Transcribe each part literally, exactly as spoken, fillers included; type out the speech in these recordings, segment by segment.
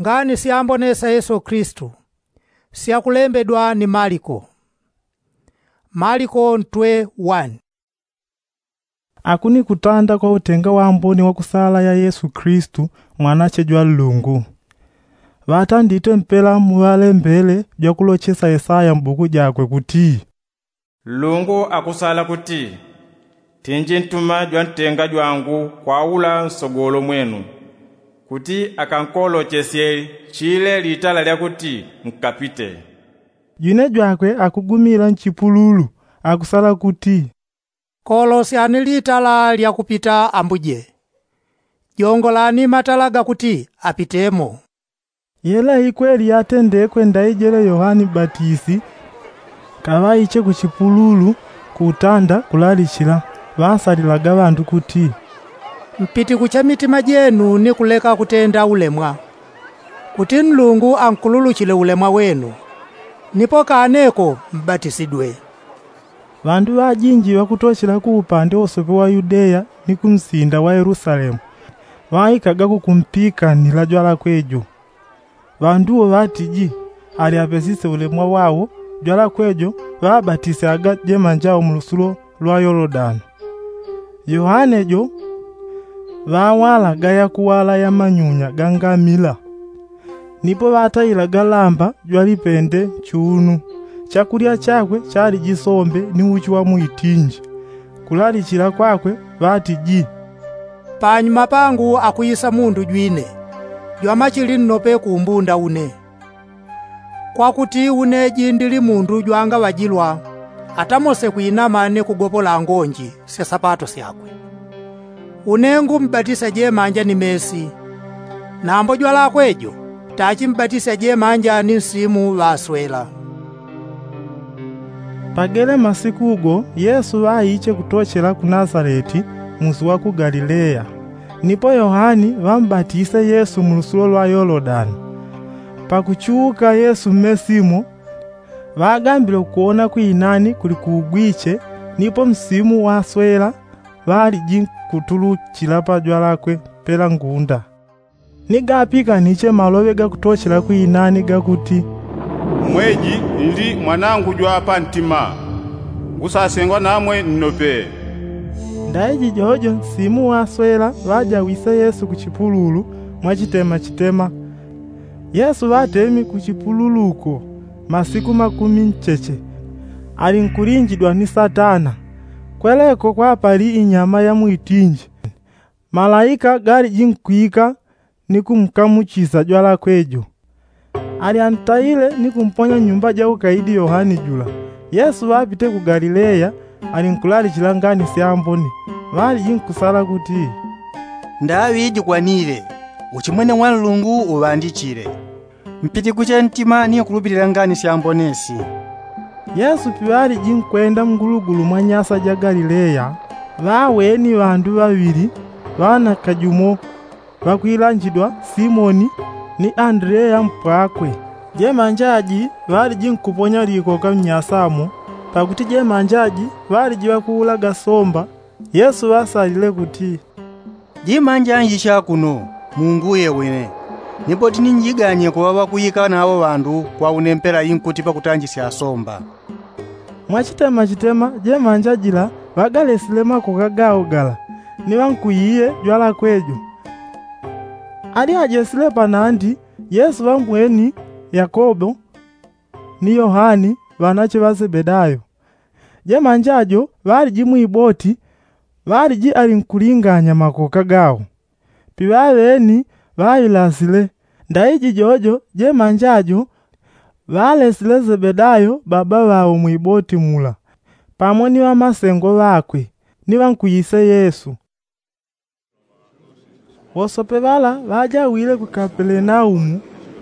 Ngani syambonesa yesu kristu syakulembedwa ni maliko. Maliko ntwe wani. Akunikutanda kwa utenga wamboni wakusala ya yesu kristu, mwanache jwa nlungu. Ŵatandite mpela muŵalembele jwakulochesa yesaya mbuku jakwe kuti, nlungu akusala kuti, tinji ntuma jwantenga jwangu kwaula nsogolo mwenu, kuti akankolokesye chile litala lyakuti nkapite. Jwine jwakwe akugumila nchipululu, akusala kuti, kolosyani litala lyakupita ambuje, jongolani matala gakuti apitemo. Yela ikweli yatendekwe ndaijele yohani mbatisi. Kaŵaiche kuchipululu, kutanda kulalichila, ŵansalilaga ŵandu kuti, mpitikuche mitima jenu ni kuleka kutenda ulemwa, kuti nlungu ankululuchile ulemwa wenu, nipo kaneko mbatisidwe. Ŵandu ŵajinji ŵakutochela ku upande wosope wa yudeya ni ku nsinda wa yelusalemu, ŵaikaga kukumpikanila jwalakwe jo. Ŵandu wo ŵatiji, ali apesise ulemwa wawo, jwalakwe jo ŵabatisyaga jemanja wo mu lusulo lwa yolodani. Yohane jo ŵawalaga yakuwala ya manyunya ga ngamila. Nipo ŵatailaga lamba jwalipende nchunu. Chakulya chakwe chaliji sombe ni uchi wa mwitinji. Kulalichila kwakwe ŵatiji, panyuma pangu akwisa mundu jwine, jwamachili nnope kumbunda une, kwakuti une ji ndili mundu jwangaŵajilwa, atamose kwinama ni kugopola ngonji sya sapato syakwe. Une ngumbatisya jemanja ni mesi, nambo jwalakwe jo tachimbatisya jemanja ni nsimu ŵaswela. Pagele masiku go yesu ŵaiche kutochela ku nasaleti, musi wa ku galileya. Nipo yohani ŵambatise yesu mu lusulo lwa yolodani. Pakuchuka yesu mmesimo, ŵagambile ukuwona kwinani kuli kugwiche, nipo msimu waswela ŵaliji nkutuluchila pajwalakwe pela ngunda. Ni gapikaniche maloŵe gakutochela kwinani gakuti, mweji ndi mwanangu jwa pantima, ngusasengwa namwe nnope. Ndaiji jojo nsimu waswela ŵajawise yesu kuchipululu mwachitemachitema. Yesu ŵatemi kuchipululuko masiku makumi ncheche, alinkulinjidwa ni satana. Kweleko kwapali inyama ya mwitinji. Malaika galiji nkwika ni kumkamuchisa jwalakwe jo. Alyantaile ni kumponya nyumba ja ukaidi yohani jula. Yesu ŵapite ku galileya, alinkulalichila ngani syambone. Ŵaliji nkusala kuti, ndaŵi jikwanile, uchimwene wa nlungu uŵandichile. Mpitikuche ntima ni kulupilila ngani syambone si. Yesu piŵaliji nkwenda mungulugulu mwa nyasa ja galileya, ŵaweni ŵandu ŵaŵili, ŵana kajumo ŵakwilanjidwa simoni ni andeleya mpwakwe. Jemanja ji ŵaliji nkuponya likoka mnyasamo, pakuti jemanja ji ŵaliji ŵakuulaga somba. Yesu ŵasalile kuti, jimanja njicha kuno, munguye wine, nipo tininjiganye kuŵa ŵakuika nawo ŵandu kwa une mpela inkuti pakutanjisya asomba. Mwachitemachitema jemanja jila ŵagalesile makoka gawo gala, ni ŵankuiye jwalakwe jo. Ali ajesile panandi, yesu ŵambweni yakobo ni yohani, ŵanache ŵa sebedayo. Jemanja jo ŵaliji mwiboti, ŵaliji alinkulinganya makoka gawo. Piŵaŵeni ŵailasile. Ndaiji jojo jemanja jo ŵalesile sebedayo baba ŵawo mwiboti mula, pamo ni ŵamasengo ŵakwe, ni ŵankwise yesu. Wosope ŵala ŵajawile ku kapelenaumu,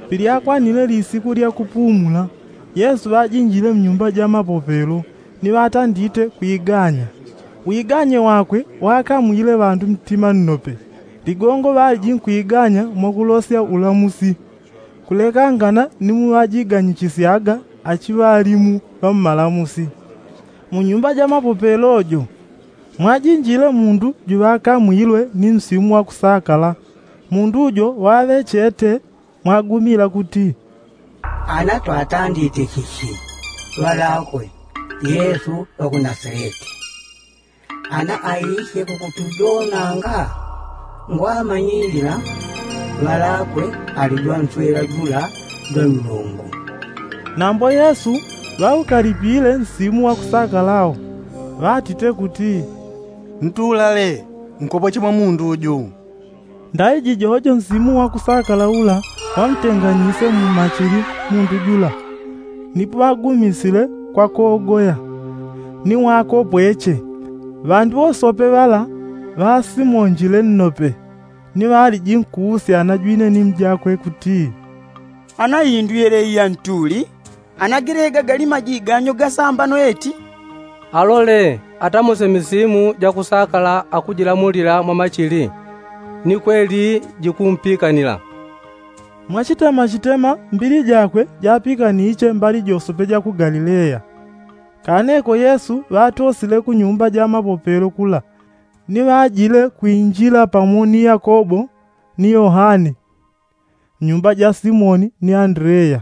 pilyakwanile lisiku lya kupumula, yesu ŵajinjile mnyumba ja mapopelo, ni ŵatandite kwiganya. Wiganye wakwe wakamwile ŵandu mtima nnope. Ligongo ŵaliji nkwiganya mwakulosya ulamusi, kulekangana ni muŵajiganyichisyaga achiŵalimu ŵa mmalamusi. Mu nyumba ja mapopelo jo mwajinjile mundu juŵakamwilwe ni msimu wa kusakala. Mundu jo waŵechete mwagumila kuti, ana twatandite chichi ŵalakwe yesu ŵa ku nasareti. Ana aiche kukutujonanga ngwamanyilila ŵalakwe ali jwanswela jula jwa nlungu. Nambo yesu ŵaukalipile nsimu wa kusakala wo, ŵatite kuti, ntulale nkopoche mwa mundu uju. Ndaiji jojo nsimu wa kusakala ula ŵamtenganyise mu machili mundu jula, nipo ŵagumisile kwa kogoya ni wakopweche. Ŵandu wosope ŵala ŵasimonjile nnope, ni ŵaliji nkuusya ana jwine ni mjakwe kuti, ana indu yeleyi ya ntuli? Ana gelega gali majiganyo gasambano eti? Alole atamuse misimu ja kusakala akujilamulila mwa machili, ni kweli jikumpikanila. Mwachitema chitema mbili jakwe japikaniche mbali josope ja ku galileya. Kaneko yesu ŵatosile ku nyumba ja mapopelo kula, ni ŵajile kwinjila pamo ni yakobo ni yohane, nyumba ja simoni ni andreya.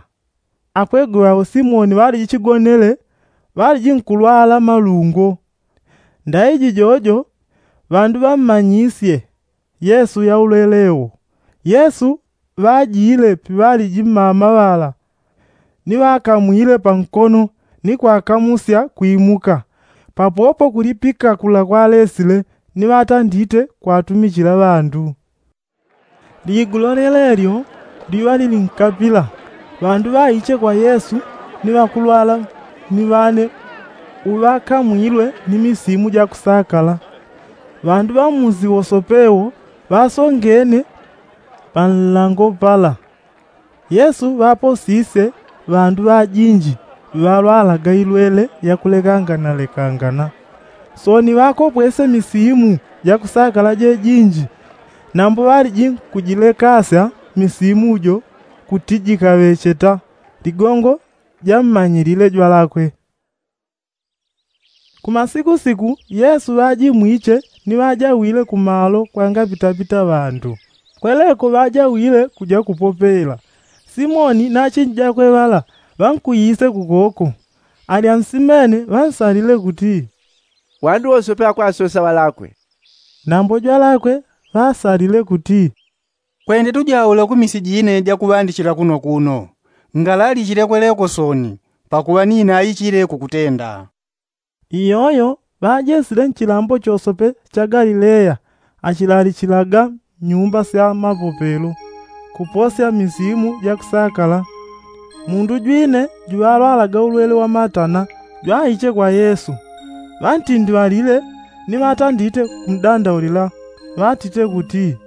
Akwegwe ŵao simoni ŵaliji chigonele, ŵaliji nkulwala malungo. Ndaiji jojo ŵandu ŵammanyisye yesu yaulwele wo. Yesu ŵajile piŵaliji mmama ŵala, ni ŵakamwile pankono ni kwakamusya kwimuka. Papopo kulipika kula kwalesile, ni ŵatandite kwatumichila ŵandu. Liigulo lyelelyo liŵa lili nkapila, ŵandu ŵaiche kwa yesu ni ŵakulwala ni ŵane uŵakamwilwe ni misimu ja kusakala. Ŵandu ŵa mmusi wosope wo ŵasongene panlango pala. Yesu ŵaposisye ŵandu ŵajinji ŵalwalaga ilwele yakulekanganalekangana. Sooni ŵakopwesye misimu ja kusakala jejinji, nambo ŵaliji nkujilekasya misimu jo kuti jikaŵecheta ligongo jammanyilile jwalakwe. Kumasikusiku yesu ŵajimwiche ni ŵajawile kumalo kwangapitapita ŵandu. Kweleko ŵajawile kuja kupopela. Simoni na achinji jakwe ŵala ŵankuyise kukoko. Alyansimene ŵansalile kuti, ŵandu wosope akwasosa ŵalakwe. Nambo jwalakwe ŵasalile kuti, kwende tujaule ku misi jine jakuŵandichila kuno kuno. Ngalalichile kweleko sooni, pakuŵa nine aichile kukutenda. Iyoyo ŵajesile nchilambo chosope cha galileya achilalichilaga mnyumba sya mapopelo kuposya misimu ja kusakala. Mundu jwine juŵalwalaga ulwele wa matana jwaiche kwa yesu. Ŵantindi ŵalile ni ŵatandite kumdandaulila ŵatite kuti,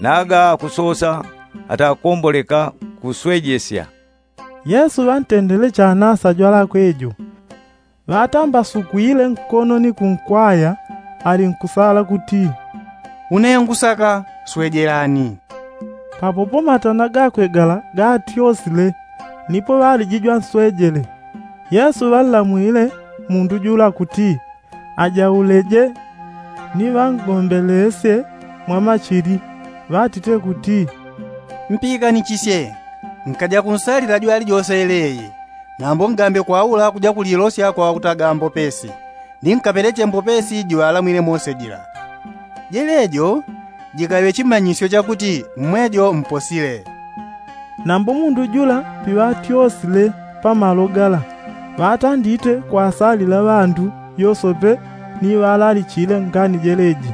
naga akusosa atakomboleka kuswejesya. Yesu ŵantendele chanasa jwalakwe jo. Ŵatambasukwile nkono ni kunkwaya, alinkusala kuti, une ngusaka, swejelani. Papopo matana gakwe gala gatyosile, nipo ŵaliji jwanswejele. Yesu ŵanlamwile mundu jula kuti, ajauleje ni ŵangombelesye mwa machili, ŵatite kuti, mpiikanichisye, nkaja kunsalila jwali jose yeleye. Nambo ngambe kwaula kuja kulilosya kwa ŵakutaga mbopesi, ni nkapeleche mbopesi jiŵalamwile mose jila. Jelejo jikaŵe chimanyisyo chakuti mmwejo mposile. Nambo mundu jula piŵatyosile pamalo gala, ŵatandite kwasalila ŵandu yosope ni ŵalalichile ngani jeleji.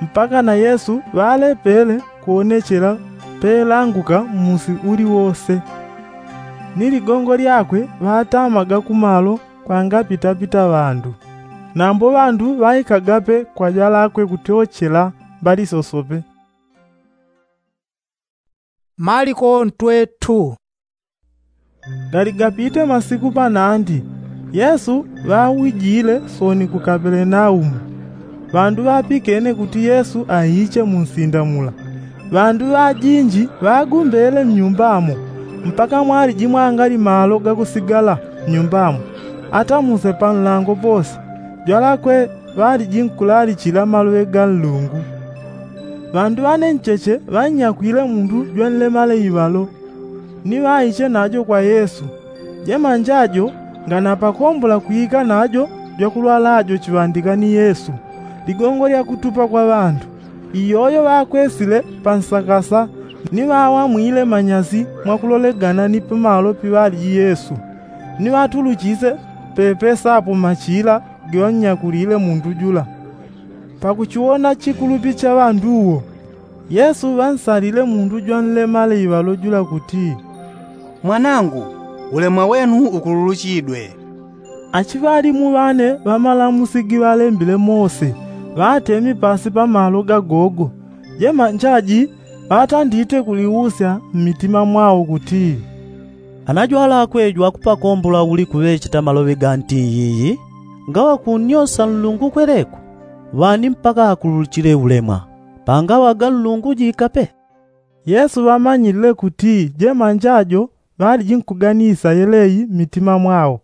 Mpaka na yesu ŵalepele kuwonechela pelanguka mmusi uliwose. Ni ligongo lyakwe ŵatamaga kumalo kwangapitapita ŵandu. Nambo ŵandu ŵaikagape kwa jwalakwe kutyochela mbali sosope. Maliko ntwe tu. Galigapite masiku panandi, yesu ŵawijile sooni ku kapelenaumu. Ŵandu ŵapikene kuti yesu aiche mu nsinda mula. Ŵandu ŵajinji ŵagumbele mnyumbamo, mpaka mwaliji mwangali malo gakusigala mnyumbamo. Atamuse panlango pose, jwalakwe ŵaliji nkulalichila maloŵe ga nlungu. Ŵandu ŵanencheche ŵannyakwile mundu jwanlemale iŵalo. Ni ŵaiche najo kwa yesu. Jemanja jo nganapakombola kwika najo jwakulwala jo chiŵandika ni yesu, ligongo lya kutupa kwa ŵandu. Iyoyo ŵakwesile pa nsakasa ni ŵawamwile manyasi mwakulolegana ni pamalo piŵaliji yesu, ni ŵatuluchise pepesapo machila giŵannyakulile mundu jula. Pakuchiwona chikulupi cha ŵandu wo, yesu ŵansalile mundu jwanlemale iŵalo jula kuti, mwanangu, ulemwa wenu ukululuchidwe. Achiŵalimu ŵane ŵamalamusi giŵalembile mose ŵatemi pasi pamalo gagogo. Jemanja ji ŵatandite kuliusya mmitima mwao kuti, anajwalakwe jwakupakombola uli kuŵecheta maloŵe ga nti iyiyi? Ngaŵa kunnyosa nlungu kweleku? Ŵani mpaka akululuchile ulemwa? Pangaŵa ga nlungu jikape? Yesu ŵamanyilile kuti jemanja jo ŵaliji nkuganisya yeleyi mmitima mwao.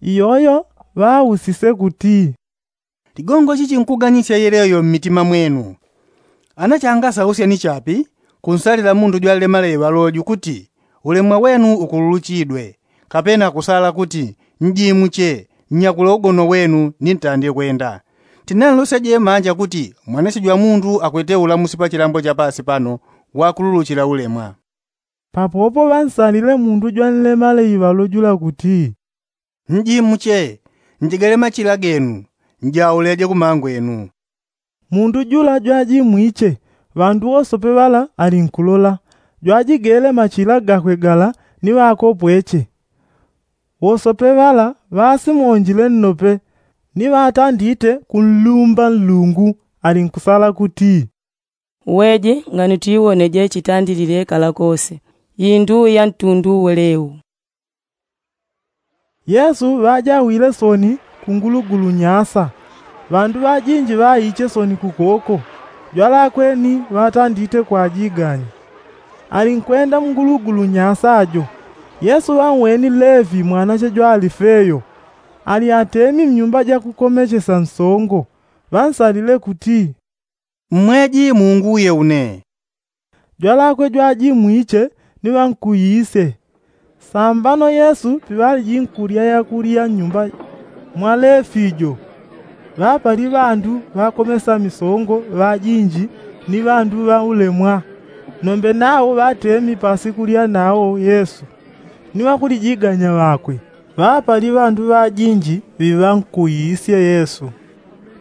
Iyoyo ŵausise kuti, ligongo chichi nkuganisya yeleyo mmitima mwenu? Ana changasausya ni chapi kunsalila mundu jwanlemale iŵalo jukuti, ulemwa wenu ukululuchidwe, kapena kusala kuti, njimuche, nnyakule ugono wenu ni ntande kwenda? Tinanlosya jemanja kuti mwanasyo jwa mundu akwete ulamusi pa chilambo cha pasi pano wakululuchila ulemwa. Papopo ŵansalile mundu jwanlemale iŵalo jula kuti, njimuche, njigale machila genu, njauleje kumangwenu. Mundu jula jwajimwiche, ŵandu wosope ŵala alinkulola. Jwajigele machila gakwe gala ni ŵakopweche. Wosope ŵala ŵasimonjile nnope, ni ŵatandite kunlumba nlungu, alinkusala kuti, weje nganutiwoneje chitandilile kala kose, indu ya ntundu welewu. Yesu ŵajawile soni kungulugulu nyasa. Ŵandu ŵajinji ŵaiche soni kukoko. Jwalakwe ni ŵatandite kwajiganya. Alinkwenda mungulugulu nyasa jo. Yesu ŵanweni levi mwanache jwa alifeyo, ali atemi mnyumba jakukomechesa nsongo. Ŵansalile kuti, mmweji muunguye une. Jwalakwe jwajimwiche ni ŵankuyise. Sambano yesu piŵaliji nkulya yakulya nnyumba mwa lefi jo, ŵapali ŵandu ŵakomesa misongo ŵajinji ni ŵandu ŵaulemwa. Nombe nao ŵatemi pasi kulya nao yesu ni ŵakulijiganya ŵakwe. Ŵapali ŵandu ŵajinji ŵiŵankuyisye yesu.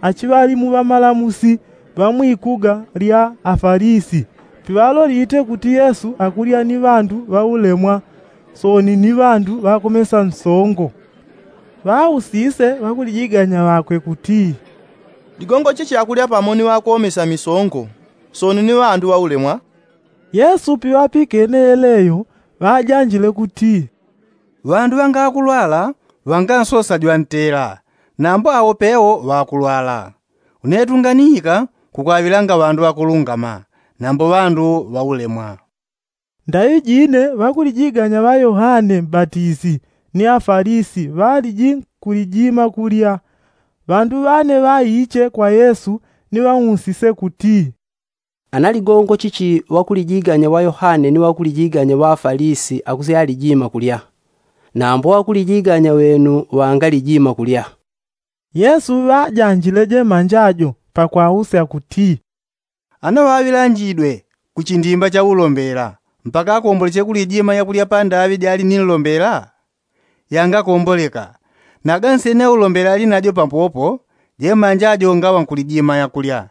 Achiŵalimu ŵamalamusi ŵa mwikuga lya afalisi piŵalolite kuti yesu akulya ni ŵandu ŵaulemwa soni ni ŵandu ŵakomesa nsongo. Ŵausise ŵakulijiganya ŵakwe kuti, ligongo chichi akulya pamo ni ŵakomesa misongo soni ni ŵandu ŵaulemwa? Yesu piŵapikene yeleyo ŵajanjile kuti, ŵandu ŵangakulwala ŵangansosa jwantela, nambo awo pewo ŵakulwala. Une tunganiika kukwaŵilanga ŵandu ŵakulungama, nambo ŵandu ŵaulemwa. Ndaŵi jine ŵakulijiganya ŵa yohane mbatisi ni afalisi ŵaliji nkulijima kulya. Ŵandu ŵane ŵaiche kwa yesu ni ŵausise kuti, ana ligongo chichi ŵakulijiganya ŵa yohane ni ŵakulijiganya ŵa afalisi akusi alijima kulya, nambo ŵakulijiganya ŵenu ŵangalijima kulya? Yesu ŵajanjile jemanja jo pakwausya kuti, ana ŵaŵilanjidwe kuchindimba cha ulombela mpaka akomboleche kulijima yakulya pa ndaŵi jali ni nlombela? Yangakomboleka. Nagansene ulombela ali najo pampopo, jemanja jo ngaŵa nkulijima yakulya.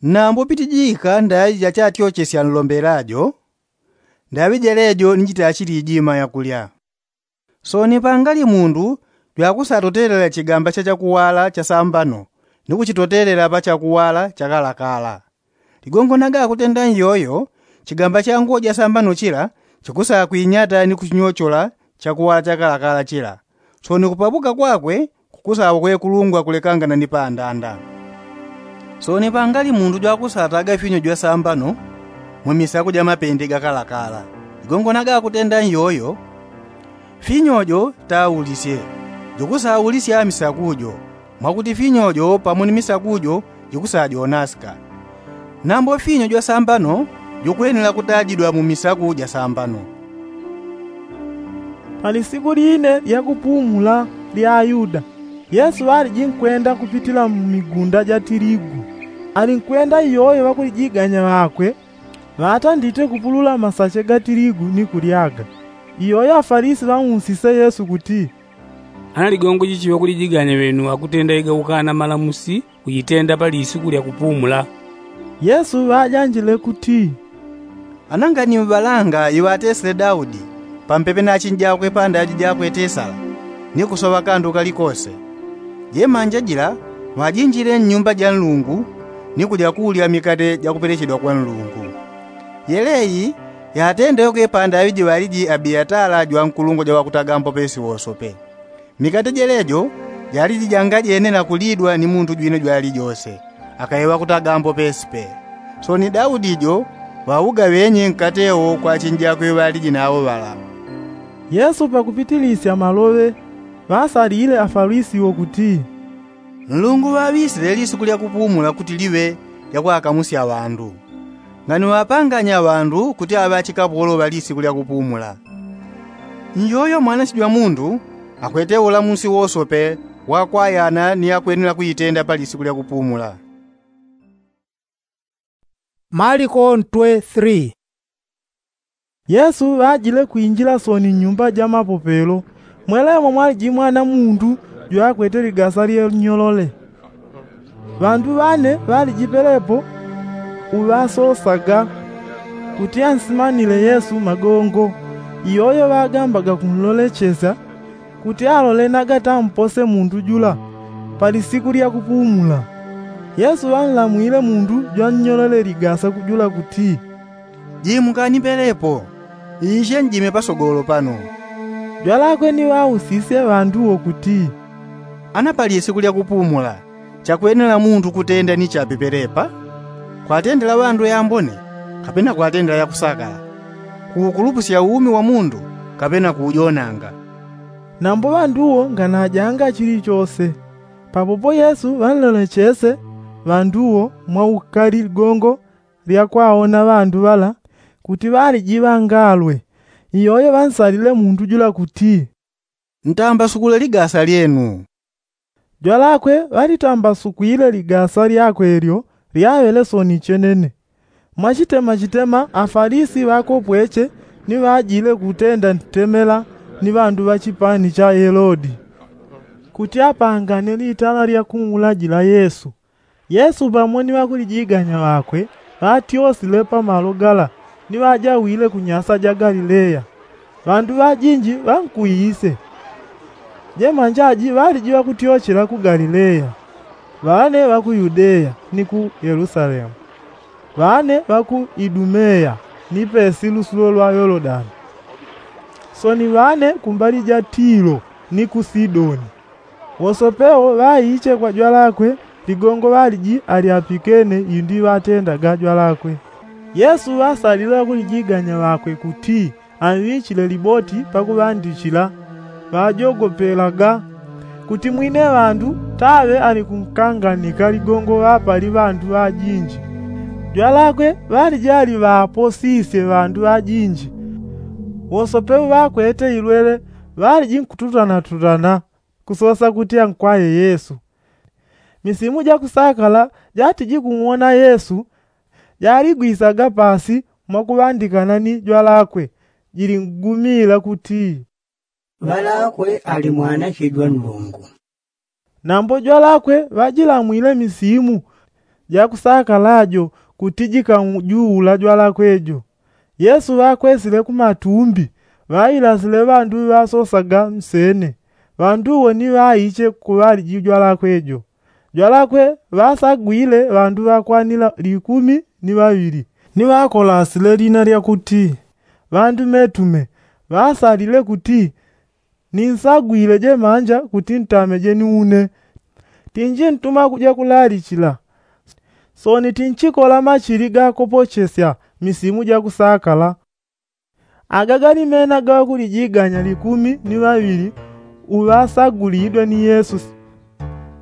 Nambo pitijika ndaŵi jachatyochesya nlombela jo, ndaŵi jelejo ni jitachilijima yakulya. Soni pangali mundu jwakusatotelela chigamba cha chakuwala cha sambano ni kuchitotelela pa chakuwala cha kalakala. Ligongo naga akutenda nyoyo, chigamba cha nguwo ja sambano chila chikusakwinyata ni kuchinyochola chakuwala cha kalakala chila. Soni kupapuka kwakwe kukusaŵa kwekulungwa kulekangana ni pandanda. Soni pangali mundu jwakusataga finyo jwa sambano mu misaku ja mapende ga kalakala. Ligongo naga akutenda nyoyo, finyo jo taulisye, jukusaulisya misaku jo, mwakuti finyo jo pamo ni misaku jo jikusajonasika. Nambo finyo jwa sambano jukwenela kutajidwa mu misaku ja sambano. Palisiku line lyakupumula lya ayuda, yesu ŵaliji nkwenda kupitila mmigunda ja tiligu. Alinkwenda iyoyo ŵakulijiganya ŵakwe ŵatandite kupulula masache ga tiligu ni kulyaga. Iyoyo afalisi ŵausise yesu kuti, ana ligongo jichi ŵakulijiganya ŵenu akutenda iga ukana malamusi kujitenda pa lisiku lya kupumula? Yesu ŵajanjile kuti, ana ngani mŵalanga iŵatesile daudi pampepe na achinjakwe pa ndaji jakwe tesala, ni kusoŵa kandu kalikose. Jemanja jila ŵajinjile nnyumba ja nlungu, ni kulya kulya mikate jakupelechedwa kwa nlungu. Yeleyi yatenda yoke pa ndaŵi jiŵaliji abiatala jwankulungwa ja ŵakutaga mpopesi wosope. Mikate jelejo jaliji janga jene na kulidwa ni mundu jwine jwalijose, akaye ŵakutaga mpopesi pe. Sooni daudi jo ŵaugaŵenye nkate wo kwa achinjakwe ŵaliji nawo ŵala. Yesu pakupitilisya maloŵe, ŵasalile afalisi wo kuti, nlungu ŵaŵisile lisiku lya kupumula kuti liŵe lya kwakamusya ŵandu. Ngani ŵapanganya ŵandu kuti aŵe achikapolo ŵa lisiku lya kupumula. Njoyo mwanache jwa mundu akwete ulamusi wosope wa kwayana ni akwenela kujitenda pa lisiku lya kupumula. Maliko ntwe three. Yesu ŵajile kwinjila sooni nnyumba ja mapopelo. Mwelemo mwaliji mwana mundu jwakwete ligasa lyenyolole. Ŵandu ŵane ŵaliji pelepo uŵasosaga kuti ansimanile yesu magongo. Iyoyo ŵagambaga kunlolechesya kuti alole nagatampose mundu jula pa lisiku lya kupumula. Yesu ŵanlamwile mundu jwannyolole ligasa jula kuti, jimukani pelepo, iishe njime pasogolo pano. Jwalakwe ni ŵausisye ŵandu wo kuti, ana pa lisiku lya kupumula chakwenela mundu kutenda ni chapi pelepa? Kwatendela ŵandu yambone, kapena kwatendela yakusakala? Kuukulupusya umi wa mundu, kapena kuujonanga? Nambo ŵandu wo nganajanga chilichose. Papopo yesu ŵanlolechese ŵandu wo mwaukali ligongo lya kwaona ŵandu ŵala kuti ŵaliji ŵangalwe. Iyoyo ŵansalile mundu jula kuti, ntambasukule ligasa lyenu. Jwalakwe ŵalitambasukwile ligasa lyakwe lyo lyaŵele sooni chenene. Mwachitema chitema afalisi ŵakopweche ni ŵajile kutenda ntemela ni ŵandu ŵa chipani cha helodi kuti apangane litala lya kuulajila yesu. Yesu pamo ni ŵakulijiganya ŵakwe ŵatyosile pa malo gala ni ŵajawile ku nyasa ja galileya. Ŵandu ŵajinji ŵankwiyise. Jemanjaji ŵaliji ŵakutyochela ku galileya, ŵane ŵa ku yudeya ni ku yelusalemu, ŵane ŵa ku idumeya ni pesi lusulo lwa yolodani, sooni ŵane kumbali ja tilo ni ku sidoni. Wosope wo ŵaiche kwa jwalakwe ligongo ŵaliji alyapikene indi ŵatendaga jwalakwe. Yesu ŵasalile ŵakulijiganya ŵakwe kuti anŵichile liboti pakuŵandichila. Ŵajogopelaga kuti mwine ŵandu taŵe alikunkanganika ligongo ŵapali ŵandu ŵajinji. Jwalakwe ŵaliji aliŵaposisye ŵandu ŵajinji. Wosope uŵakwete ilwele ŵaliji nkututanatutana kusosa kuti ankwaye yesu. Misimu ja kusakala jatiji kung'wona yesu jaligwisaga pasi mwakuŵandikana ni jwalakwe jilingumila kuti, ŵalakwe ali mwanache jwa nlungu. Nambo jwalakwe ŵajilamwile misimu ja kusakala jo kuti jikajuula jwalakwe jo. Yesu ŵakwesile ku matumbi ŵailasile ŵandu ŵasosaga msene. Ŵandu wo ni ŵaiche kuŵaliji jwalakwe jo. Jwalakwe ŵasagwile ŵandu ŵakwanila likumi ni ŵaŵili ni ŵakolasile lina lya kuti ŵandu metume. Ŵasalile kuti, ninsagwile jemanja kuti ntameje ni une. Tinjintuma kuja kulalichila, sooni tinchikola machili gakopochesya misimu ja kusakala. Aga gali mena ga ŵakulijiganya likumi ni ŵaŵili uŵasagulidwe ni yesu.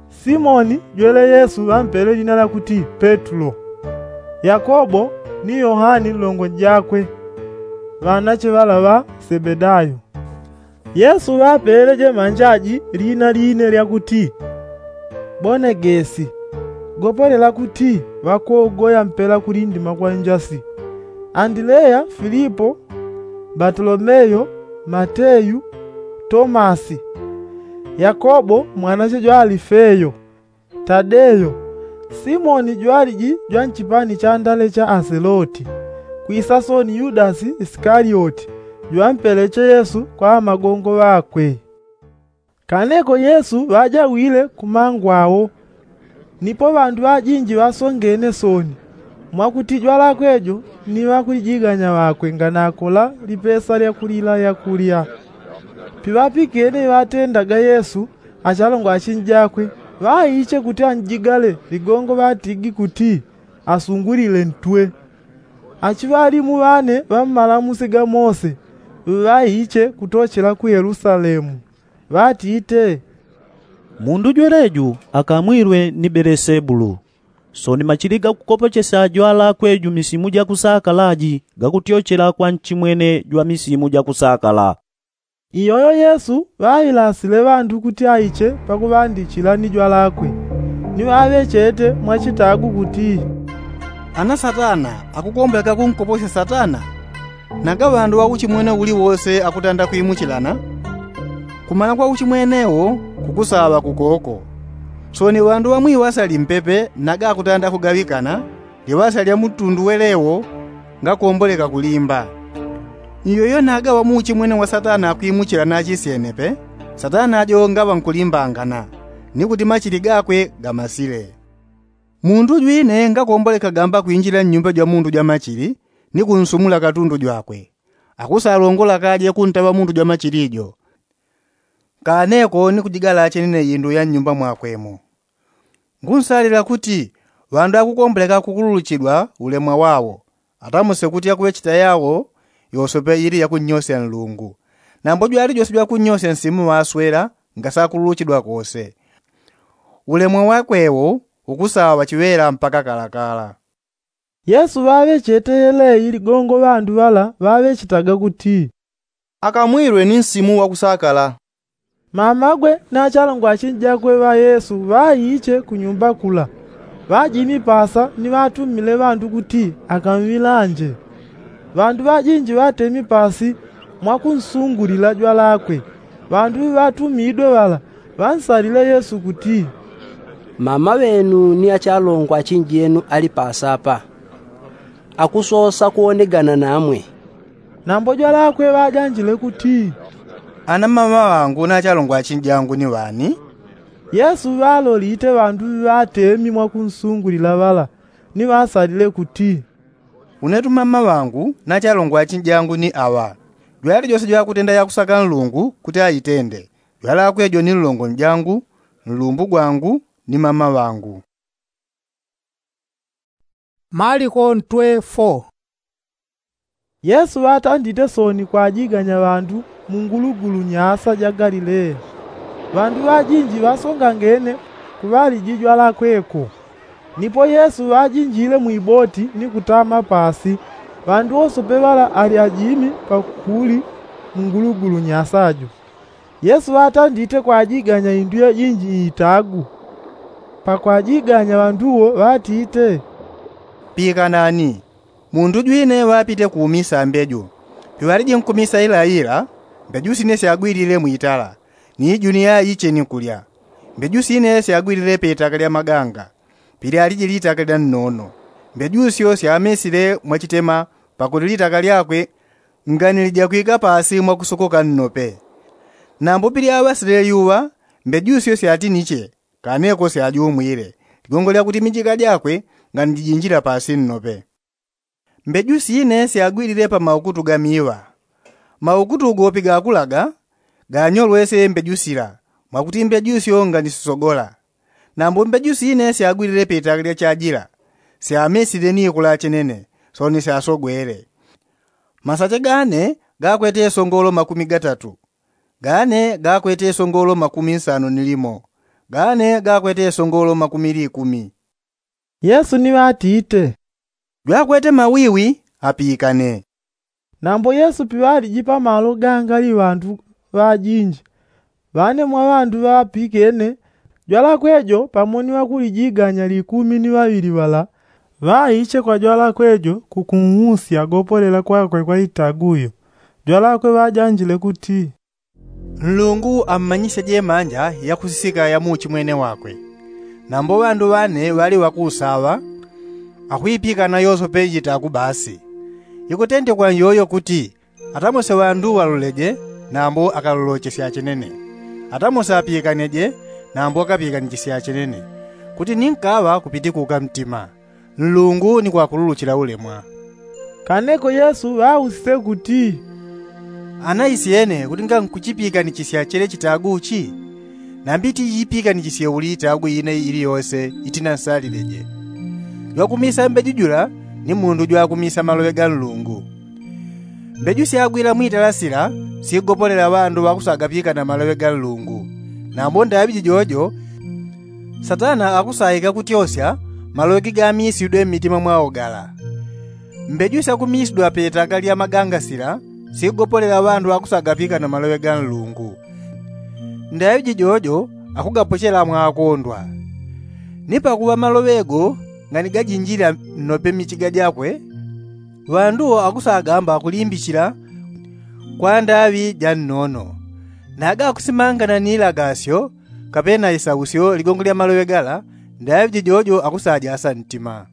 Simoni jwele yesu ŵampele lina lya kuti petulo, yakobo ni yohani nlongo jakwe, ŵanache ŵala ŵa sebedayo, Yesu ŵapeleje manjaji lina line lyakuti bonegesi, gopolela kuti ŵakogoya mpela kulindima kwa njasi. Andileya, filipo, batolomeyo, mateyu, tomasi, yakobo mwanache jwa alifeyo, tadeyo, simoni jwaliji jwa nchipani cha ndale cha aseloti, kwisasoni yudasi isikalioti, jwampeleche yesu kwa amagongo ŵakwe. Kaneko yesu ŵajawile kumangwawo. Nipo ŵandu ŵajinji ŵasongene soni, mwakuti jwalakwe jo ni ŵakulijiganya ŵakwe nganakola lipesa lyakulila yakulya. Piŵapikene iŵatendaga yesu achalongwa achinji jakwe, ŵaiche kuti anjigale ligongo ŵatigi kuti asungulile ntwe. Achiŵalimu ŵane ŵammalamusi ga mose ŵaiche kutochela ku yelusalemu, ŵatite, mundu jweleju akamwilwe ni belesebulu. Soni machili gakukopochesya jwalakwe ju misimu jakusakala ji gakutyochela kwa nchimwene jwa misimu jakusakala. Iyoyo yesu ŵailasile ŵandu kuti aiche pakuŵandichila ni jwalakwe. Ni ŵaŵechete mwachitagu kuti, ana satana akukomboleka kunkoposya satana? Naga ŵandu ŵauchimwene uliwose akutanda kwimuchilana. Kumana kwa uchimwene wo kukusaŵa kukoko. Soni ŵandu ŵamwiŵasa limpepe naga akutanda kugaŵikana, liŵasa lya mutundu welewo ngakomboleka kulimba. Iyoyo naga ŵamuuchimwene wa satana akwimuchila nachisyene pe, satana jo ngaŵa nkulimbangana, ni kuti machili gakwe gamasile. Mundu jwine ngakomboleka gamba kwinjila nnyumba jwa mundu jwa machili, ni kunsumula katundu jwakwe. Akusalongola kaje kuntaŵa mundu jwa machili jo. Kaneko ni kujigala chenene indu ya nnyumba mwakwe mo. Ngunsalila kuti ŵandu akukomboleka kukululuchidwa ulemwa wawo, atamuse kuti akuŵecheta yawo yosope ili yakunnyosya nlungu. Nambo jwali jose jwakunnyosya nsimu ŵaswela ngasakululuchidwa kose. Ulemwa wakwe wo ukusaŵa chiŵela mpaka kalakala. Yesu ŵaŵechete yeleyi ligongo ŵandu ŵala ŵaŵechetaga kuti, akamwilwe ni nsimu wakusakala. Mamagwe na achalongwa achinji jakwe ŵa yesu ŵaiche kunyumba kula, ŵajimi pasa ni ŵatumile ŵandu kuti akamwilanje. Ŵandu ŵajinji ŵatemi pasi mwakunsungulila jwalakwe. Ŵandu ŵatumidwe ŵala ŵansalile yesu kuti, mama ŵenu ni achalongwa achinji yenu ali pasa apa, akusosa kuwonegana namwe. Nambo jwalakwe ŵajanjile kuti, ana mama ŵangu na achalongwa achinji jangu ni ŵani? Yesu ŵalolite ŵandu ŵatemi mwakunsungulila ŵala, ni ŵasalile kuti, unetu mama ŵangu na achalongwa achinji jangu ni aŵa. Jwali jose jwakutenda yakusaka nlungu kuti aitende, jwalakwe jo ni nlongo njangu, nlumbu gwangu, ni mama ŵangu. Maliko ntwe fo. Yesu ŵatandite soni kwajiganya ŵandu mu ngulugulu nyasa ja galilea. Ŵandu ŵajinji ŵasongangene kuŵaliji jwalakwe ko. Nipo yesu ŵajinjile mwiboti ni kutama pasi, ŵandu wosope ŵala ali ajimi pakuli mu ngulugulu nyasa jo. Yesu ŵatandite kwajiganya indu yajinji iitagu. Pakwajiganya ŵandu wo ŵatite, pikanani. Mundu jwine ŵapite kuumisa mbeju. Piŵaliji nkumisa ilaila, mbeju sine syagwilile mwitala, ni juni yaiche ni kulya. Mbeju sine syagwilile peitaka lya maganga, pilyaliji litaka lya nnono. Mbeju syo syamesile mwachitema, pakuti litaka lyakwe nganilijagwika pasi mwakusokoka nnope. Nambo pilyaŵasile lyuŵa, mbeju syo syatiniche, kaneko syajumwile, ligongo lyakuti mijika jakwe nganijijinjila pasi nnope. Mbeju sine syagwilile pa maukutu ga miŵa. Maukutu gopi gakulaga, ganyolwese mbeju sila, mwakuti mbeju syo nganisisogola. Nambo mbeju sine syagwilile peitaka lya chajila, syamesile ni kula chenene, soni syasogwele. Masache gane gakwete songolo makumi gatatu, gane gakwete songolo makumi nsano ni limo, gane gakwete songolo makumi likumi. Yesu ni ŵatite, jwakwete mawiwi apikane. Nambo yesu piŵaliji pamalo gangali ŵandu ŵajinji. Ŵane mwa ŵandu ŵapikene jwalakwe jo pamo ni ŵakulijiganya likumi ni ŵaŵili ŵala, ŵaiche kwa jwalakwe jo kukunhusya gopolela kwakwe kwa itagu yo. Jwalakwe ŵajanjile kuti, nlungu ammanyisye jemanja yakusisika ya muuchimwene wakwe. Nambo ŵandu ŵane ŵali ŵakuusaŵa, akwipikana yosope jitagu basi. Ikutendekwa njojo kuti atamuse ŵandu ŵaloleje, nambo akalolochesye achenene. Atamuse apikaneje, nambo akapikanichesye achenene, kuti ni nkaŵa kupitikuka mtima, nlungu ni kwakululuchila ulemwa. Kaneko yesu ŵausise kuti, ana isyene kuti ngankuchipiikanichisya chele chitagu chi? Nambi tichipiikanichisye uli itagu ine ili yose itinansalile je. Jwakumisa mbeju jula ni mundu jwakumisa maloŵe ga nlungu. Mbeju syagwila mwitala sila sigopolela ŵandu ŵakusagapikana maloŵe ga nlungu. Nambo ndaŵi jijojo satana akusaika kutyosya maloŵe gigamisidwe mmitima mwao gala. Mbeju syakumisidwa petaka lya maganga sila sigopolela ŵandu ŵakusagapikana maloŵe ga nlungu. Ndaŵi jijojo akugapochela mwaakondwa. Ni pakuŵa maloŵe go nganigajinjila nnope mmichiga jakwe, ŵandu akusagamba kulimbichila kwa ndaŵi ja nnono. Naga akusimangana ni ilagasyo kapena isausyo ligongo lya maloŵe gala, ndaŵi jijojo akusajasa ntima.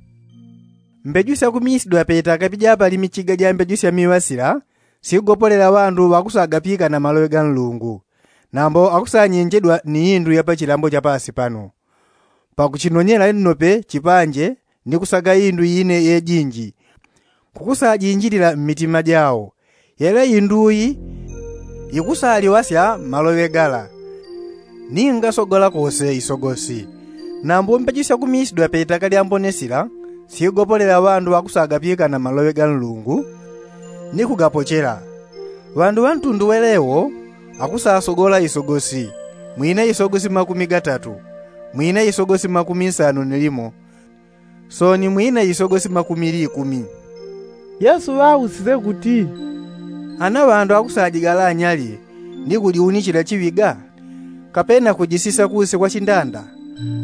Mbeju syakumisidwa petaka pijapali michiga ja mbeju sya miŵa sila sigopolela ŵandu ŵakusagapikana maloŵe ga nlungu. Nambo akusanyenjedwa ni indu ya pachilambo cha paasi pano, pakuchinonyela nnope chipanje ni kusaga indu ine yejinji kukusajinjilila mmitima jao. Yele indu yi ikusaliŵasya maloŵe gala, ni ngasogola kose isogosi. Nambo mbeju syakumisidwa petaka lya mbone sila sigopolela ŵandu ŵakusagapikana maloŵe ga nlungu ni kugapochela. Ŵandu ŵa ntundu wele wo akusasogola isogosi, mwine isogosi makumi gatatu, mwine isogosi makumi nsanu ni limo, soni mwine isogosi makumi likumi. Yesu ŵausise kuti, ana ŵandu akusajigala anyali ni kujiunichila chiŵiga? Kapena kujisisa kunse kwa chindanda?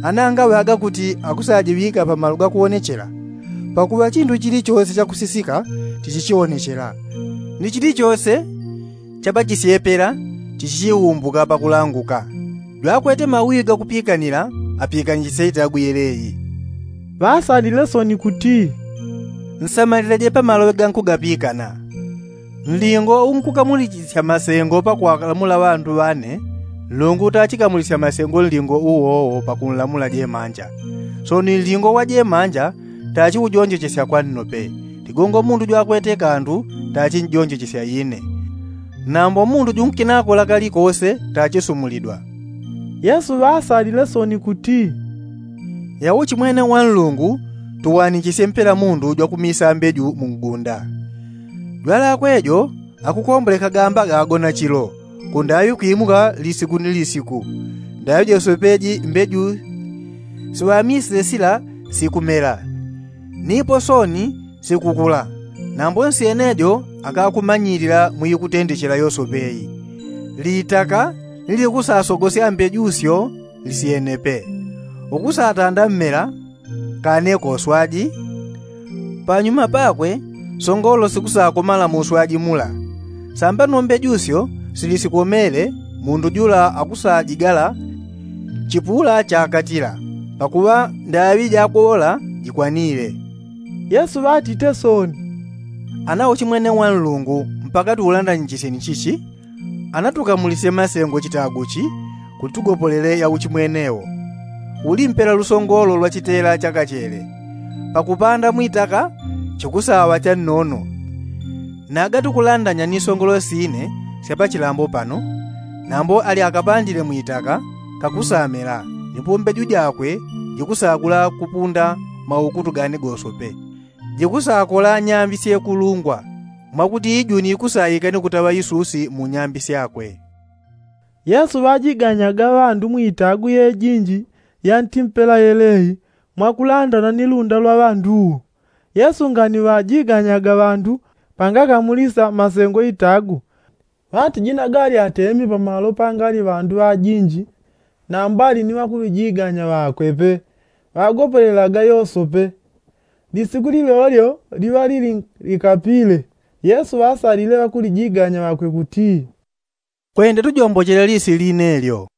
Ana ngaŵaga kuti akusajiŵika pamalo ga kuonechela? Pakuŵa chindu chilichose chakusisika tichichionechela, ni chilichose cha pachisyepela tichichiumbuka pakulanguka. Jwakwete mawi ga kupikanila apikanichisye itagu yeleyi. Ŵasalile soni kuti, nsamalileje pamaloŵe ga nkugapikana. Nlingo unkukamulichisya masengo pakwalamula ŵandu ŵane, nlungu tachikamulisya masengo nlingo uwowo pakunlamula jemanja. Soni nlingo wa jemanja tachiujonjochesya kwa nnope. Ligongo mundu jwakwete kandu tachinjonjochesya ine. Nambo mundu junkinakola kalikose tachisumulidwa. Yesu ŵasalile soni kuti, yauchimwene wa nlungu tuwanichisye mpela mundu jwakumisa mbeju mu ngunda. Jwalakwe jo akukomboleka gamba gagona chilo, kundaŵi kwimuka lisiku ni lisiku. Ndaŵi josopeji mbeju siŵamisile sila sikumela, nipo soni sikukula. Nambo nsyene jo akakumanyilila mwikutendechela yosopeyi. Litaka ni likusasogosya mbeju syo lisyenepe. Ukusatanda mmela kane koswaji. Panyuma pakwe songolo sikusakomala mu uswaji mula. Sambano mbeju syo silisikomele, mundu jula akusajigala chipula chakatila, pakuŵa ndaŵi jakuwola jikwanile. Yesu ŵatite soni, ana uchimwene wa nlungu mpaka tuulandanyichisyeni chichi? Ana tukamulisye masengo chitagu chi kuti tugopolele yauchimwene wo. Uli mpela lusongolo lwa chitela cha kachele pakupanda mwitaka chikusaŵa cha nnono. Naga tukulandanya ni songolo sine sya pachilambo pano, nambo ali akapandile mwitaka kakusamela, nipo mbeju jakwe jikusakula kupunda maukutu gane gosope. Jikusakola nyambi syekulungwa, mwakuti ijuni ikusaika ni kutaŵa isusi mu nyambi syakwe. Yesu ŵajiganyaga ŵandu mwitagu yejinji ya ntimpela yeleyi mwakulandana ni lunda lwa ŵandu. Yesu ngani ŵajiganyaga ŵandu pangakamulisa masengo itagu. Ŵatijinaga ali atemi pamalo pangali ŵandu ŵajinji, nambo ali ni ŵakulijiganya ŵakwe pe ŵagopelelaga yosope. Lisiku lilolyo liŵa lili likapile, yesu ŵasalile ŵakulijiganya ŵakwe kuti, kwende tujombochele lisi line lyo.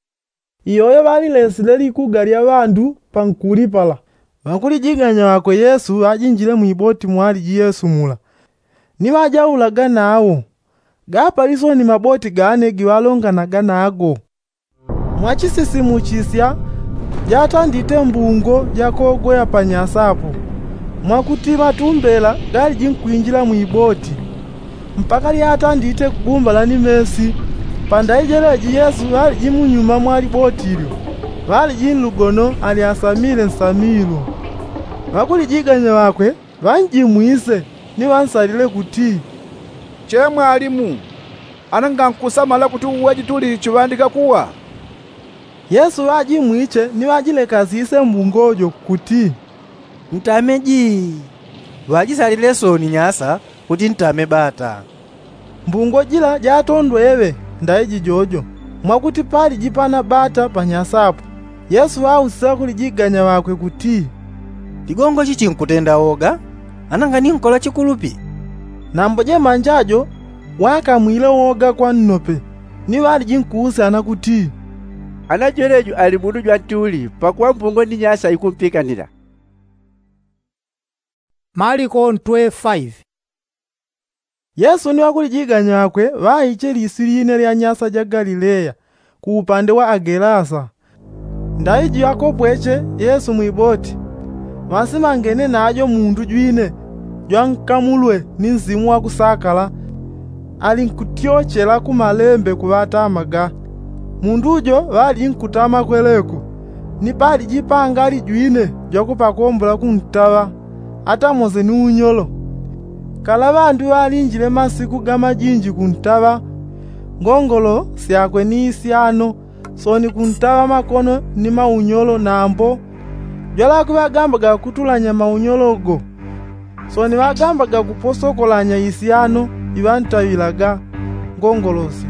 Iyoyo ŵalilesile likuga lya ŵandu pankuli pala. Ŵakulijiganya ŵakwe yesu ŵajinjile mwiboti mwaliji yesu mula, ni ŵajaulaga nawo. Gapalisoni maboti gane giŵalonganaga nago. Mwachisisimuchisya jatandite mbungo jakogoya panyasa apo, mwakuti matumbela galiji nkwinjila mwiboti, mpaka lyatandite kugumbala ni mesi. Pandaijeleji yesu ŵaliji munyuma mwa liboti lyo, ŵaliji nlugono alyasamile nsamilo. Ŵakulijiganya ŵakwe ŵanjimwise, ni ŵansalile kuti, che mwalimu, ana ngankusamala kuti uweji tuli chiŵandika kuwa? Yesu ŵajimwiche ni ŵajilekasise mbungo jo kuti, ntame ji. Ŵajisalile soni nyasa kuti ntame bata. Mbungo jila jatondweŵe ndaiji jojo, mwakuti paliji pana bata panyasa apo. Yesu ŵausisa ŵakulijiganya ŵakwe kuti, ligongo chi chinkutenda woga? Ana nganinkola chikulupi? Nambo jemanja jo ŵakamwile woga kwa nnope, ni ŵaliji nkuusyana kuti, ana jwelejo ali mundu jwantuli pakuŵa mbungo ni nyasa ikumpikanila. Maliko ntwe faive. Yesu ni ŵakulijiganya ŵakwe ŵaiche lisi line lya nyasa ja galileya, ku upande wa agelasa. Ndaiji ŵakopweche yesu mwiboti, ŵasimangene najo mundu jwine jwankamulwe ni nsimu wakusakala, ali nkutyochela ku malembe kuŵatamaga. Mundu jo ŵaliji nkutama kweleko, ni paliji pangali jwine jwakupakombola kuntaŵa, ata mose ni unyolo. Kala ŵandu ŵalinjile masiku ga majinji kuntaŵa, ngongolo syakwe ni isyano, soni kuntaŵa makono ni maunyolo nambo. Jwalakwe ŵagambaga kutulanya maunyolo go, soni ŵagambaga kuposokolanya isyano iŵantaŵilaga ngongolo syo.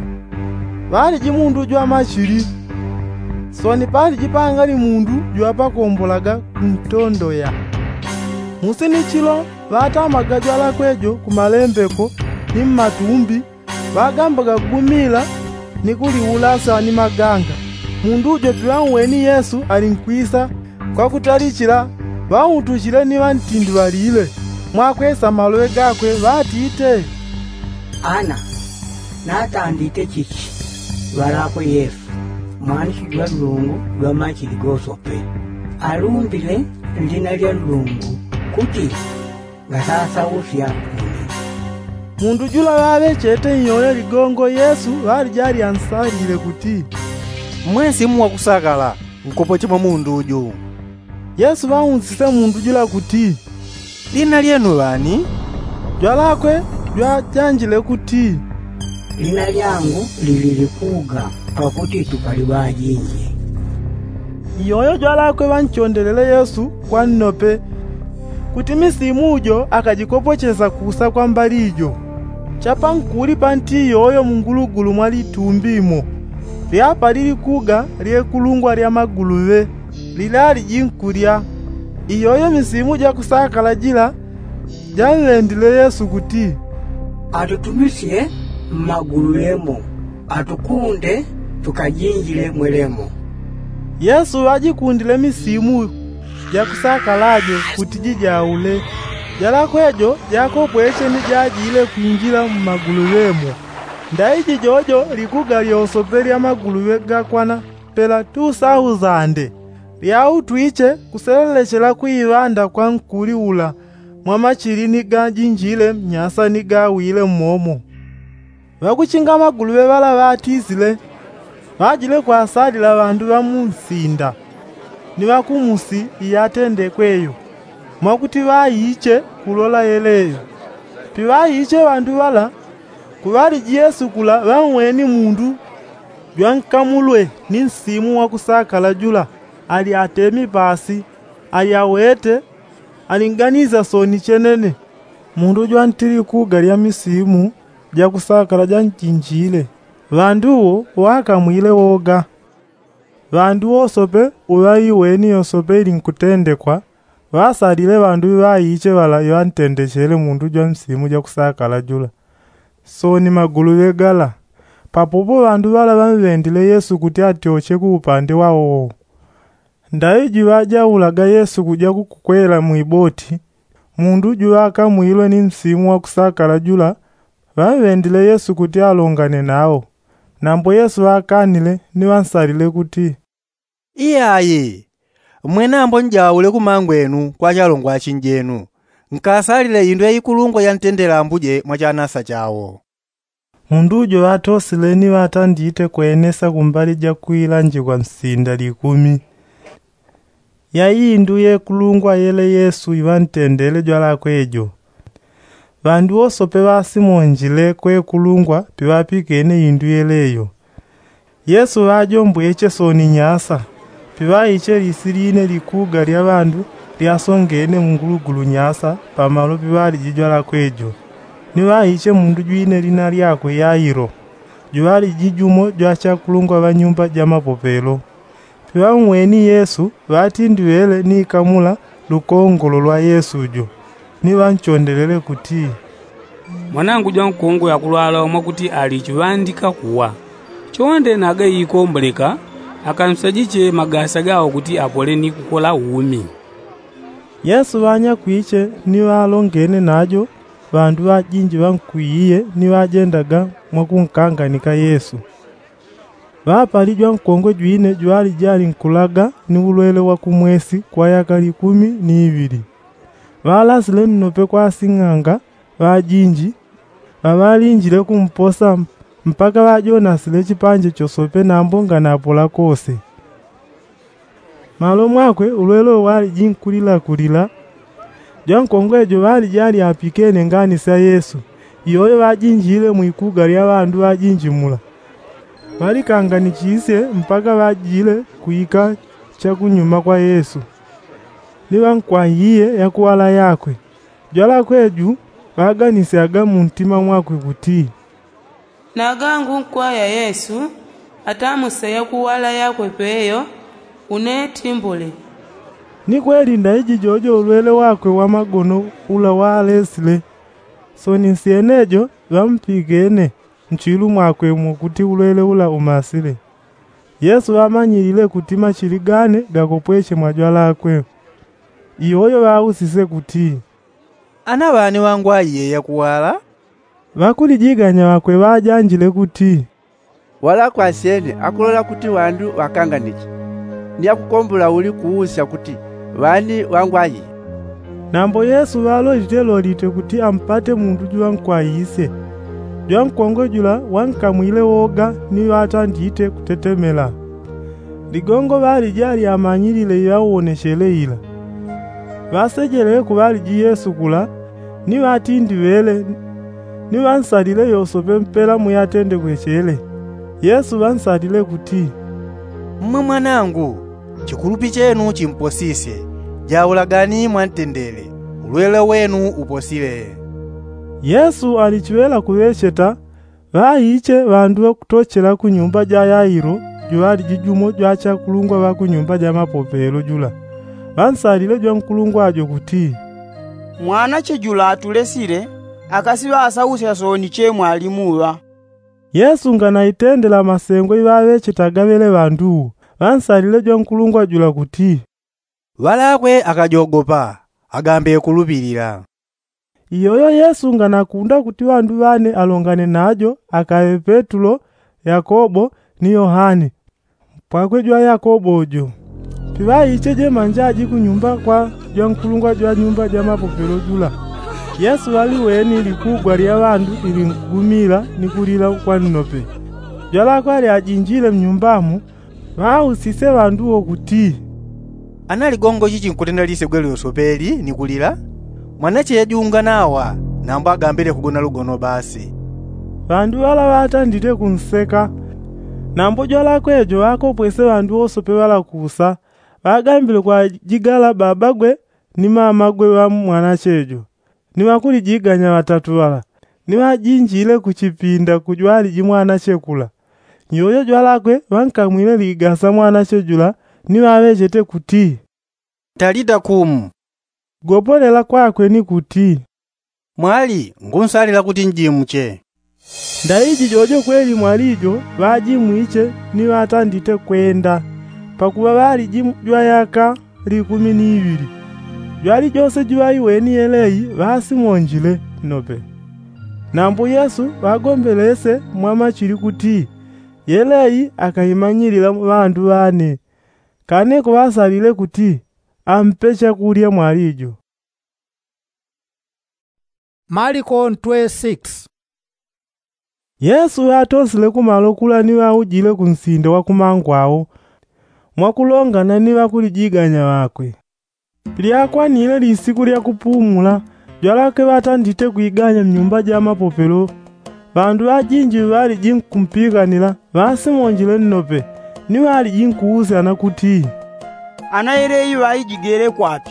Ŵaliji mundu jwa machili, soni paliji pangali mundu jwapakombolaga kuntondoya. Musi ni chilo ŵatamaga jwalakwe jo ku malembe ko ni mmatumbi, ŵagambaga kugumila ni kuliulasa ni maganga. Mundu jo piŵaweni yesu ali nkwisa, kwakutalichila ŵautuchile ni ŵantindi ŵalile, mwakwesa maloŵe gakwe ŵatite, ana natandite chichi ŵalakwe yesu, mwanishi jwa nlungu jwa machili gosope, alumbile nlina lya nlungu kuti ngasasausya. Mundu jula ŵaŵechete nyoyo ligongo yesu ŵalija alyansalile kuti, mmwe nsimu wakusakala, nkopoche mwa mundu uju. Yesu ŵaunsise mundu jula kuti, lina lyenu ŵani? Jwalakwe jwajanjile kuti, lina lyangu lili likuga, pakuti tupali ŵajinji. Iyoyo jwalakwe ŵanchondelele yesu kwa nnope, kuti misimu jo akajikopochesa kusa kwa mbali jo. Chapankuli panti iyoyo mungulugulu mwa litumbi mo, lyapali likuga lyekulungwa lya maguluŵe, lilaliji nkulya. Iyoyo misimu jakusakala jila janlendile yesu kuti, atutumisye mmaguluŵe mo, atukunde tukajinjile mwelemo. Yesu ŵajikundile misimu jakusakala jo kuti jijaule. Jalakwe jo jakopweche ni jajile kwinjila mmaguluŵe mo. Ndaiji jojo likuga lyosope lya maguluŵe gakwana pela tusausande, lyautwiche kuselelechela kwiŵanda kwa nkuli ula mwa machili ni gajinjile mnyasa ni gawile mmomo. Ŵakuchinga maguluŵe ŵala ŵatisile, ŵajile kwasalila ŵandu ŵa mu nsinda ni ŵa ku musi iyatendekwe yo, mwakuti ŵaiche kulola yeleyo. Piŵaiche ŵandu ŵala, kuŵaliji yesu kula ŵaweni mundu jwankamulwe ni nsimu wakusakala jula, ali atemi pasi, ali awete, alinganisya soni chenene. Mundu jwantili kuga lya misimu jakusakala janjinjile. Ŵandu wo ŵakamwile woga. Ŵandu wosope uŵaiweni yosope ili nkutendekwa, ŵasalile ŵandu ŵaiche ŵala iŵantendechele mundu jwa nsimu jakusakala jula. Sooni magulu ŵegala. Papopo ŵandu ŵala ŵamŵendile yesu kuti atyoche ku upande wawo. Ndaiji ŵajaulaga yesu kuja kukukwela mwiboti, mundu juŵakamwilwe ni nsimu wakusakala jula, ŵamŵendile yesu kuti alongane nawo. Nambo yesu ŵakanile ni ŵansalile kuti, iyayi, mmwenambo njaule kumangwenu kwa chalongwa achinjenu. Nkasalile indu yaikulungwa yantendela ambuje mwa chanasa chawo. Mundu ujo ŵatosile ni ŵatandite kwenesa kumbali jakwilanjikwa nsinda likumi. Yai indu yekulungwa yele yesu iŵantendele jwalakwe jo. Ŵandu wosope ŵasimonjile kwekulungwa piŵapikene indu yele yo. Yesu ŵajombweche sooni nyasa, piŵaiche lisi line likuga lya ŵandu lyasongene mungulugulu nyasa pamalo piŵaliji jwalakwe jo. Ni ŵaiche mundu jwine lina lyakwe yailo, juŵaliji jumo jwachakulungwa ŵa nyumba ja mapopelo. Piŵang'weni yesu ŵatindiŵele ni kamula lukongolo lwa yesu jo, ni ŵanchondelele kuti, mwanangu jwankongwe akulwala mwakuti ali chiŵandika kuwa. Chonde naga ikomboleka, akamsajiche magasa gawo kuti apole ni kukola umi. Yesu ŵanyakwiche ni ŵalongene najo ŵandu ŵajinji ŵankwiiye ni ŵajendaga mwakunkanganika yesu. Ŵapali jwankongwe jwine jwaliji alinkulaga ni ulwele wa kumwesi kwa yaka likumi ni iŵili. Ŵalasile nnope kwa asing'anga ŵajinji ŵaŵalinjile kumposa, mpaka ŵajonasile chipanje chosope nambo nganapola kose. Malo mwakwe ulwele uwo waliji nkulila kulila. Jwankongwe jo ŵaliji alyapikene ngani sya yesu, iyoyo ŵajinjile mwikuga lya ŵandu ŵajinji mula. Ŵalikanganichisye mpaka ŵajile kwika chakunyuma kwa yesu, ni ŵankwahiye yakuwala yakwe. Jwalakwe ju ŵaganisyaga muntima mwakwe kuti, nagangu nkwaya yesu, atamuse yakuwala yakwe peyo, une timbule. Ni kweli ndaiji jojo ulwele wakwe wa magono ula walesile. Sooni nsyenejo ŵampikene nchilu mwakwe mwakuti ulwele ula umasile. Yesu ŵamanyilile kuti machili gane gakopweche mwa jwalakwe. Iyoyo ŵausise kuti, ana ŵani ŵangwaiye yakuwala? Ŵakulijiganya ŵakwe ŵajanjile kuti, walakwe asyene akulola kuti ŵandu ŵakanganiche, ni akukombola uli kuusya kuti ŵani ŵangwaiye? Nambo yesu ŵalolite lolite kuti ampate mundu juŵankwaisye. Jwankongwe jula wankamwile woga ni ŵatandite kutetemela. Ligongo ŵaliji alyamanyilile iŵawonechele ila. Ŵasejelele ku ŵaliji yesu kula, ni ŵatindiŵele, ni ŵansalile yosope mpela muyatendekwechele. Yesu ŵansalile kuti, mmwe mwanangu, chikulupi chenu chimposisye. Jaulagani mwantendele, ulwele wenu uposile. Yesu alichiŵela kuŵecheta, ŵaiche ŵandu ŵakutochela ku nyumba ja yailo, juŵaliji jumo jwachakulungwa ŵa ku nyumba ja mapopelo jula. Ŵansalile jwankulungwa jo kuti, mwanache jula atulesile, akasiŵasausya sooni che mwalimuŵa. Yesu nganaitendela masengo iŵaŵechetaga ŵele ŵandu wo, ŵansalile jwankulungwa jula kuti, ŵalakwe akajogopa, agambe kulupilila. Iyoyo yesu nganakunda kuti ŵandu ŵane alongane najo akaŵe petulo, yakobo, ni yohane, mpwakwe jwa yakobo jo. Piŵaiche jemanja aji ku nyumba kwa jwankulungwa jwa nyumba ja mapopelo jula. Yesu ŵaliweni likugwa lya ŵandu iŵingugumila ni kulila kwa nnope. Jwalakwe alyajinjile mnyumba mo, ŵausisye ŵandu wo kuti, ana ligongo chichi nkutenda lisegwe lyosopeli ni kulila? Mwanache yajunga nawa, nambo agambile kugona lugono basi. Ŵandu ŵala ŵatandite kunseka. Nambo jwalakwe jo ŵakopwese ŵandu wosope ŵala kusa, ŵagambile kwajigala babagwe ni mamagwe ŵa mwanache jo, ni ŵakulijiganya ŵatatu ŵala. Ni ŵajinjile kuchipinda kujwaliji mwanache kula. Nyojo jwalakwe ŵankamwile ligasa mwanache jula, ni ŵaŵechete kuti, talita kumu. Gopolela kwakwe ni kuti, mwali, ngunsalila kuti njimuche. Ndaiji jojo kweli mwali jo ŵajimwiche ni ŵatandite kwenda, pakuŵa ŵaliji jwa yaka likumi ni iŵili. Jwali jose juŵaiweni yelei ŵasimonjile nnope. Nambo yesu ŵagombelese mwamachili kuti yelei akaimanyilila ŵandu ŵane. Kane kuŵasalile kuti ampe chakulya mwali jo. Maliko ntwe six. Yesu ŵatosile kumalo kula ni ŵaujile kunsinda wakumangwao, mwakulongana ni ŵakulijiganya ŵakwe. Lyakwanile lisiku lyakupumula, jwalakwe ŵatandite kwiganya mnyumba ja mapopelo. Ŵandu ŵajinji ŵaliji nkumpikanila ŵasimonjile nnope, ni ŵaliji nkuusyana kuti, ana yelei ŵaijigele kwapi?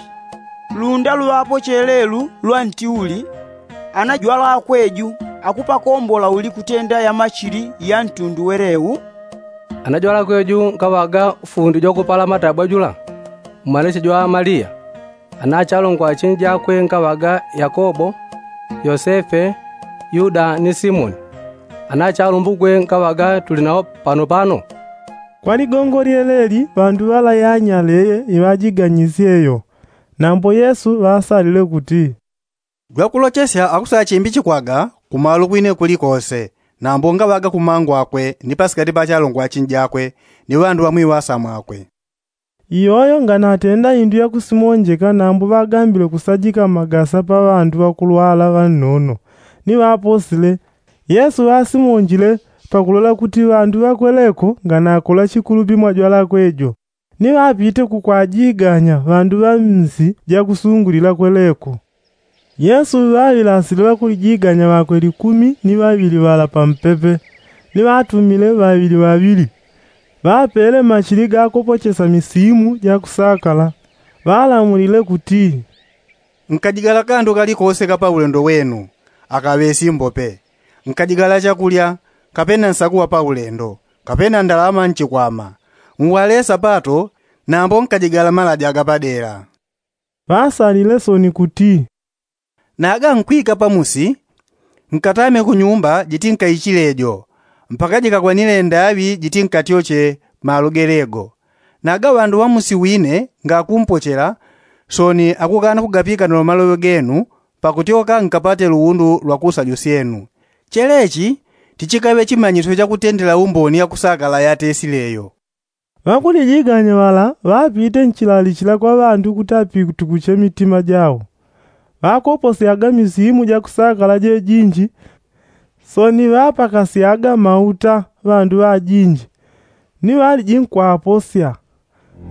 Lunda luŵapochele lu lwa nti uli? Ana jwalakwe ju akupakombola uli kutenda yamachili ya ntundu weleu? Ana jwalakwe ju nkaŵaga fundi jwakupala matabwa jula, mwanache jwa maliya. Ana achalongwa achinji jakwe nkaŵaga yakobo, yosefe, yuda ni simoni. Ana achalumbukwe nkaŵaga tuli nawo pano pano. Kwa ligongo lyeleli ŵandu ŵalayanyaleye iŵajiganyisye yo. Nambo yesu ŵasalile kuti, jwakulochesya akusachimbichikwaga kumalo kwine kulikose, nambo ngaŵaga kumangu akwe ni pasikati pa achalongwa achinji akwe, ni ŵandu ŵamwiŵasa mwakwe. Iyoyo nganatenda indu yakusimonjeka nambo ŵagambile kusajika magasa pa ŵandu ŵakulwala ŵannono, ni ŵaposile. Yesu ŵasimonjile pakulola kuti ŵandu ŵakweleko nganakola chikulupi mwajwalakwe jo, ni ŵapite kukwajiganya ŵandu ŵa msi jakusungulila kweleko. Yesu ŵaŵilasile ŵakulijiganya ŵakwe likumi ni ŵaŵili ŵala pampepe, ni ŵatumile ŵaŵili ŵaŵili. Ŵapele machili gakopochesa misimu jakusakala. Ŵalamulile kuti, nkajigala kandu kalikose ka paulendo wenu, akaŵe simbope. Nkajigala chakulya, kapena nsaku wa paulendo, kapena ndalama nchikwama. Ngwale sapato, nambo nkajigala malaja gapadela. Ŵasalile soni kuti, naga nkwika pamusi, nkatame kunyumba jiti nkaichile jo, mpaka jikakwanile ndaŵi jiti nkatyoche malo gelego. Naga ŵandu ŵa musi wine ngakumpochela, soni akukana kugapikanila maloŵe genu, pakutyoka nkapate luundu lwa kusajusyenu. Chelechi tichikaŵe chimanyisyo chakutendela umboni yakusakala yatesileyo. Ŵakulijiganya ŵala ŵapite nchilalichila kwa ŵandu kuti apitukuche mitima jao. Ŵakoposyaga misimu jakusakala jejinji, soni ŵapakasyaga mauta ŵandu ŵajinji, ni ŵaliji nkwaposya.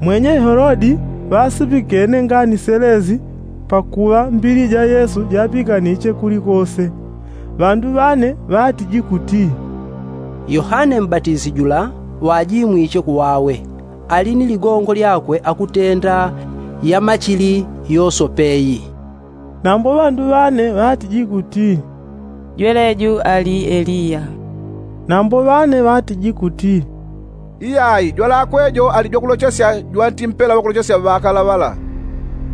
Mwenye helodi ŵasipikene ngani selezi, pakuŵa mbili ja yesu japikaniche kulikose. Ŵandu ŵane ŵatiji kuti, yohane mbatisi jula ŵajimwiche kuwawe, ali ni ligongo lyakwe akutenda yamachili yosopeyi. Nambo ŵandu ŵane ŵatiji kuti, jweleju ali eliya. Nambo ŵane ŵatiji kuti, iyai jwalakwe jo ali jwakulochesya jwantimpela ŵakulochesya ŵakala ŵala.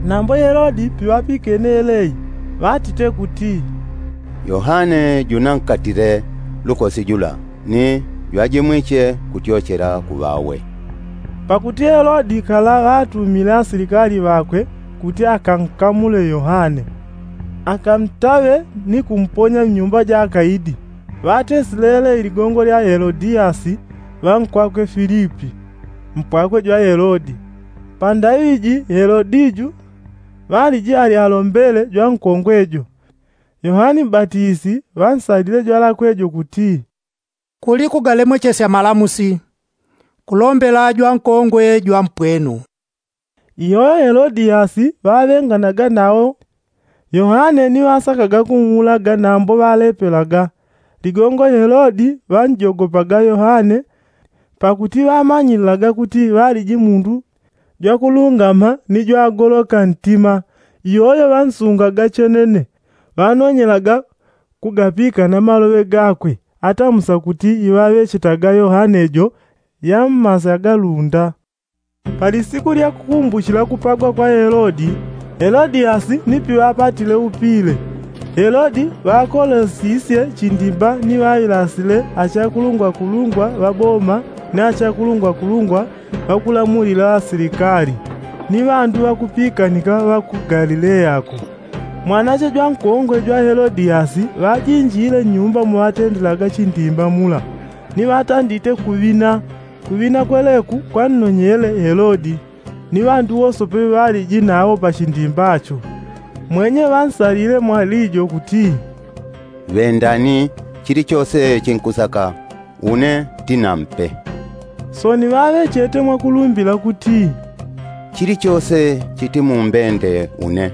Nambo helodi piŵapikene elei, ŵatite kuti, yohane junankatile lukosi jula, ni jwajimwiche kutyochela kuŵawe. Pakuti helodi kala ŵatumile asilikali ŵakwe kuti akankamule yohane, akantaŵe ni kumponya mnyumba ja akaidi. Ŵatesile elei ligongo lya helodiyasi ŵankwakwe filipi, mpwakwe jwa helodi. Pandaŵi ji helodi ju ŵaliji ali alombele jwankongwe jo. Yohane mbatisi ŵansalile jwalakwe jo kuti, kuli kugalemwechesya malamusi, kulombela jwankongwe jwampwenu. Iyoyo helodiyasi ŵaŵenganaga nawo yohane ni ŵasakaga kung'ulaga nambo ŵalepelaga. Ligongo helodi ŵanjogopaga yohane, pakuti ŵamanyililaga kuti ŵaliji mundu jwakulungama ni jwagoloka ntima. Iyoyo ŵansungaga chenene, ŵanonyelaga kugapika na maloŵe gakwe atamusa kuti iŵaŵechetaga yohane jo yammasya galunda. Pali siku lya kukumbuchila kupagwa kwa helodi, helodiyasi ni piŵapatile upile. Helodi ŵakolosisye chindimba ni ŵailasile achakulungwakulungwa ŵa boma ni achakulungwakulungwa ŵakulamulila asilikali, ni ŵandu ŵakupikanika ŵa ku galileyako. Mwanache jwankongwe jwa helodiyasi ŵajinjile nyumba muŵatendelaga chindimba mula, ni ŵatandite kuŵina. Kuŵina kweleku kwannonyele helodi, ni ŵandu wosope ŵaliji nawo pachindimbacho. Mwenye ŵansalile mwalijo kuti, ŵendani, chilichose chinkusaka une tinampe. Soni ŵaŵechete mwakulumbila kuti, chilichose chitimumbende une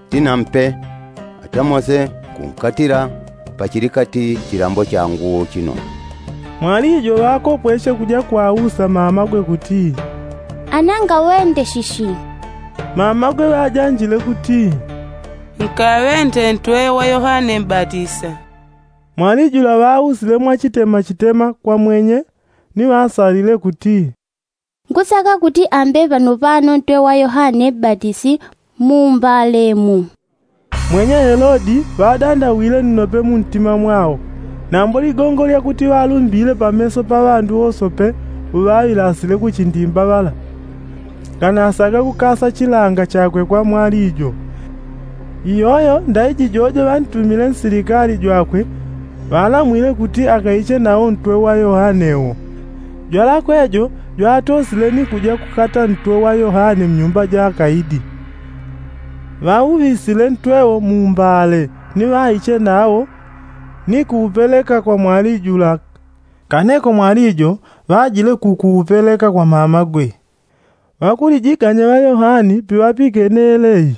tinampe, atamose kunkatila pachilikati chilambo changu chino. Mwalijo ŵakopweche kuja kwausa mamagwe kuti, ananga ŵende shishi? Mamagwe ŵajanjile kuti, nkaŵende ntwe wa yohane mbatisa. Mwalijula ŵausile mwachitemachitema kwa mwenye, ni ŵasalile kuti, nkusaka kuti ambe ŵanopano ntwe wa yohane mbatisi mu mbale mu. Mwenye helodi ŵadandawile nnope muntima mwao, nambo ligongo lyakuti ŵalumbile pameso pa ŵandu wosope uŵaŵilasile kuchindimba ŵala, nganasaga kukasa chilanga chakwe kwa mwalijo. Iyoyo ndaiji jojo ŵantumile nsilikali jwakwe, ŵalamwile kuti akaiche nawo ntwe wa yohane wo. Jwalakwe jo jwatosile ni kuja kukata ntwe wa yohane mnyumba ja akaidi. Ŵauŵisile ntwe wo mu mbale, ni ŵaiche nawo ni kuupeleka kwa mwalijula. Kaneko mwalijo ŵajile kukuupeleka kwa mamagwe. Ŵakulijiganya ŵa yohane piŵapikene yelei,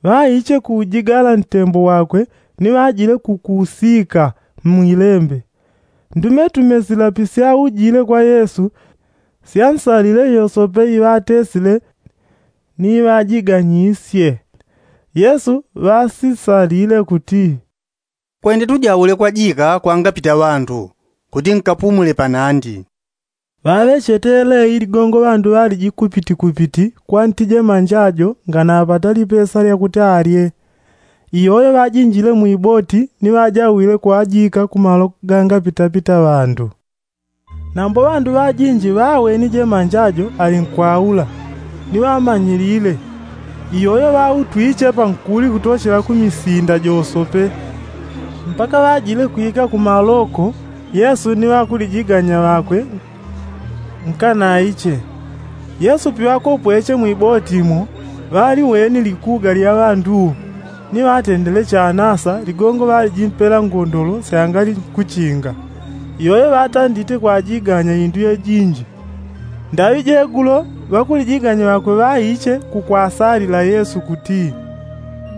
ŵaiche kuujigala ntembo wakwe, ni ŵajile kukuusika mwilembe. Ndumetume sila pisyaujile kwa yesu, syansalile yosope iŵatesile ni iŵajiganyisye. Yesu ŵasisalile kuti, kwende tujaule kwajika kwangapita ŵandu, kuti nkapumule panandi. Ŵaŵechete yelei ligongo ŵandu ŵaliji kupiti kupiti kwa nti jemanja jo nganapata lipesa lyakuti alye. Iyoyo ŵajinjile mwiboti ni ŵajawile kwajika kumalo gangapitapita ŵandu. Nambo ŵandu ŵajinji ŵaweni jemanja jo ali nkwaula, ni ŵamanyilile. Iyoyo ŵautwiche pankuli kutochela ku misinda josope. Mpaka ŵajile kwika kumaloko, yesu ni ŵakulijiganya ŵakwe nkanaiche. Yesu piŵakopweche mwiboti mo, ŵaliweni likuga lya ŵandu wo, ni ŵatendele chanasa ligongo ŵalijimpela ngondolo syangali nkuchinga. Iyoyo ŵatandite kwajiganya indu yejinji. Ndaŵi jegulo ŵakulijiganya ŵakwe ŵaiche kukwasalila yesu kuti,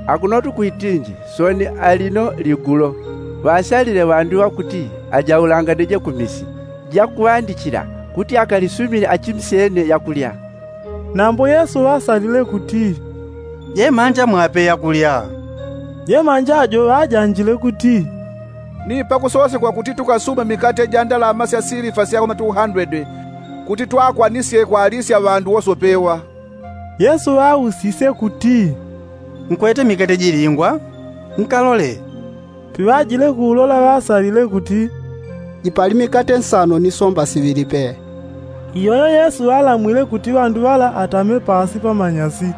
akuno tukwitinji soni alino ligulo, ŵasalile ŵandu ŵakuti ajaulangane je kumisi jakuŵandichila, kuti akalisumine achimsyene yakulya. Nambo yesu ŵasalile kuti, jemanja mwape yakulya. Jemanja jo ŵajanjile kuti, ni pakusosekwa kuti tukasuma mikate ja ndalama sya silifa sya koma tuhandwede, kuti twakwanisye kwalisya ŵandu wosopewa. Yesu ŵausisye kuti, nkwete mikate jilingwa? Nkalole. Piŵajile kuulola ŵasalile kuti, jipali mikate nsano ni somba siŵili pe. Iyoyo yesu ŵalamwile kuti ŵandu ŵala atame pasi pamanyasi.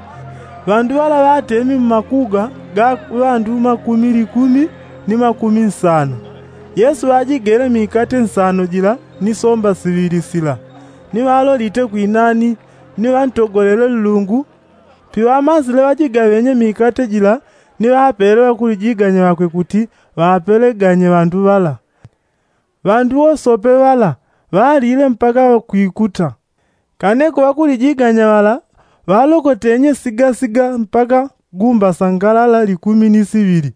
Ŵandu ŵala ŵatemi mmakuga ga ŵandu makumi likumi ni makumi nsano. Yesu ŵajigele mikate nsano jila ni somba siŵili sila, ni ŵalolite kwinani, ni ŵantogolele nlungu. Piŵamasile ŵajigaŵenye mikate jila, ni ŵapele ŵakulijiganya ŵakwe kuti ŵapeleganye ŵandu ŵala. Ŵandu wosope ŵala ŵalile mpaka ŵakwikuta. Kaneko ŵakulijiganya ŵala ŵalokotenye sigasiga mpaka gumba sangalala likumi ni siŵili.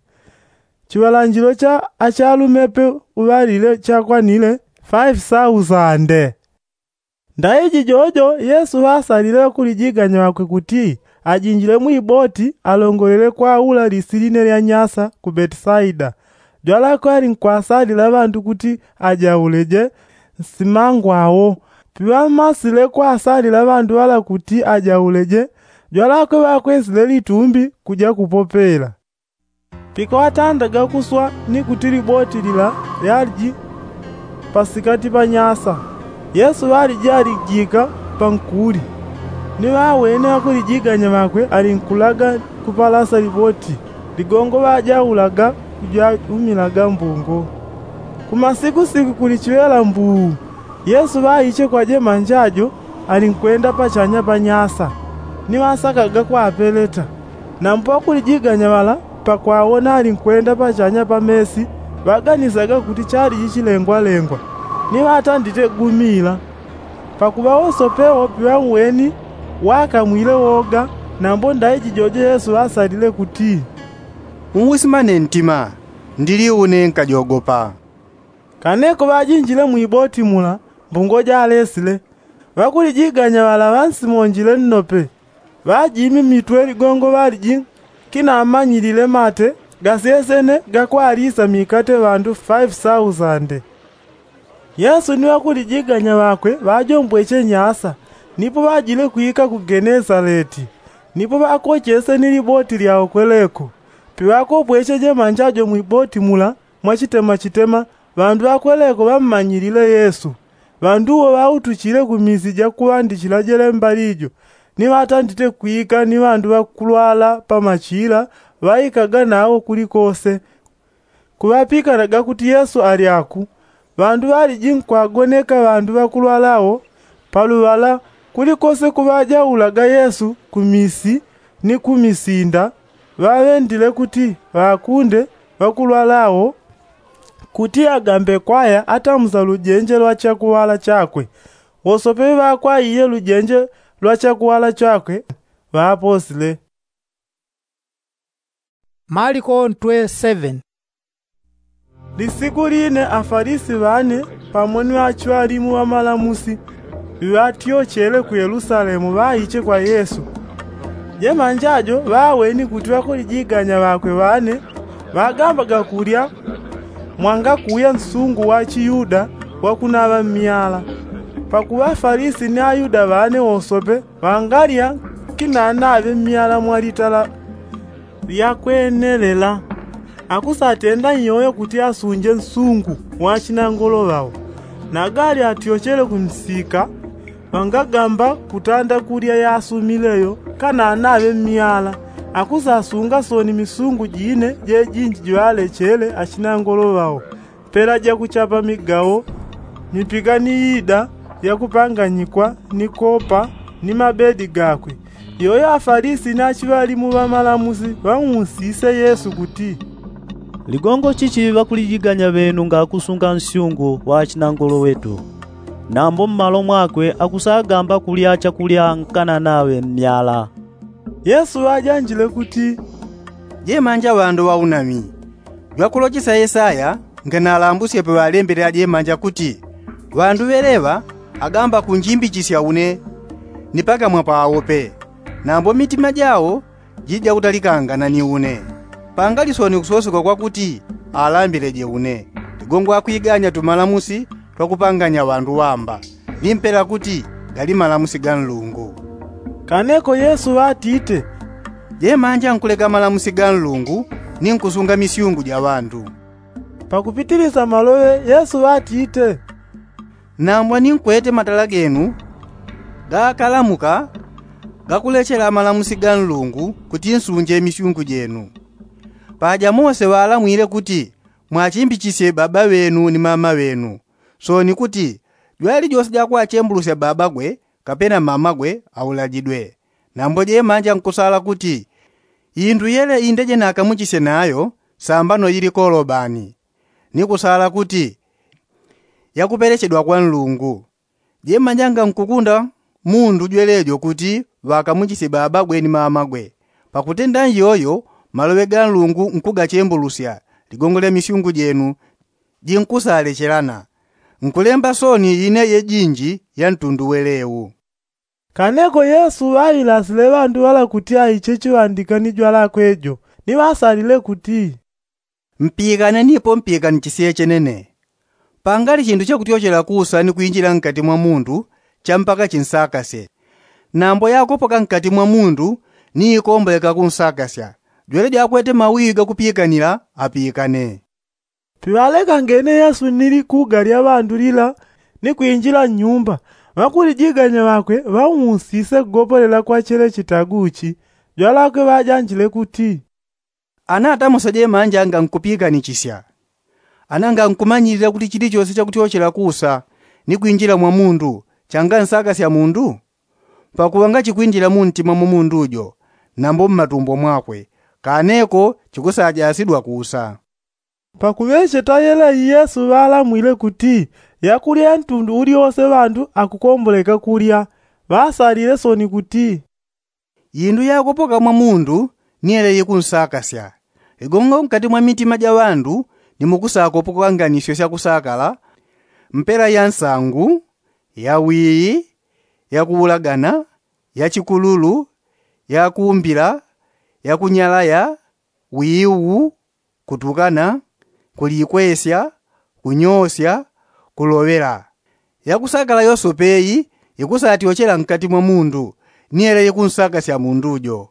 Chiŵalanjilo cha achalumepe uŵalile chakwanile faifi sausande. Ndaiji jojo yesu ŵasalile ŵakulijiganya ŵakwe kuti ajinjile mwiboti alongolele kwaula lisiline lya nyasa ku betisaida. Jwalakwe ali nkwasalila ŵandu kuti ajauleje nsimangwawo. Piŵammasile kwasalila ŵandu ŵala kuti ajauleje, jwalakwe ŵakwesile litumbi kuja kupopela. Pikaŵatandaga kuswa ni kuti liboti lila lyaliji pasikati pa nyasa, yesu ŵaliji alijika pankuli. Ni ŵawene ŵakulijiganya ŵakwe alinkulaga kupalasa liboti ligongo ŵajaulaga kujaumilaga mbungo. Kumasikusiku kuli chiŵela mbuu, yesu ŵaiche kwa jemanja jo alinkwenda pachanya pa nyasa. Ni ŵasakaga kwapeleta. Nambo ŵakulijiganya ŵala pakwawona alinkwenda pachanya pa mesi, ŵaganisaga kuti chaliji chilengwalengwa. Ni ŵatandite gumila. Pakuŵa wosope wope ŵauweni wakamwile woga. Nambo ndaiji jojo yesu ŵasalile kuti, unwisimane ntima, ndili une nkajogopa. Kaneko ŵajinjile mwiboti mula, mbungo jalesile. Ŵakulijiganya ŵala ŵansimonjile nnope. Ŵajimi mitwe ligongo ŵaliji kinamanyilile mate gasyesene gakwalisa mikate ŵandu faifi sausande. Yesu ni ŵakulijiganya ŵakwe ŵajombweche nyasa. Nipo ŵajile kwika ku genesaleti. Nipo ŵakochese ni liboti lyawo kweleko. Piŵakopweche jemanja jo mwiboti mula, mwachitema chitema ŵandu ŵakweleko ŵammanyilile yesu. Ŵandu wo ŵautuchile ku misi jakuŵandichila jelemba lijo. Ni ŵatandite kwika ni ŵandu ŵakulwala pa machila ŵaikaga nawo kulikose. Kuŵapikanaga kuti yesu ali aku. Ŵandu ŵaliji nkwagoneka ŵandu ŵakulwala wo. Paluŵala kulikose kuŵajaulaga yesu ku misi ni ku misinda. Ŵaŵendile kuti ŵakunde ŵakulwala wo kuti agambe kwaya atamusa lujenje lwa chakuŵala chakwe. Wosope ŵakwaiye lujenje lwa chakuŵala chakwe ŵaposile. Maliko ntwe seven. Lisiku line afalisi ŵane pamo ni ŵachiŵalimu ŵamalamusi ŵiŵatyochele ku yelusalemu ŵaiche kwa yesu. Jemanja jo ŵaweni kuti ŵakulijiganya ŵakwe ŵane ŵagambaga kulya mwangakuya nsungu wa chiyuda wakunaŵa mmyala. Pakuŵa afalisi ni ayuda ŵane wosope ŵangalya kinanaŵe mmyala mwa litala lyakwenelela. Akusatenda nyoyo kuti asunje nsungu wa chinangolo ŵao. Nagali atyochele ku msika ŵangagamba kutanda kulya yasumileyo kananaŵe mmyala. Akusasunga soni misungu jine jejinji jwalechele achinangolo ŵao. Pela jakuchapa migawo mipika ni yida yakupanganyikwa ni kopa ni mabedi gakwe. Yoyo afalisi ni achiŵalimu ŵamalamusi ŵamusise yesu kuti, ligongo chichi ŵakulijiganya ŵenu ngakusunga nsyungu wa achinangolo wetu? Nambo mmalo mwakwe akusagamba kulya chakulya nkananaŵe mmyala. Yesu ŵajanjile kuti, jemanja ŵandu ŵaunami. Jwakulochesa yesaya nganalambusye paŵalembele ajemanja kuti, ŵandu ŵeleŵa agamba kunjimbichisya une ni pakamwa pawo pe. Nambo mitima jawo jija kutalikangana ni une. Pangali soni kusosekwa kwakuti alambileje une. Ligongo akwiganya tumalamusi twakupanganya ŵandu ŵamba. Ni mpela kuti gali malamusi ga nlungu. Kaneko yesu ŵatite, jemanja nkuleka malamusi ga nlungu ni nkusunga misyungu ja ŵandu. Pakupitilisa maloŵe yesu ŵatite, nambwa ni nkwete matala genu gakalamuka gakulechela malamusi ga nlungu kuti nsunje misyungu jenu. Paja mose ŵalamwile kuti mwachimbichisye baba ŵenu ni mama ŵenu. Soni kuti jwali jose jakwachembulusya babagwe kapena mamagwe aulajidwe. Nambo jemanja nkusala kuti indu yele indeje nakamuchisye nayo sambano yili kolobani. Ni kusala kuti yakupelechedwa kwa nlungu. Jemanja ngankukunda mundu jwelejo kuti ŵakamuchisye babagwe ni mamagwe. Pakutenda nyoyo maloŵe ga nlungu nkugachembulusya ligongo lya misyungu jenu jinkusalechelana. Nkulemba soni ine yejinji ya ntundu welewu. Kaneko yesu ŵailasile ŵandu ŵala kuti aiche chiŵandika ni jwalakwe jo. Ni ŵasalile kuti, Mpikane nipo mpikanijisye chenene. Pangali chindu chakutyochela kusa ni kwinjila nkati mwa mundu cha mpaka chinsakasye. Nambo yakopoka nkati mwa mundu ni ikomboleka kunsakasya, jwele jwakwete mawiwi gakupikanila apikane. Piŵalekangene yesu ni likuga lya ŵandu lila ni kwinjila nnyumba, ŵakulijiganya ŵakwe ŵaunsise kugopolela kwa chele chitagu chi. Jwalakwe ŵajanjile kuti, ana atamoseje manja ngankupiikanichisya. Ana ngankumanyilila kuti chilichose chakutyochela kusa ni kwinjila mwa mundu changansakasya mundu? Pakuŵa ngachikwinjila muntima mwa mundu jo nambo mmatumbo mwakwe, kaneko chikusajasidwa kusa. Pakuŵecheta yeleyi yesu ŵalamwile kuti yakulya ya ntundu ulyose ŵandu akukomboleka kulya. Ŵasalile soni kuti, indu yakopoka mwa mundu ni yele yikunsakasya. Ligongo nkati mwa mitima ja ŵandu ni mukusakopoka nganisyo sya kusakala, mpela ya nsangu, ya wiyi, ya kuulagana, ya chikululu, ya kuumbila, ya kunyalaya, wiwu, kutukana, kulikwesya, kunyosya, kuloŵela. Yakusakala yosope iyi ikusatyochela nkati mwa mundu ni yele yikunsakasya mundu jo.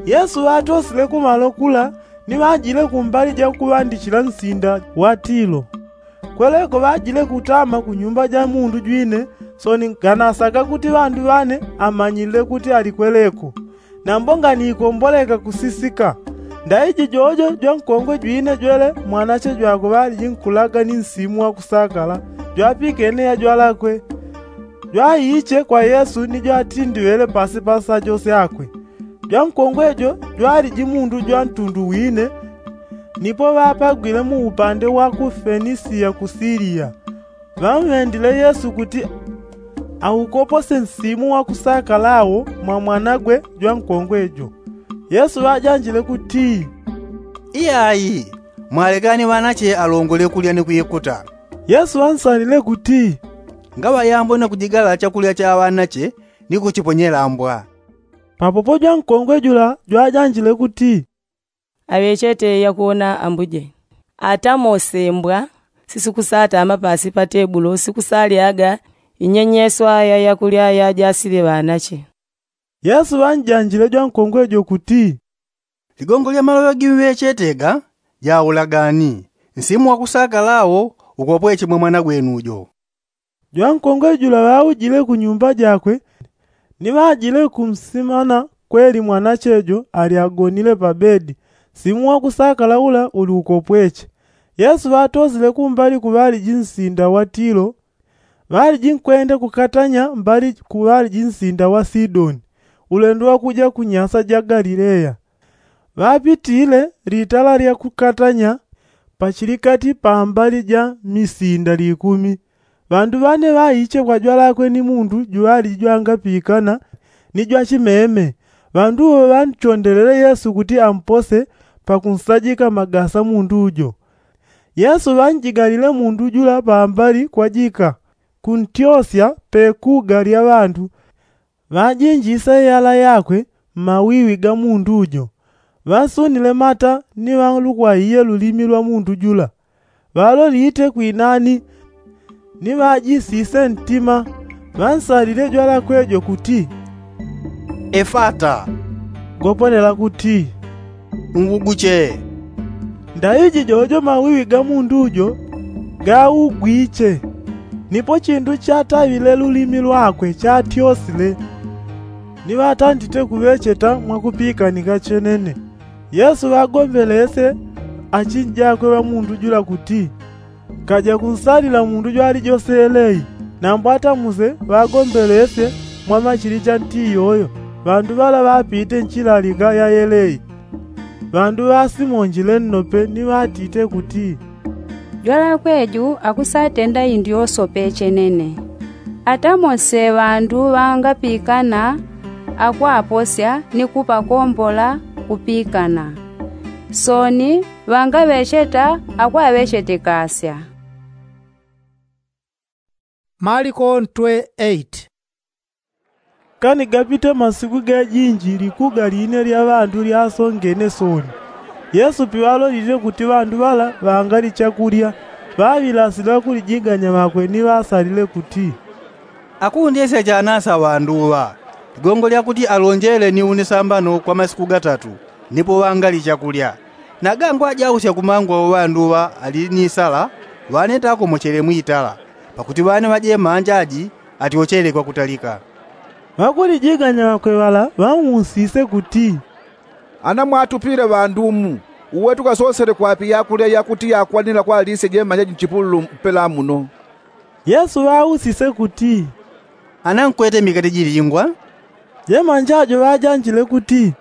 Yesu ŵatosile kumalo kula ni ŵajile kumbali ja kuŵandichila nsinda wa tilo. Kweleko ŵajile kutama ku nyumba ja mundu jwine soni nganasaka kuti ŵandu ŵane amanyilile kuti ali kweleko. Nambo nganikomboleka kusisika. Ndaiji jojo jwankongwe jwine jwele mwanache jwakwe ŵaliji nkulaga ni nsimu wa kusakala jwapikene ya jwalakwe. Jwaiche kwa yesu ni jwatindiŵele pasi pa nsajo syakwe. Jwankongwe jo jwaliji mundu jwa ntundu wine. Nipo ŵapagwile mu upande wa ku fenisiya ku siliya. Ŵamŵendile yesu kuti aukopose nsimu wa kusakala wo mwa mwanagwe jwankongwe jo. Yesu ŵajanjile kuti, iyayi, mwalekani ŵanache alongole kulya ni kwikuta. Yesu ŵansalile kuti, ngaŵayambwe na kujigala chakulya cha ŵanache ni kuchiponyela mbwa. Papopo jwankongwe jula jwajanjile kuti, aŵechete yakuwona ambuje. Atamose mbwa sisikusatama pasi pa tebulo sikusalyaga inyenyeswa ya yakulya yajasile ŵanache. Yesu ŵanjanjile jwankongwe jo kuti, ligongo lya maloŵe gimŵechete ga jaulagani. Nsimu wa kusakala wo ukopweche mwa mwana gwenu jo. Jwankongwe jula ŵaujile ku nyumba jakwe ni ŵajile kumsimana kweli mwanache jo ali agonile pa bedi. Nsimu wa kusakala ula uli ukopweche. Yesu ŵatosile kumbali ku ŵaliji nsinda wa tilo. Ŵaliji nkwenda kukatanya mbali ku ŵaliji nsinda wa sidoni. Ulendo wa kuja ku nyasa ja galileya. Ŵapitile litala lya kukatanya pachilikati pa mbali ja misinda likumi. Ŵandu ŵane ŵaiche kwa jwalakwe ni mundu juŵaliji jwangapikana ni jwachimeme. Ŵandu wo ŵanchondelele yesu kuti ampose pakunsajika magasa mundu jo. Yesu ŵanjigalile mundu jula pambali kwajika kuntyosya pe kuga lya ŵandu. Ŵajinjise yala yakwe mmawiwi ga mundu jo. Ŵansunile mata ni ŵalukwaiye lulimi lwa mundu jula. Ŵalolite kwinani ni ŵajisise ntima. Ŵansalile jwalakwe jo kuti, efata, gopolela kuti, nguguche. Ndaiji jojo mawiwi ga mundu jo gaugwiche. Nipo chindu chataŵile lulimi lwakwe chatyosile. Ni ŵatandite kuŵecheta mwakupikanika chenene. Yesu ŵagombelesye achinjakwe ŵa mundu jula kuti, kaja kunsalila mundu jwalijose yeleyi. Nambo atamuse ŵagombelesye mwa machilicha nti iyoyo. Ŵandu ŵala ŵapite nchilalika ya yeleyi. Ŵandu ŵasimonjile nnope ni ŵatite kuti, jwalakwe ju akusatenda indu yosope chenene. Atamose ŵandu ŵangapikana akwaposya ni kupakombola kupikana. Soni ŵangaŵecheta akwaŵechetekasya. Maliko ntwe eight. Kani gapite masiku gajinji likuga line lya ŵandu lyasongene soni. Yesu piŵalolile kuti ŵandu ŵala ŵangali chakulya, ŵaŵilasile ŵakulijiganya ŵakwe ni ŵasalile kuti, akundesya chanasa ŵandu ŵa ligongo lya kuti alonjele ni une sambano kwa masiku gatatu, nipo ŵangali chakulya. Naga ngwajausya kumangwa ŵandu ŵa ali ni sala, ŵane takomochele mwitala, pakuti ŵane ŵajemanja aji atyochele kwakutalika. Ŵakulijiganya ŵakwe ŵala ŵamusise kuti, ana mwatupile ŵandu mu, uwe tukasosele kwapi yakulya yakuti yakwanila kwalisya jemanja ji nchipululu mpela muno? Yesu ŵausise kuti, ana nkwete mikate jilingwa? Jemanja jo ŵajanjile kuti,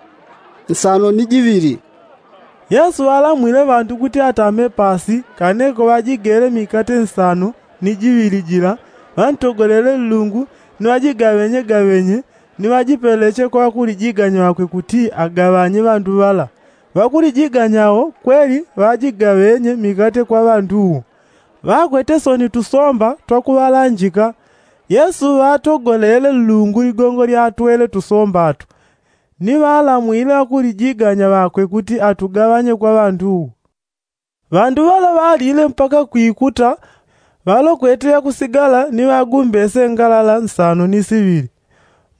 nsano ni jiŵili. Yesu ŵalamwile ŵandu kuti atame pasi, kaneko ŵajigele mikate nsano ni jiŵili jila, ŵantogolele nlungu, ni ŵajigaŵenyegaŵenye, ni ŵajipeleche kwa ŵakulijiganya ŵakwe kuti agaŵanye ŵandu ŵala. Ŵakulijiganya wo kweli ŵajigaŵenye mikate kwa ŵandu wo. Ŵakwete soni tusomba twakuŵalanjika. Yesu ŵatogolele nlungu ligongo lyatwele tusomba to, ni ŵalamwile ŵakulijiganya ŵakwe kuti atugaŵanye kwa ŵandu wo. Ŵandu ŵala ŵalile mpaka kwikuta, ŵalokwete yakusigala ni ŵagumbese ngalala nsano ni siŵili.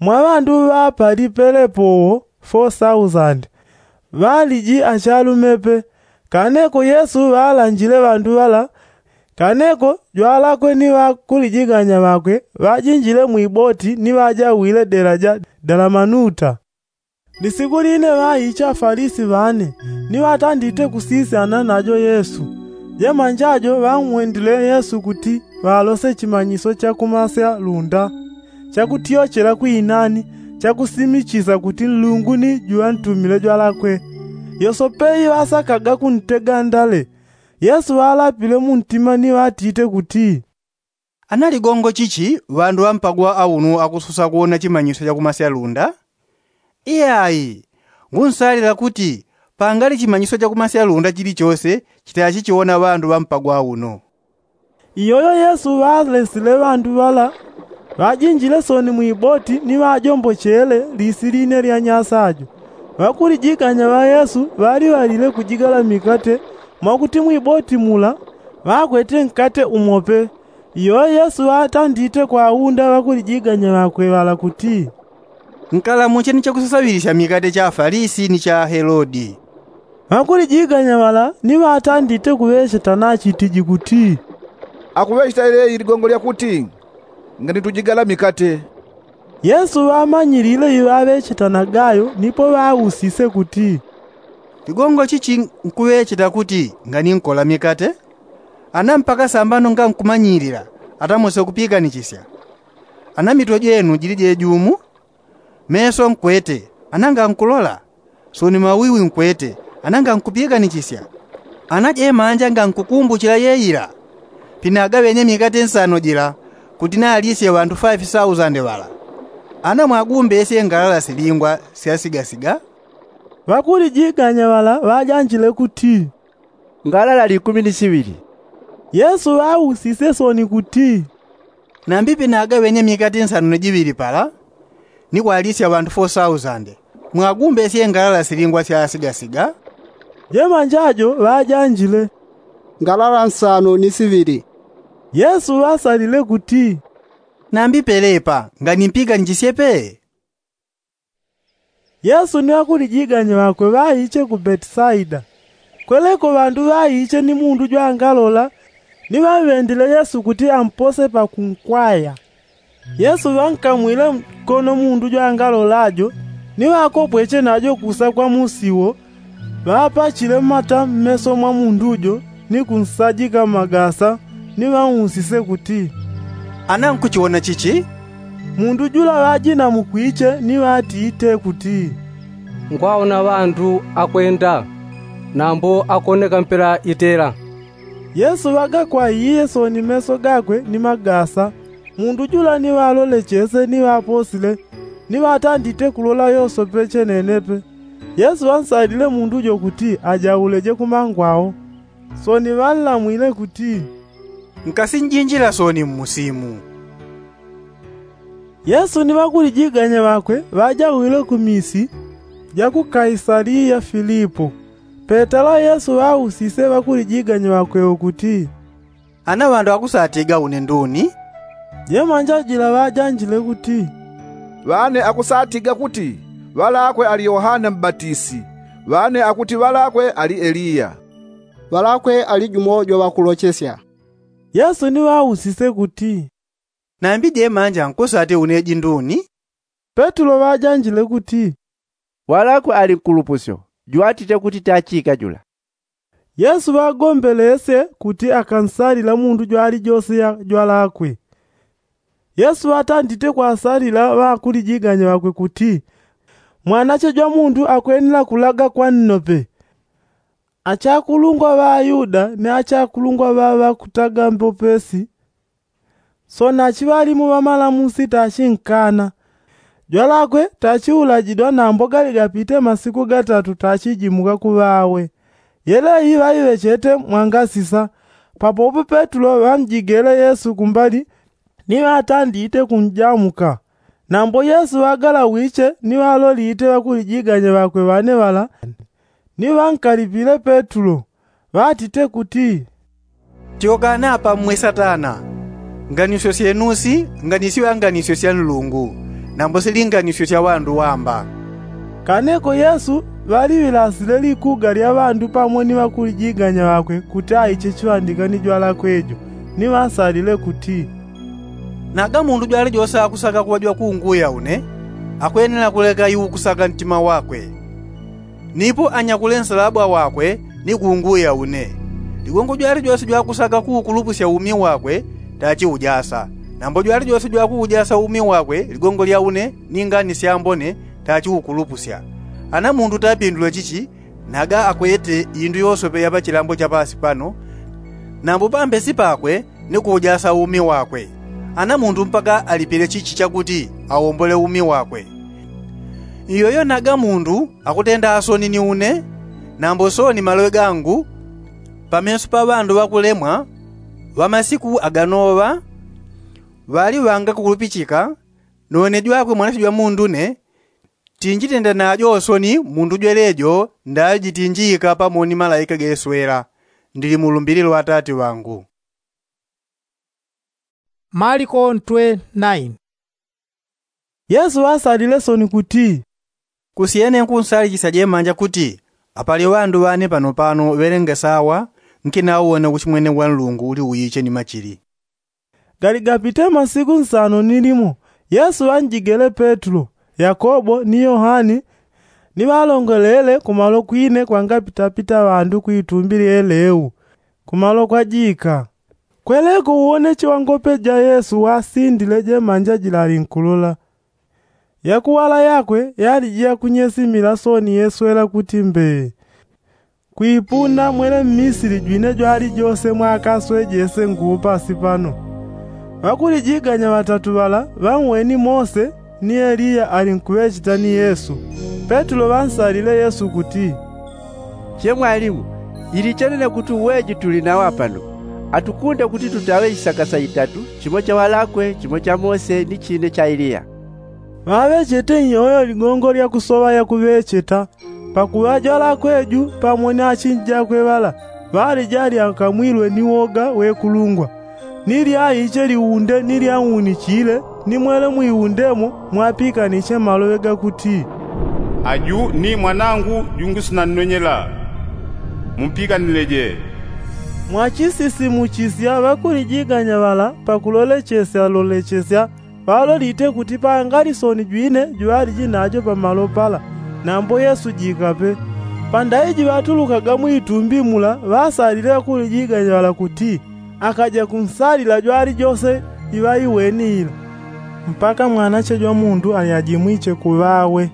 Mwa ŵandu ŵapalipelepo wo fo sausandi, ŵaliji achalume pe. Kaneko yesu ŵalanjile ŵandu ŵala. Kaneko jwalakwe ni ŵakulijiganya ŵakwe ŵajinjile mwiboti ni ŵajawile dela ja dalamanuta. Lisiku line ŵaicha afalisi ŵane, ni ŵatandite kusisyana najo yesu. Jemanja jo ŵang'wendile yesu kuti ŵalose chimanyiso cha kumasya lunda, chakutyochela kwinani, chakusimichisa kuti nlungu ni juŵantumile jwalakwe. Yosope iŵasakaga kuntega ndale. Yesu ŵalapile muntima ni ŵatite kuti, ana ligongo chichi ŵandu ŵampagwa aunu akusosa kuwona chimanyiso cha kumasya lunda? Iyai, ngunsalila kuti pangali chimanyiso cha kumasya lunda chilichose chitachichiwona ŵandu ŵampagwa aunu. Iyoyo yesu ŵalesile ŵandu ŵala, ŵajinjile soni mwiboti ni ŵajombochele lisi line lya nyasa jo. Ŵakulijiganya ŵa yesu ŵaliŵalile kujigala mikate, mwakuti mwiboti mula ŵakwete nkate umo pe. Iyoyo yesu ŵatandite kwaunda ŵakulijiganya ŵakwe ŵala kuti, nkalamuche ni chakusasaŵilisya mikate cha afalisi ni cha ahelodi. Ŵakulijiganya ŵala ni ŵatandite kuŵecheta nachitiji kuti, akuŵecheta ileyi ligongo lya kuti, ngani tujigala mikate. Yesu ŵamanyilile iŵaŵecheta nagayo nipo ŵausise kuti, ligongo chichi nkuŵecheta kuti ngani nkola mikate? Ana mpaka sambano ngankumanyilila atamose kupiikanichisya? Ana mitwe jenu jili jejumu? Meso nkwete, ana ngankulola? Soni mawiwi nkwete, ana ngankupiikanichisya? Ana jemanja ngankukumbuchila yeila? Pinagaŵenye mikate nsano jila kuti nalisye ŵandu faifi sausande ŵala, ana mwagumbesye ngalala silingwa syasigasiga? Ŵakulijiganya ŵala ŵajanjile kuti, ngalala likumi ni siŵili. Yesu ŵausisye soni kuti, nambi pinagaŵenye mikate nsano ni jiŵili pala, ni kwalisya ŵandu fo sausande, mwagumbesye ngalala silingwa syasigasiga? Jemanja jo ŵajanjile, ngalala nsano ni siŵili. Yesu ŵasalile kuti, nambi pelepa ngani mpiikanichisye pe? Yesu ni ŵakulijiganya ŵakwe ŵaiche ku betisaida. Kweleko ŵandu ŵaiche ni mundu jwangalola, ni ŵamŵendile yesu kuti ampose pakunkwaya. Yesu ŵankamwile nkono mundu jwangalola jo, ni ŵakopweche najo kusa kwa musi wo, ŵapachile mata mmeso mwa mundu jo ni kunsajika magasa, ni ŵausise kuti, ana nkuchiwona chichi? Mundu jula ŵajinamukwiche ni ŵatite kuti, ngwaona ŵandu akwenda, nambo akoneka mpela itela. Yesu ŵagakwaiye soni meso gakwe ni magasa. Mundu jula ni ŵalole chese ni ŵaposile, ni ŵatandite kulola yosope chenenepe. Yesu ŵansalile mundu jo kuti ajauleje kumangwao. Soni ŵanlamwile kuti, nkasinjinjila soni mmusimu. Yesu ni ŵakulijiganya ŵakwe ŵajawile ku misi ja ku kaisaliya filipo. Petelo yesu ŵausise ŵakulijiganya ŵakwe ukuti, ana ŵandu akusatiga une nduni? Jemanja jila ŵajanjile kuti, ŵane akusatiga kuti ŵalakwe ali yohane mbatisi, ŵane akuti ŵalakwe ali eliya, ŵalakwe ali jumo jwa ŵakulochesya. Yesu ni ŵausise kuti, nambi jemanja nkusati une jinduni? Petulo ŵajanjile kuti, ŵalakwe ali nkulupusyo jwatite kuti tachika jula. Yesu ŵagombelesye kuti akansalila mundu jwalijose ya jwalakwe. Yesu ŵatandite kwasalila ŵakulijiganya ŵakwe kuti, mwanache jwa mundu akwenela kulaga kwa nnope. Achakulungwa ŵa ayuda ni achakulungwa ŵa ŵakutaga mbopesi, soni achiŵalimu ŵamalamusi tachinkana. Jwalakwe tachiulajidwa nambo gali gapite masiku gatatu tachijimuka kuŵawe. Yeleyi ŵaiŵechete mwangasisa. Papopo petulo ŵamjigele yesu kumbali ni ŵatandite kunjamuka. Nambo yesu ŵagalawiche ni ŵalolite ŵakulijiganya ŵakwe ŵane ŵala, ni ŵankalipile petulo, ŵatite kuti, tyokana apa mmwe satana. Nganisyo syenu si nganisyo ya nganisyo sya nlungu, nambo silinganisyo sya ŵandu wamba. Kaneko yesu ŵaliŵilasile likuga lya ŵandu pamo ni ŵakulijiganya ŵakwe kuti aiche chiŵandika ni jwalakwe jo, ni ŵansalile kuti, naga mundu jwalijose akusaka kuŵa jwakunguya une, akwenela kuleka iukusaka ntima wakwe. Nipo anyakule nsalabwa wakwe ni kunguya une. Ligongo jwalijose jwakusaka kuukulupusya umi wakwe tachiujasa. Nambo jwalijose jwakuujasa umi wakwe ligongo lya une ni ngani syambone tachiukulupusya. Ana mundu tapindule chichi, naga akwete indu yosope ya pachilambo cha pasi pano, nambo pambesi pakwe ni kuujasa umi wakwe. Ana mundu mpaka alipile chichi chakuti awombole umi wakwe. Iyoyo naga mundu akutenda asoni ni une, nambo soni maloŵe gangu pameso pa ŵandu ŵakulemwa ŵa masiku aganoŵa, ŵali ŵangakukulupichika. None jwakwe mwanache jwa mundu ne tinjitenda najo soni mundu jwelejo ndajitinjika pamo ni malaika geswela. Ndili mu lumbili lwa atati ŵangu. Maliko ntwe naini. Yesu ŵasalile soni kuti, kusyene nkunsalichisya jemanja kuti apali ŵandu ŵane panopano ŵelenge sawa nkinauwona uchimwene wa nlungu uli uiche ni machili. Galigapite masiku nsano ni limo, yesu ŵanjigele petulo, yakobo ni yohane, ni ŵalongolele kumalo kwine kwangapitapita ŵandu kwitumbi lyeleu, kumalo kwajika. Kweleko uwoneche wa ngope ja yesu wasindile jemanja jila alinkulola. Yakuwala yakwe yaliji yakunyesimila soni yeswela kuti mbee. Kwipuna mwele mmisili jwine jwalijose mwakaswejese nguu pasi pano. Ŵakulijiganya ŵatatu ŵala ŵanweni mose ni eliya alinkuŵecheta ni yesu. Petulo ŵansalile yesu kuti, che mwalimu, ilichenene kuti uweji tuli nawe apano, atukunde kuti tutaŵe isaka saitatu, chimo cha ŵalakwe, chimo cha mose ni chine cha eliya. Ŵaŵechete nyoyo ligongo lya kusoŵa yakuŵecheta. Pakuŵa jwalakwe ju pamo ni achinji jakwe ŵala ŵalija alyakamwilwe ni woga wekulungwa, ni lyaiche liunde ni lyaunichile ni mwele mwiundemo mwapikaniche maloŵe gakuti, aju ni mwanangu jungusinannonyela, mumpikanileje. Mwachisisimuchisya ŵakulijiganya ŵala pakulolechesya lolechesya ŵalolite kuti pangali soni jwine jwaliji najo pamalo pala, nambo yesu jikape. Pandaiji ŵatulukaga mwitumbi mula ŵasalile ŵakulijiganya ŵala kuti, akaja kunsalila jwalijose iŵaiweni ila. Mpaka mwanache jwa mundu alyajimwiche kuŵawe.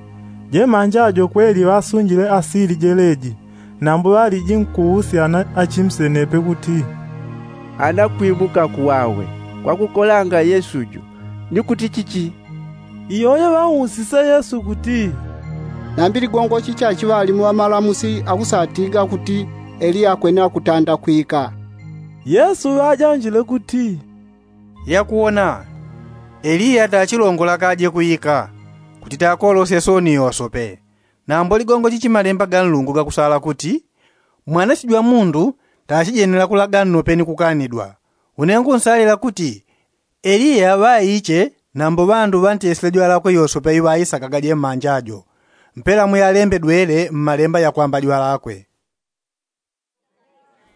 Jemanja ajo kweli ŵasunjile asili jeleji. Nambo ŵaliji nkuusyana achimsenepe kuti, ana kwimuka kuŵawe, kwakukolanga yesu ju, ni kuti chichi? Iyoyo ŵausise yesu kuti, nambi ligongo chichi achiŵalimu ŵamalamusi akusatiga kuti eliya akwene akutanda kwika? Yesu ŵajanjile kuti, yakuwona, eliya tachilongola kaje kwika, kuti takolosye soni yosope. Nambo ligongo chichi malemba ga nlungu gakusala kuti, Mwanache jwa mundu tachijenela kulaga nnope ni kukanidwa. Une ngunsalila kuti eliya ŵaiche nambo ŵandu ŵantesile jwalakwe yosope iŵaisakaga jemanja jo. Mpela muyalembedwele mmalemba yakwamba jwalakwe.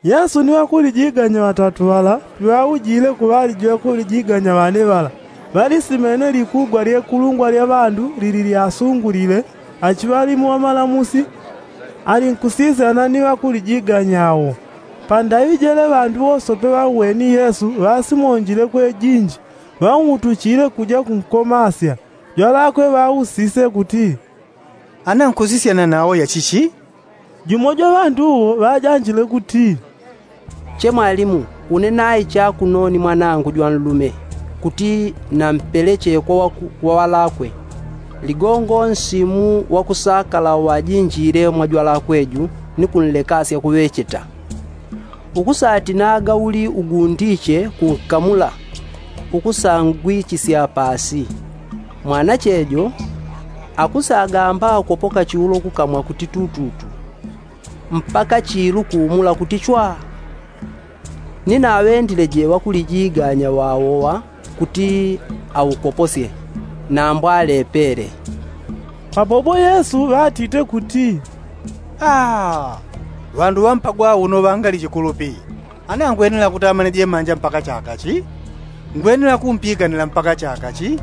Yesu ni ŵakulijiganya ŵatatu ŵala piŵaujile kuŵaliji ŵakulijiganya ŵane ŵala, ŵalisimene likugwa lyekulungwa lya ŵandu lili lyasungulile. Achiŵalimu wamalamusi alinkusisyana ni ŵakulijiganya awo. Pandaŵi jele ŵandu wosope ŵauweni yesu ŵasimonjile kwejinji, ŵautuchile kuja kunkomasya. Jwalakwe ŵausise kuti, ana nkusisyana nawo yachichi? Jumo jwa ŵandu uwo ŵajanjile kuti, che mwalimu, une naicha kuno ni mwanangu jwanlume, kuti nampeleche kwa ŵalakwe. Ligongo nsimu wakusakala wajinjile mwa jwalakwe ju ni kunlekasya kuŵecheta. Ukusatinaga uli ugundiche kunkamula, ukusangwichisya pasi. Mwanache jo akusagamba kopoka chiulo kukamwa kuti tututu, mpaka chilu kuumula kuti chwa. Ni naŵendile je ŵakulijiganya ŵawoŵa kuti aukoposye, nambo alepele. Papopo yesu ŵatite kuti, aa, ŵandu ŵampagwa uno ŵangali chikulupi. Ana ngwenela kutamane jemanja mpaka chakachi? Ngwenela kumpikanila mpaka chakachi?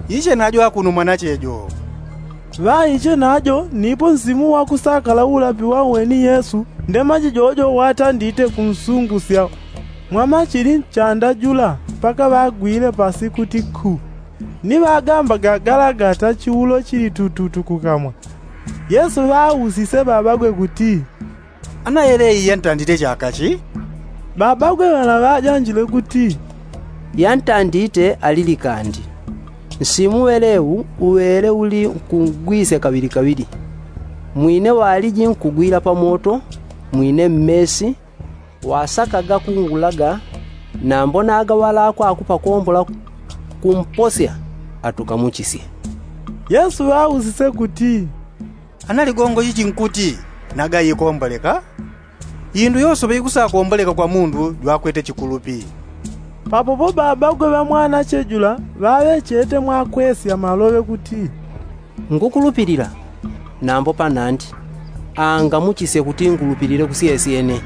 Iche najo akuno mwanache jo. Ŵaiche najo nipo nsimu wakusakala ulapi waweni yesu, ndemaji jojo watandite kunsungusya mwamachili nchanda jula mpaka ŵagwile pasi kuti khu. Ni ŵagambaga galagata chiulo chili tututu kukamwa. Yesu ŵausise ŵaŵagwe kuti, ana yele iyi yantandite chakachi? Ŵaŵagwe ŵala ŵajanjile kuti, yantandite ali likandi. Nsimu ŵelewu uŵele uli nkungwisya kaŵilikaŵili. Mwine waliji nkugwila pamoto, mwine mmesi, wasakaga kungulaga, nambo naga ŵalakwe akupakombola kumposya atukamuchisye. Yesu ŵausise kuti, ana ligongo chichi nkuti naga ikomboleka? Indu yosoŵe ikusakomboleka kwa mundu jwakwete chikulupi. Papopo ŵaŵagwe ŵa mwanache jula ŵaŵechete mwakwesya maloŵe kuti, ngukulupilila, nambo panandi, angamuchisye kuti ngulupilile kusyesyene.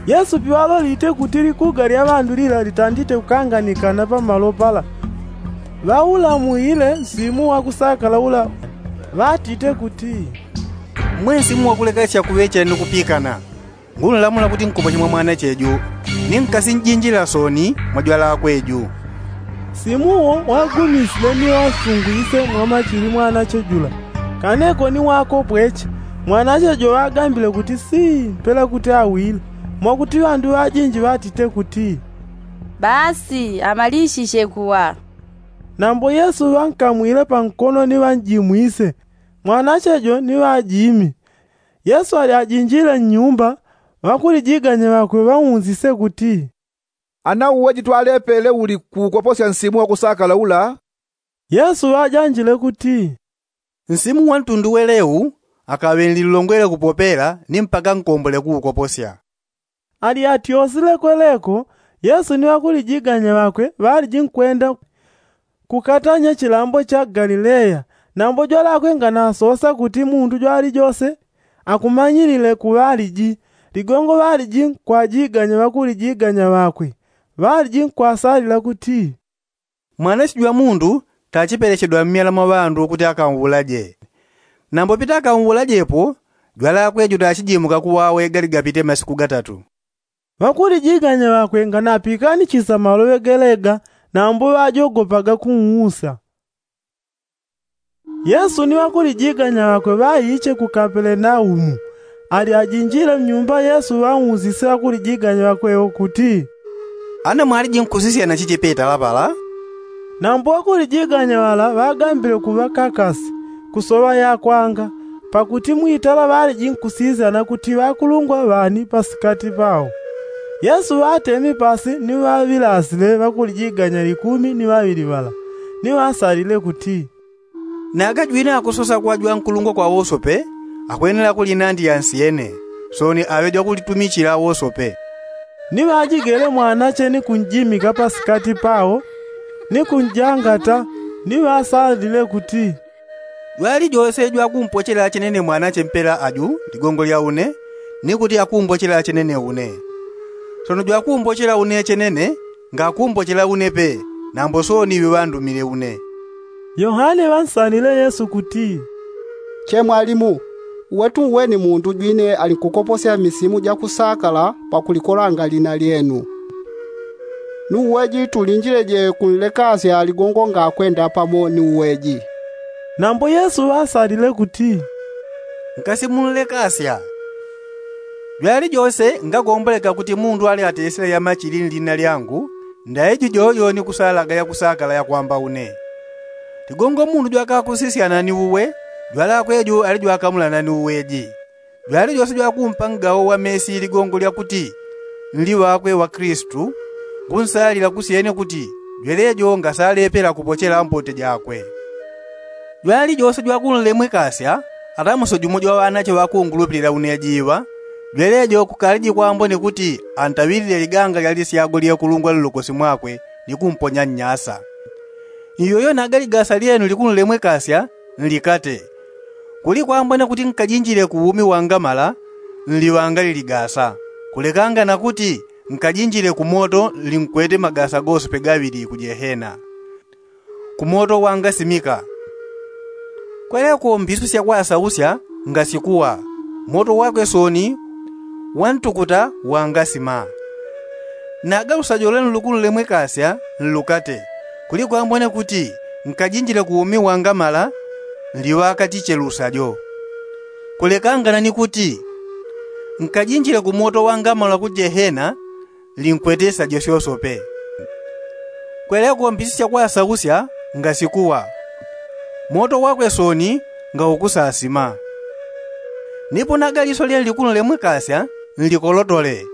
Yesu piŵalolite kuti likuga lya ŵandu lila litandite kukanganikana pamalo pala, ŵaulamwile nsimu wakusakala ula, ŵatite kuti, mwe nsimu wakulekesya kuŵechela ni kupikana, ngunlamula kuti nkupoche mwa mwanache ju, ni nkasi njinjila soni mwa jwalakwe ju. Nsimu uwo wagumisile ni ŵasungwise mwamachili mwanache jula. Kaneko ni wakopweche, mwanache jo ŵagambile kuti sii mpela kuti awile, mwakuti ŵandu ŵajinji ŵatite kuti, basi amalishishe kuŵa. Nambo yesu ŵankamwile pankono ni ŵanjimwise, mwanache jo ni ŵajimi. Yesu ali ajinjile nnyumba, ŵakulijiganya ŵakwe ŵaunzise kuti, ana uwe jitwalepele uli kuukoposya nsimu wakusakala ula? Yesu ŵajanjile kuti, nsimu wa ntundu welewu akaŵe nlilongwele kupopela ni mpaka nkombole kuukoposya. Ali atyosile kweleko, yesu ni ŵakulijiganya ŵakwe ŵaliji nkwenda kukatanya chilambo cha galileya. Nambo jwalakwe nganasosa kuti mundu jwalijose akumanyilile kuŵaliji, ligongo ŵaliji nkwajiganya ŵakulijiganya ŵakwe. Ŵaliji nkwasalila kuti, mwanache jwa mundu tachipelechedwa mmyala mwa ŵandu kuti akamwulaje. Nambo pitakamuwulajepo, jwalakwe jutachijimuka kuwawe galigapite masiku gatatu. Ŵakulijiganya ŵakwe nganapikanishisa maloŵe gelega, nambo ŵajogopaga kunwusa. Yesu ni ŵakulijiganya ŵakwe ŵaiche ku kapelenaumu. Ali ajinjile mnyumba yesu ŵausise ŵakulijiganya ŵakwe kuti, ana mwaliji nkusisyana chichi petala pala? Nambo ŵakulijiganya ŵala ŵagambile kuŵakakasi kusoŵa yakwanga, pakuti mwitala ŵaliji nkusisyana kuti ŵakulungwa ŵani pasikati pao. Yesu ŵatemi pasi ni ŵaŵilasile ŵakulijiganya likumi ni ŵaŵili ŵala, ni ŵasalile kuti, naga jwine akusosa kuŵa jwankulungwa kwa wosope, akwenela kuli nandi yansyene. Sooni aŵe jwakulitumichila wosope. Ni ŵajigele mwanache ni kunjimika pasikati pao, ni kunjangata, ni ŵasalile kuti, jwalijose jwakumpochela chenene mwanache mpela aju ligongo lya une, ni kuti akumbochela chenene une. Sono jwakumbochela une chenene, ngakumbochela une pe, nambo sooni iŵe ŵandumile une. Yohane ŵansalile yesu kuti, che mwalimu, uwe tuuweni mundu jwine alinkukoposya misimu jakusakala pakulikolanga lina lyenu. Ni uweji tulinjileje kunlekasya ligongo ngakwenda pamo ni uweji? Nambo yesu ŵasalile kuti, nkasimunlekasya. Jwalijose ngagomboleka kuti mundu ali atesile yamachili nlina lyangu, ndaiji jojo ni kusalaga yakusakala yakwamba une. Ligongo mundu jwakakusisyana ni uwe, jwalakwe jo ali jwakamulana ni uweji. Jwalijose jwakumpa ngawo wamesi ligongo lyakuti nli ŵakwe ŵakristu, ngunsalila kusyene kuti jwelejo ngasalepela kupochela mbote jakwe. Jwalijose jwakunlemwekasya atamuso jumo jwaŵanache ŵakungulupilila uneji iŵa, jwelejo kukaliji kwambone kuti antaŵilile liganga lya lisyago lyekulungwa nlukosi mwakwe, ni kumponya nnyasa. Iyoyo naga ligasa lyenu likunlemwekasya nlikate. Kuli kwambone kuti nkajinjile ku umi wangamala, nliŵanga liligasa, kulekanga na kuti nkajinjile ku moto nlinkwete magasa gosope gaŵili ku jehena, ku moto wangasimika. Kweleko mbisu syakwasausya ngasikuwa, moto wakwe sooni wantukuta wangasima. Naga lusajo lwenu lukunlemwekasya nlukate, kuli kwambone kuti nkajinjile ku umi wangamala, nliŵakatiche lusajo, kulekangana ni kuti nkajinjile ku moto wangamala ku jehena, linkwete sajo syosope. Kweleko mbisu syakwasausya ngasikuwa, moto wakwe sooni ngaukusasima. Nipo naga liso lyenu likunlemwekasya nlikolotole,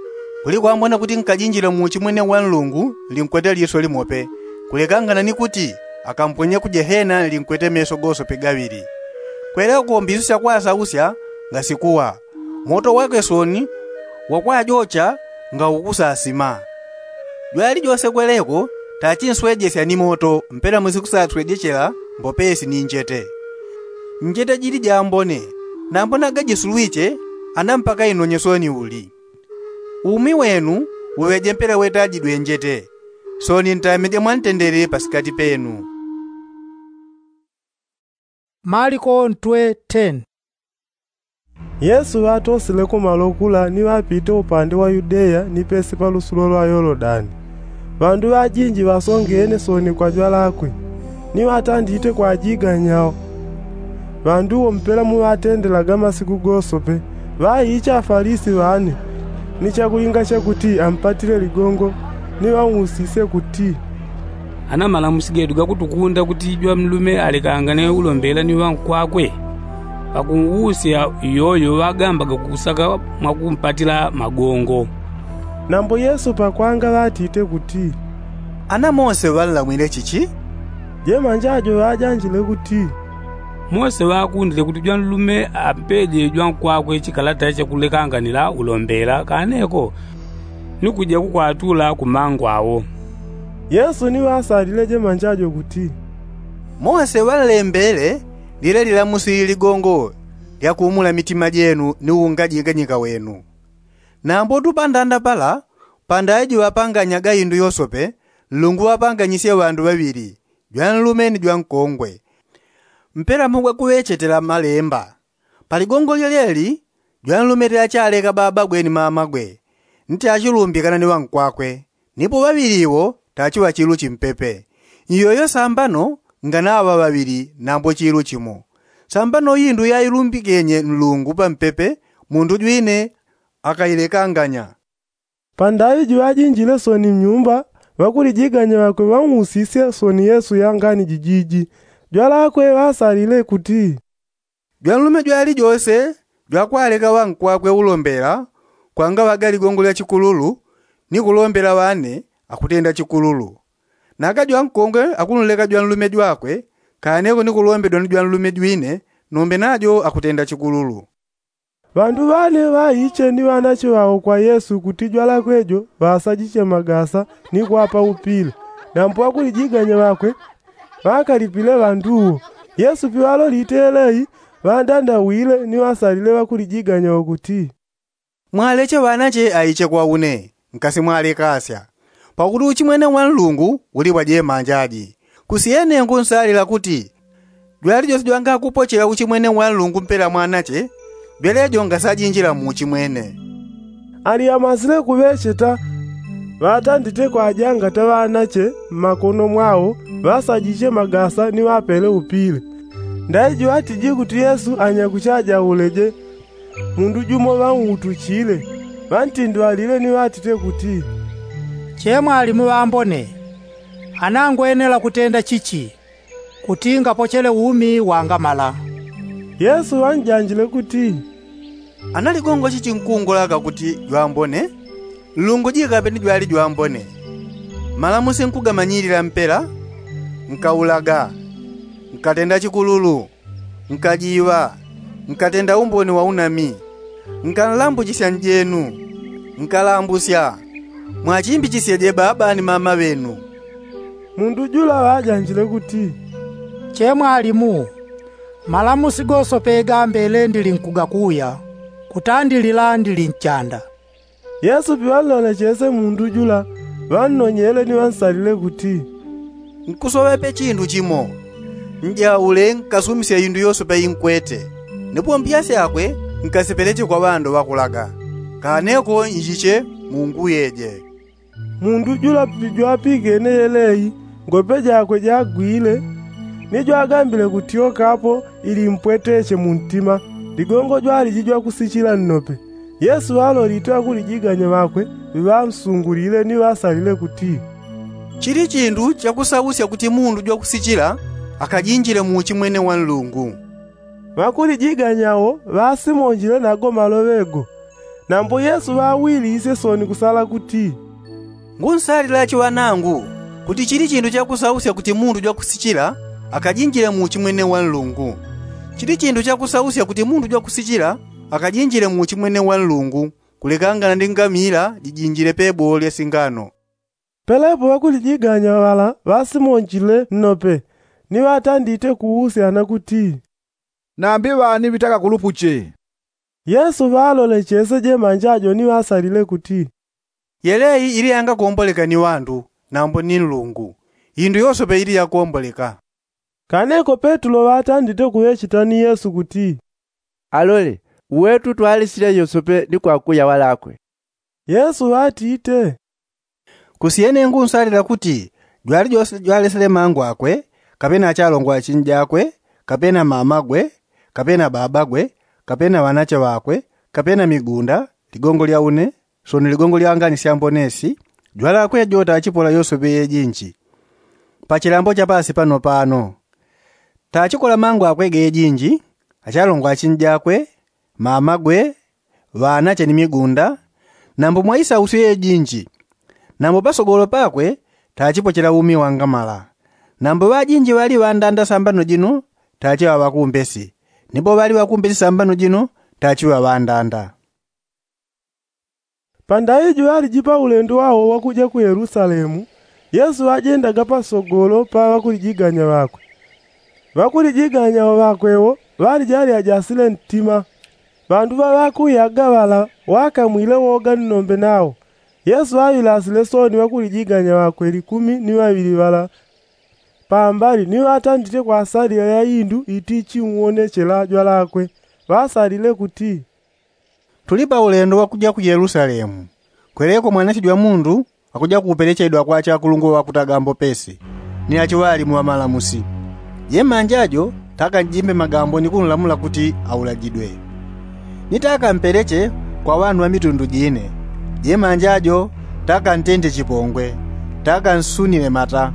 kuli kwambone kuti nkajinjile mu uchi mwene wa nlungu nlinkwete liso limope, kulekangana ni kuti akamponye ku jehena nlinkwete meso gosope gaŵili. Kweleko mbisu syakwasausya ngasikuwa, moto wakwe sooni wakwajocha ngaukusasima. Jwalijose kweleko tachinswejesya ni moto mpela musikusaswejechela mbopesi ni njete. Njete jili jambone, nambo naga jisulwiche, ana mpaka inonye sooni uli. Umi wenu uŵeje mpela wetajidwe njete, sooni ntameje mwantendele pasikati penu. Maliko ntwe ten. Yesu ŵatosileko malo kula ni ŵapite upande wa yudeya ni pesi pa lusulo lwa yolodani. Ŵandu ŵajinji ŵasongene sooni kwa jwalakwe, ni ŵatandite kwajiganyao. Ŵandu wo mpela muŵatendelaga masiku gosope, ŵaicha afalisi ŵane, ni chakulinga chakuti ampatile ligongo, ni ŵausisye kuti, ana malamusi gedu gakutukunda kuti jwanlume alekangane ulombela ni ŵankwakwe? Pakuusya iyoyo ŵagambaga kukusaka mwakumpatila magongo. Nambo yesu pakwanga ŵatite kuti, ana mose ŵanlamwile chichi? Jemanja jo ŵajanjile kuti, mose ŵakundile kuti jwanlume ampeje jwankwakwe chikalata chakulekanganila ulombela kaneko, ni kuja kukwatula ku mangu awo. Yesu ni ŵasalile jemanja jo kuti, mose ŵanlembele lile lilamusi ligongo lyakuumula mitima jenu ni uungaji nganyika wenu. Nambo tu pandanda pala, pandaiji ŵapanganyaga indu yosope, nlungu ŵapanganyisye ŵandu ŵaŵili, jwanlume ni jwankongwe. Mpela mugwe kuŵechetela malemba. Paligongo lyelyeli jwanlume tachaleka babagwe ni mamagwe, ni tachilumbikana ni ŵankwakwe, nipo ŵaŵili iwo tachiŵa chilu chimpepe. Iyoyo sambano nganaŵa ŵaŵili nambo chilu chimo. Sambano indu yailumbikenye nlungu pampepe, mundu jwine akailekanganya. Pandaŵi juŵajinjile sooni mnyumba, ŵakulijiganya ŵakwe ŵausisye sooni yesu yangani jijiji. Jwalakwe ŵasalile kuti, jwanlume jwalijose jwakwaleka ŵankwakwe ulombela, kwangaŵaga ligongo lya chikululu, ni kulombela ŵane akutenda chikululu. Naga jwankongwe akunleka jwanlume jwakwe, kaneko ni kulombedwa ni jwanlume jwine, nombe najo akutenda chikululu. Ŵandu ŵane ŵaiche ni ŵanache ŵao kwa yesu kuti jwalakwe jo ŵasajiche magasa ni kwapa upile. Nambo ŵakulijiganya ŵakwe ŵakalipile ŵandu wo. Yesu piŵalolite yelei ŵandandawile ni ŵasalile ŵakulijiganya wo kuti, mwaleche ŵanache aiche kwa une, nkasimwalekasya. Pakuti uchimwene wa nlungu uli pwa jemanja aji. Kusyene ngunsalila kuti jwali jose jwangakupochela uchimwene wa nlungu mpela mwanache, jwele jo ngasajinjila mu uchimwene. Aliamasile kuŵecheta ŵatandite kwajangata ŵanache mmakono mwao ŵasajiche magasa ni ŵapele upile. Ndaiji ŵatiji kuti yesu anyakuchajauleje. Mundu jumo ŵanwutuchile ŵantindwalile ni ŵatite kuti, che mwalimu ŵambone, anangwenela kutenda chichi kuti ngapochele umi wangamala? Yesu ŵanjanjile kuti, ana ligongo chichi nkungulaka kuti jwambone? Nlungu jikape ni jwali jwambone. Malamusi nkugamanyilila mpela, nkaulaga, nkatenda chikululu, nkajiŵa, nkatenda umboni wa unami, nkanlambuchisya njenu, nkalambusya. Mwachimbichisyeje baba ni mama ŵenu. Mundu jula ŵajanjile kuti, che mwalimu, malamusi gosope gambele ndili nkugakuya, kutandilila ndili nchanda. Yesu piŵanlolechese mundu jula ŵannonyele ni ŵansalile kuti, nkusoŵepe chindu chimo. Njaule nkasumisya indu yosope inkwete, ni pompya syakwe nkasipeleche kwa ŵandu ŵakulaga. Kaneko njiche munguyeje. Mundu jula pijwapigene yelei ngope jakwe jagwile, ni jwagambile kutyokapo ili mpweteche muntima. Ligongo jwaliji jwakusichila nnope. Yesu ŵalolite ŵakulijiganya ŵakwe ŵamsungulile ni ŵasalile kuti, chili chindu chakusausya kuti mundu jwakusichila akajinjile mu uchimwene wa nlungu. Ŵakulijiganya wo ŵasimonjile nago maloŵe go. Nambo yesu ŵawilisye soni kusala kuti, ngunsalilachi ŵanangu, kuti chili chindu chakusausya kuti mundu jwakusichila akajinjile mu uchimwene wa nlungu. Chili chindu chakusausya kuti mundu jwakusichila akajinjile mu uchimwene wa nlungu, kulekangana ndi ngamila jijinjile pebolo lya singano. Pelepo ŵakulijiganya ŵala ŵasimonjile nnope, ni ŵatandite kuusyana kuti, nambi ŵani ŵitaka kulupuche? Yesu ŵalolechese jemanja jo ni ŵasalile kuti, yelei ili yangakomboleka ni ŵandu, nambo ni nlungu. Indu yosope ili yakomboleka. Kaneko petulo ŵatandite kuŵecheta ni yesu kuti, alole, uwetu twalesile yosope ni kwakuya ŵalakwe. Yesu ŵatite, kusyene ngunsalila kuti jwali jose jwalesele mangu akwe, kapena achalongo achinjakwe, kapena mamagwe, kapena babagwe, kapena ŵanache ŵakwe, kapena migunda, ligongo lya une, soni ligongo lya ngani syambonesi, jwalakwe jo tachipola yosope yejinji. Pachilambo cha pasi pano pano tachikola mangu akwe gejinji, achalongo achinjakwe, mamagwe, ŵanache ni migunda, nambo mwaisausyo yejinji. Nambo pasogolo pakwe tachipochela umi wangamala. Nambo ŵajinji ŵali ŵandanda sambano jino tachiŵa ŵakumbesi, nipo ŵali ŵakumbesi sambano jino tachiŵa ŵandanda. Pandai juŵaliji pa ulendo wao wakuja ku yelusalemu, yesu ŵajendaga pasogolo pa ŵakulijiganya ŵakwe. Ŵakulijiganya ŵakwe wo ŵaliji alyajasile ntima. Ŵandu ŵaŵakuyaga ŵala ŵakamwile woga nnombe nao. Yesu ŵaŵilasile soni ŵakulijiganya ŵakwe likumi ni ŵaŵili ŵala pambali ni ŵatandite kwasalila ya indu itichiwonechela jwalakwe. Ŵasalile kuti, tuli pa ulendo wakuja ku yelusalemu. Kweleko mwanache jwa mundu akuja kupelechedwa kwa achakulungwe ŵakutaga mbopesi, ni achiŵalimu ŵamalamusi. Jemanja jo takanjimbe magambo ni kunlamula kuti aulajidwe. Ni takampeleche kwa ŵandu ŵa mitundu jine. Jemanja jo takantende chipongwe, takansunile mata,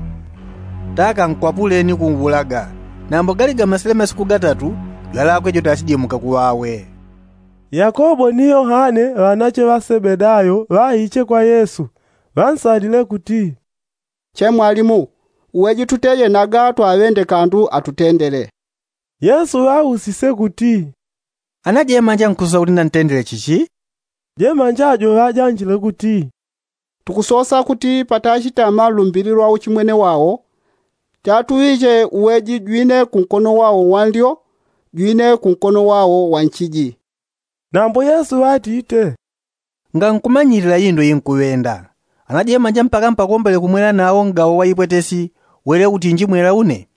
takankwapule ni kunwulaga. Nambo galigamasile masiku gatatu jwalakwe jo tachijimuka kuŵawe. Yakobo ni yohane ŵanache ŵa sebedayo ŵaiche kwa yesu, ŵansalile kuti, che mwalimu, uweji tuteyenaga twaŵende kandu atutendele. Yesu ŵausise kuti, Ana jemanja nkusosa kuti ndantendele chichi? Jemanja ajo ŵajanjile kuti, tukusosa kuti patachitama lumbili lwa uchimwene wao, chatuŵiche uweji jwine kunkono wao wanlyo, jwine kunkono wao wanchiji. Nambo yesu ŵatite, ngankumanyilila indo inkuŵenda. Ana jemanja mpaka mpakombole kumwela nao ngawo wa ipwetesi, wele utinji mwela une?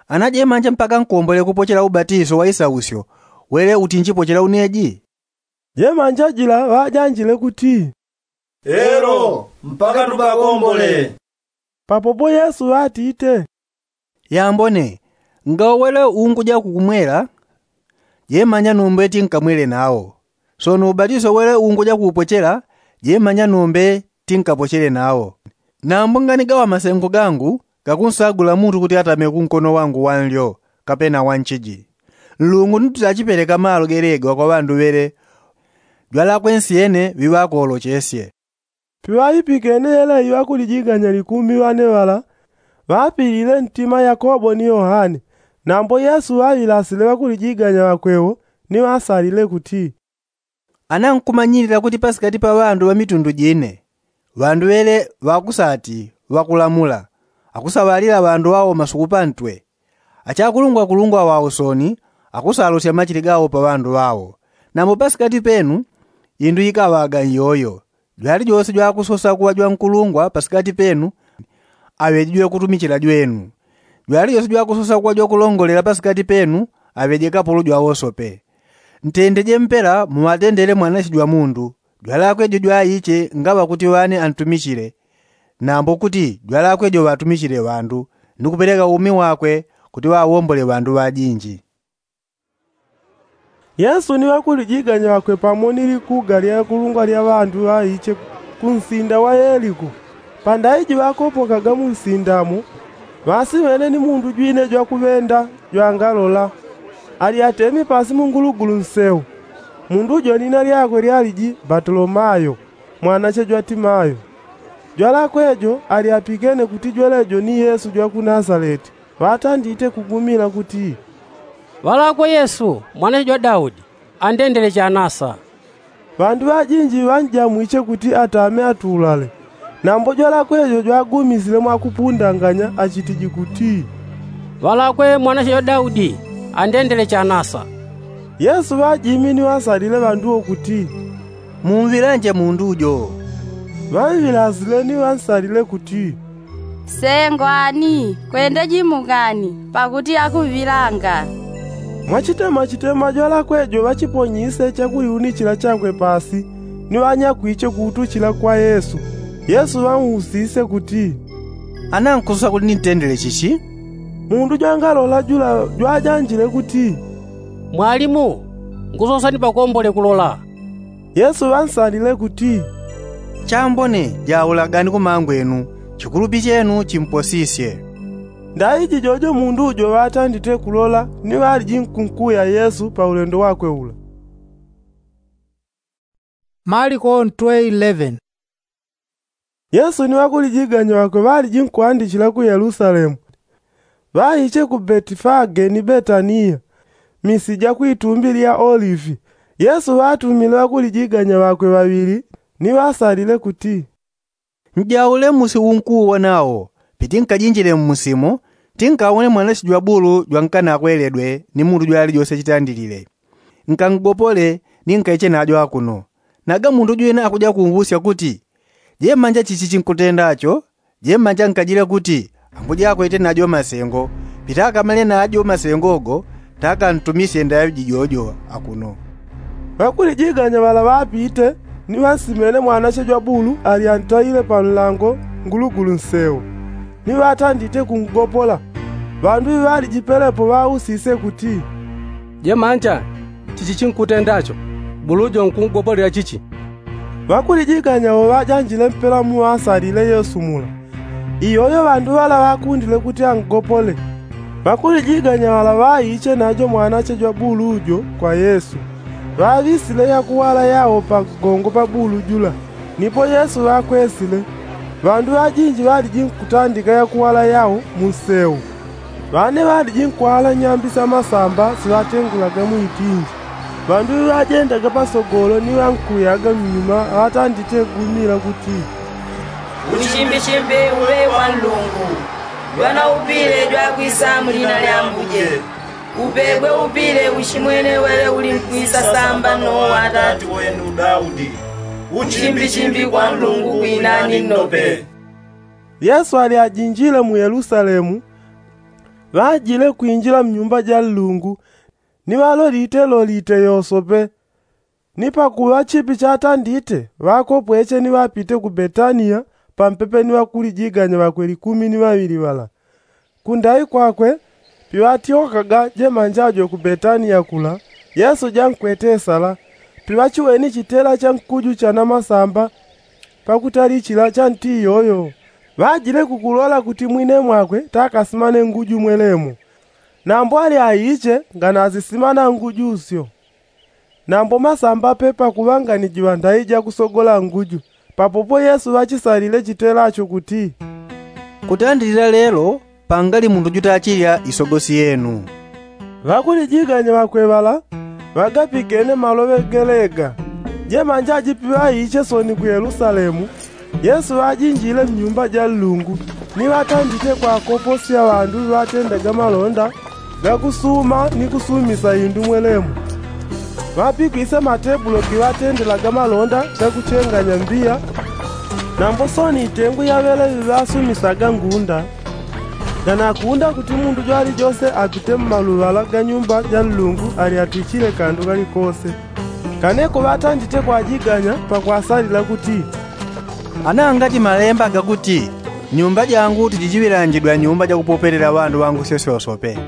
Ana jemanja mpaka nkombole kupochela ubatiso wa isausyo, wele utinji pochela uneji? Jemanja jila ŵajanjile kuti, elo, mpaka tupakombole. Papopo yesu ŵatite, yambone, ngawo wele unguja kukumwela, jemanja nombe tinkamwele nao. Sono ubatiso wele unguja kuupochela, jemanja nombe tinkapochele nao. Nambo nganigawa masengo gangu gakunsagula mundu kuti atame kunkono wangu wanlyo, kapena wanchiji. Nlungu ni tachipeleka malo gelegwa kwa ŵandu ŵele, jwalakwe nsi yene ŵiŵakolochesye. Piŵaipikene yeleyi ŵakulijiganya likumi ŵane ŵala, ŵapilile ntima yakobo ni yohane. Nambo yesu ŵaŵilasile ŵakulijiganya ŵakwewo, ni ŵasalile kuti, ana nkumanyilila kuti pasikati pa ŵandu ŵa mitundu jine, ŵandu ŵele ŵakusati ŵakulamula, akusaŵalila ŵandu ŵao masuku pantwe, achakulungwakulungwa ŵa usoni, akusalosya machili gao pa ŵandu ŵao. Nambo pasikati penu indu ikaŵaga nyoyo. Jwalijose jwakusosa kuŵa jwankulungwa pasikati penu, aŵeje jwakutumichila jwenu. Jwalijose jwakusosa kuŵa jwakulongolela pasikati penu, aŵeje kapulu jwawosope. Ntendeje mpela muŵatendele mwanache jwa mundu. Jwalakwe jo jwaiche ngaŵa kuti ŵane antumichile, nambo kuti jwalakwe jo ŵatumichile ŵandu, ni kupeleka umi wakwe kuti ŵawombole ŵandu ŵajinji. Yesu ni ŵakulijiganya ŵakwe pamo ni likuga lya kulungwa lya ŵandu ŵaiche ku nsinda wa yeliko. Pandaiji ŵakopokaga mu nsinda mo, ŵasiŵene ni mundu jwine jwakuŵenda jwangalola, ali atemi pasi mu ngulugulu nseu. Mundu jo nina lyakwe lyaliji batolomayo, mwanache jwa timayo. Jwalakwe jo ali apikene kuti jwelejo ni yesu jwa ku nasaleti. Ŵatandite kugumila kuti, ŵalakwe yesu, mwanache jwa daudi, andendele chanasa. Ŵandu ŵajinji ŵanjamwiche kuti atame atulale. Nambo jwalakwe jo jwagumisile mwakupundanganya achitiji kuti, ŵalakwe mwanache jwa daudi, andendele chanasa. Yesu ŵajimi ni ŵasalile ŵandu wo kuti, mumvilanje mundu jo. Ŵamvilasile ni ŵansalile kuti, sengwani, kwende jimugani, pakuti akuvilanga. Mwachitema chitema jwalakwe jo ŵachiponyise chakuliunichila chakwe pasi, ni ŵanyakwiche kuutuchila kwa yesu. Yesu ŵausise kuti, ana nkusosa kuti nintendele chichi? Mundu jwangalola jula jwajanjile kuti, mwalimu, nkusosa ni pakombole kulola. Yesu ŵansalile kuti, chambone, jaulagani kumangwenu, chikulupi chenu chimposisye. Ndaiji jojo mundu jo ŵatandite kulola ni ŵaliji nkunkuya yesu pa ulendo wakwe ula. Maliko ntwe eleven. Yesu ni ŵakulijiganya ŵakwe ŵaliji nkuandichila ku yelusalemu. Ŵaiche ku betifage ni betaniya, misi ja kwitumbi lya olivi. Yesu ŵatumile ŵakulijiganya ŵakwe ŵaŵili, ni ŵasalile kuti, njaule musi unkuuwona wo. Piti nkajinjile mmusi mo, tinkawone mwanache jwa bulu jwankanakweleledwe ni mundu jwalijose chitandilile. Nkangopole, ni nkaiche najo akuno. Naga mundu jwine akuja kunvusya kuti, jemanja chichi chinkutenda cho? Jemanja nkajile kuti, anguja akwete najo masengo. Pita akamale najo masengo go, takantumisye ndaŵi jijojo akuno. Ŵakulijiganya ŵala ŵapite, ni ŵansimene mwanache jwa bulu ali antaile pa nlango ngulugulu nseu, ni ŵatandite kungopola. Ŵandu ŵiŵalijipelepo ŵausise kuti, jemanja, chichi chinkutenda cho? Bulu jo nkungopolela chichi? Ŵakulijiganya wo ŵajanjile mpela muŵasalile yesu mula. Iyoyo ŵandu ŵala ŵakundile kuti angopole. Ŵakulijiganya ŵala ŵaiche najo mwanache jwa bulu jo kwa yesu, ŵaŵisile yakuwala yao pa ngongo pa bulu jula. Nipo yesu ŵakwesile, ŵandu ŵajinji ŵaliji nkutandika yakuwala yao mu nseu. Ŵane ŵaliji nkwala nyambi sa masamba siŵatengulaga mwitinji. Ŵandu ŵajendaga pasogolo ni ŵankuyaga mnyuma ŵatandite gumila kuti, uchimbishimbi uŵe kwa nlungu. Jwana upile jwakwisa mu lina lya mbuje. Upegwe upile uchimwene weŵe uli nkwisa samba no wa atati wenu daudi. Uchimbishimbi kwa nlungu kwinani nnope. Yesu ali ajinjile mu yelusalemu, ŵajile kwinjila mnyumba ja nlungu, ni ŵalolite lolite yosope. Ni pakuŵa chipi chatandite ŵakopweche ni ŵapite ku betania, pampepe ni ŵakulijiganya ŵakwe likumi ni ŵaŵili ŵala. Kundai kwakwe piŵatyokaga jemanja jo ku betania kula, yesu jankwete sala. Piŵachiweni chitela cha nkuju cha namasamba pakutali chila cha nti iyoyo, ŵajile kukulola kuti mwine mwakwe takasimane nguju mwelemo. Nambo ali aiche nganazisimana nguju syo. Nambo masamba pe pakuŵanganijiŵa ndai jakusogola nguju. Papopo yesu ŵachisalile chitela cho kuti, kutandilila lelo pangali mundu jutachilya isogosi yenu. Ŵakulijiganya ŵakwe ŵala ŵagapikene maloŵe gelega. Jemanja jipi ŵaiche soni ku yelusalemu, yesu ŵajinjile mnyumba ja nlungu, ni ŵatandite kwakoposya ŵandu ŵatendaga malonda gakusuma ni kusumisa indu mwelemu. Ŵapikwise matebulo giŵatendelaga malonda gakuchenganya mbiya. Nambo soni itengu ya ŵeleŵi ŵasumisaga ngunda. Nganakunda kuti mundu jwalijose apite mmaluŵala ga nyumba ja nlungu ali atichile kandu kalikose. Kaneko ŵatandite kwajiganya pakwasalila kuti, ana angati malemba gakuti, nyumba jangu tijijiŵilanjidwa nyumba jakupopelela ŵandu ŵangu syosyosope.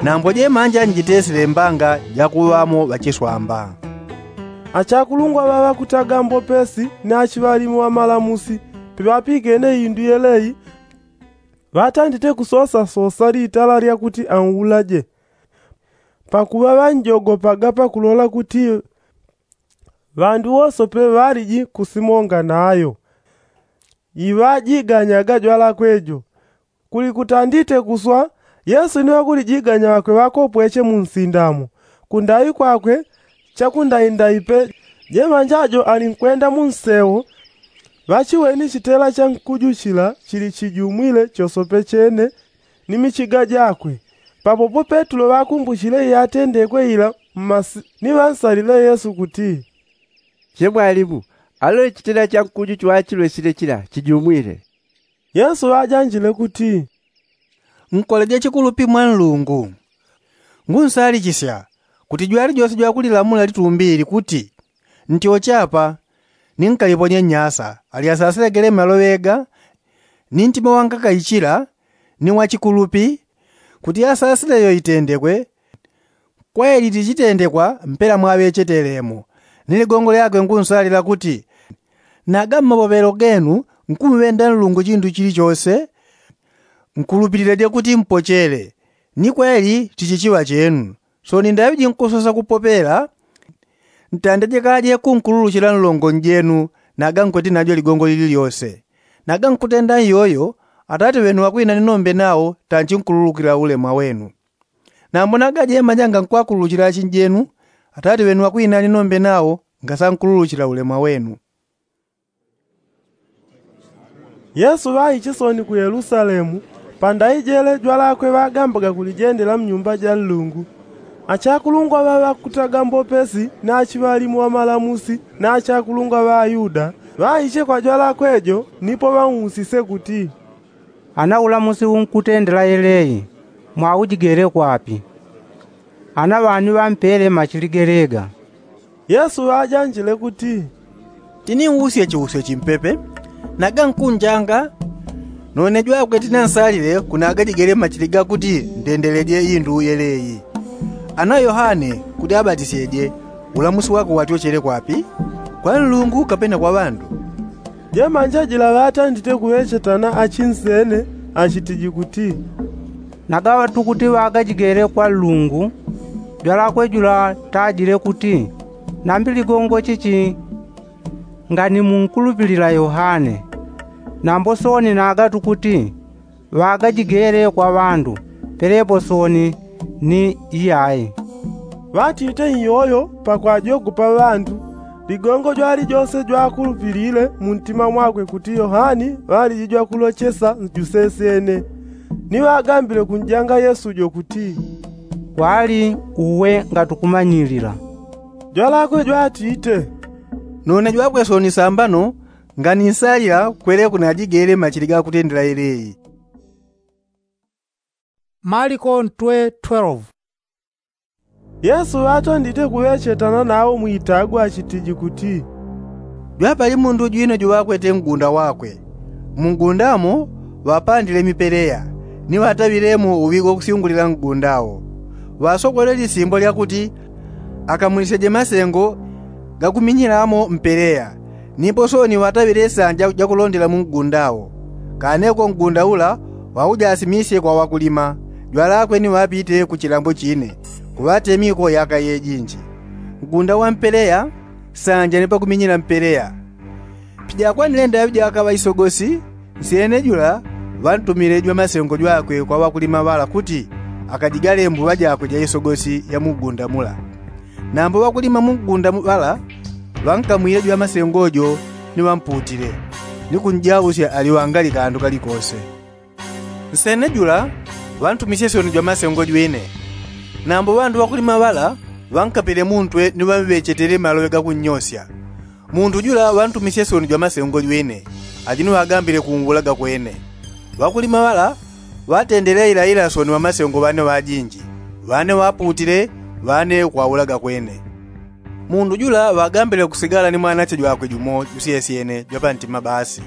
Nambo jemanja njitesile mbanga jakuŵamo ŵachiswamba. Achakulungwa ŵaŵakutaga mbopesi ni achiŵalimu ŵamalamusi piŵapikene indu yeleyi, ŵatandite kusosasosa litala lyakuti anwulaje. Pakuŵa ŵanjogopaga pakulola kuti ŵandu wosope ŵaliji kusimonga nayo. Iŵajiganyaga jwalakwe jo. Kuli kutandite kuswa, yesu ni ŵakulijiganya ŵakwe ŵakopweche mu nsindamo. Kundaŵi kwakwe chakundaindawi pe. Jemanja jo alinkwenda mu nsewo, ŵachiweni chitela cha nkuju chila chili chijumwile chosope chene ni michiga jakwe. Papopo petulo ŵakumbuchile iyatendekwe ila mmasi ni ŵansalile yesu kuti, che mwalimu, alole chitela cha nkuju chwachilwesile chila chijumwile. Yesu ŵajanjile kuti, nkoleje chikulupi mwa nlungu. Ngunsalichisya kuti jwalijose jwakulilamula litumbi ili kuti, ntyoche apa, ni nkaliponye nnyasa, ali asasilagele maloŵe ga, ni ntima wangakaichila, ni wachikulupi, kuti asasile iyo itendekwe. Kweli tichitendekwa mpela mwaŵechetelemo. Ni ligongo lyakwe ngunsalila kuti, naga mmapopeelo genu nkumŵenda nlungu chindu chilichose. Nkulupilileje kuti mpochele. Ni kweli tichichiŵa chenu. Soni ndaŵi jinkusosa kupopela, ntandeje kaje kunkululuchila nlongo njenu, naga nkweti najo ligongo lililyose. Naga nkutenda iyoyo, atate ŵenu ŵakwinani nombe nawo tanchinkululukila ulemwa wenu. Nambo naga jemanja ngankwakululuchila achinjenu, atate ŵenu ŵakwinani nombe nawo ngasankululuchila ulemwa wenu. Yesu ŵaiche soni ku yelusalemu. Pandaijele jwalakwe ŵagambaga kulijendela mnyumba ja nlungu. Achakulungwa ŵaŵakutaga mbopesi ni achiŵalimu ŵamalamusi ni achakulungwa ŵa ayuda, ŵaiche kwa jwalakwe jo nipo ŵausise kuti, ana ulamusi unkutendela yeleyi mwaujigele kwapi? Ana ŵani ŵampele machili gelega? Yesu ŵajanjile kuti, tiniusye chiusyo chimpepe, naga nkunjanga. None jwakwe tinansalile kunagajigele machili gakuti ndendeleje indu yeleyi. Ana yohane kuti abatisyeje, ulamusi wakwe watyochele kwapi? Kwa nlungu kapena kwa ŵandu? Jemanja jila ŵatandite kuŵechetana achinsene, achitiji kuti, nagaŵa tukuti ŵagajigele kwa nlungu. Jwalakwe jula tajile kuti, nambi ligongo chichi? Ngani munkulupilila yohane. Nambo soni naga tukuti ŵagajigele kwa ŵandu, pelepo soni ni iyai. Ŵatite iyoyo pakwajogopa ŵandu, ligongo jwalijose jwakulupilile muntima mwakwe kuti yohani ŵaliji jwakulochesa njusesyene. Ni ŵagambile kunjanga yesu jo kuti, kwali uwe ngatukumanyilila. Jwalakwe jwatite, nune jwakwe soni sambano, ngani nsalila kweleku najigele machili gakutendela yeleyi. Maliko ntwe twelve. Yesu ŵatondite kuŵechetana nawo mwitagwa achitiji kuti, jwapali mundu jwino juŵakwete ngunda wakwe. Mungundamo ŵapandile mipeleya, ni ŵataŵilemo uŵigo kusyungulila ngunda wo. Ŵasogolele lisimbo lyakuti akamulisyeje masengo gakuminyilamo mpeleya. Nipo soni ŵataŵile sanja jakulondela mungunda wo. Kaneko ngunda ula ŵaujasimisye kwa ŵakulima, jwalakwe ni ŵapite ku chilambo chine, kuŵatemiko yaka yejinji. Ngunda wa mpeleya sanja ni pakuminyila mpeleya. Pijakwanile ndaŵi jakaŵa isogosi, nsyene jula ŵantumile jwamasengo jwakwe kwa ŵakulima ŵala kuti akajigale mbuŵa jakwe ja isogosi ya mungunda mula. Nambo ŵakulima mungunda ŵala ŵankamwile jwamasengo jo, ni ŵamputile, ni kunjausya aliŵangali kandu kalikose. Nsyene jula ŵantumisye syoni jwamasengo jwine. Nambo ŵandu ŵakulima ŵala ŵankapile muntwe ni ŵamŵechetele maloŵe gakunnyosya. Mundu jula ŵantumisye syoni jwamasengo jwine, aji ni ŵagambile kunwulaga kwene. Ŵakulima ŵala ŵatendele ilaila syoni ŵamasengo ŵane ŵajinji, ŵane ŵaputile, ŵane kwaulaga kwene. Mundu jula ŵagambile kusigala ni mwanache jwakwe jumo jusyesyene jwapantima basi.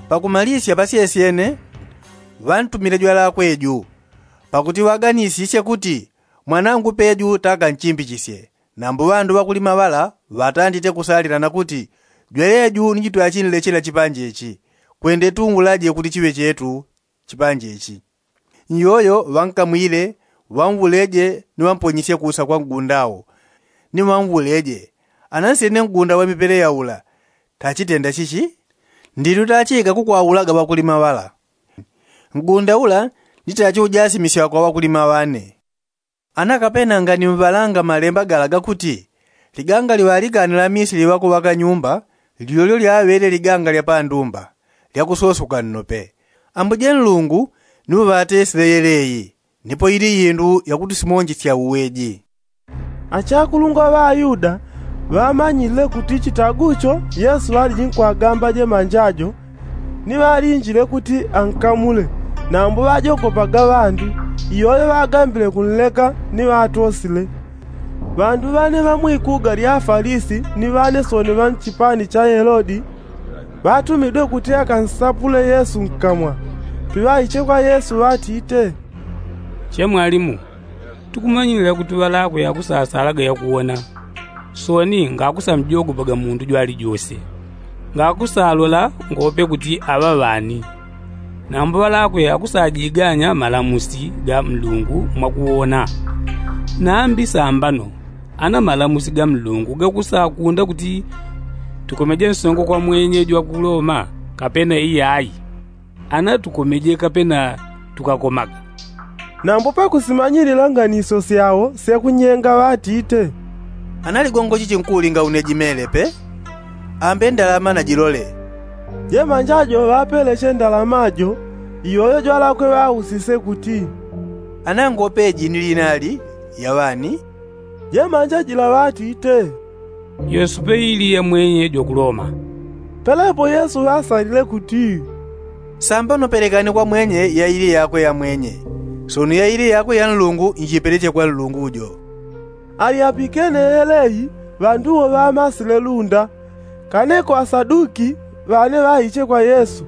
Pakumalisya pasyesyene ŵantumile jwalakwe ju, pakuti ŵaganisisye kuti mwanangu peju takanchimbichisye. Nambo ŵandu ŵakulima ŵala ŵatandite kusalilana kuti, jweleju ni jitwachinlechela chipanje ichi, kwende tunwulaje kuti chiŵe chetu chipanje ichi. Nyoyo ŵankamwile, ŵanwuleje ni ŵamponyisye kusa kwa ngunda wo, ni ŵanwuleje, ana nsyene ngunda wa mipeleya ula tachitenda chichi? Ndinu tachika kukwaulaga ŵakulima ŵala. Ngunda ula ni tachiujasimisya kwa ŵakulima ŵane. Ana kapena nganiŵalanga malemba gala gakuti, liganga liŵalikane la misili ŵakuŵaka nyumba, lyolyo lyaŵele liganga lya pandumba, lyakusosuka nnope. Ambuje nlungu ni uŵatesile yeleyi, nipo ili indu yakutusimonjesya uweji. Achakulungwa ŵa ayuda ŵamanyile kuti chitagucho yesu ŵaliji nkwagamba jemanjajo, ni ŵalinjile kuti ankamule. Nambo ŵajogopaga ŵandu, iyoyo ŵagambile kunleka ni ŵatosile. Ŵandu ŵane ŵa mwikuga lya afalisi ni ŵane soni ŵa nchipani cha helodi, ŵatumidwe kuti akansapule yesu nkamwa. Piŵaiche kwa yesu ŵatite, che mwalimu, tukumanyilila kuti ŵalakwe akusasalaga yakuwona, soni ngakusamjogopaga mundu jwalijose. Ngakusalola ngope kuti aŵa ŵani. Nambo ŵalakwe akusajiganya malamusi ga nlungu mwakuwona. Nambi sambano, ana malamusi ga nlungu gakusakunda kuti tukomeje nsongo kwa mwenye jwakuloma, kapena iyayi? Ana tukomeje kapena tukakomaga? Nambo pakusimanyilila nganiso syao syakunyenga ŵatite, ana ligongo chichi nkulinga une jimele pe? Ambe ndalama najilole. Jemanjajo ŵapeleche ndalama jo, iyoyo jwalakwe ŵausise kuti, ana ngope ji ni linali ya ŵani? Jemanja jila ŵatite, yesu peili ya mwenye jwakuloma. Pelepo yesu ŵasalile kuti, sambano pelekani kwa mwenye yaili yakwe ya mwenye, soni yaili yakwe ya nlungu njipeleche kwa nlungu jo. Alyapikene yeleyi, ŵandu wo ŵamasile lunda. Kaneko asaduki ŵane ŵaiche kwa yesu.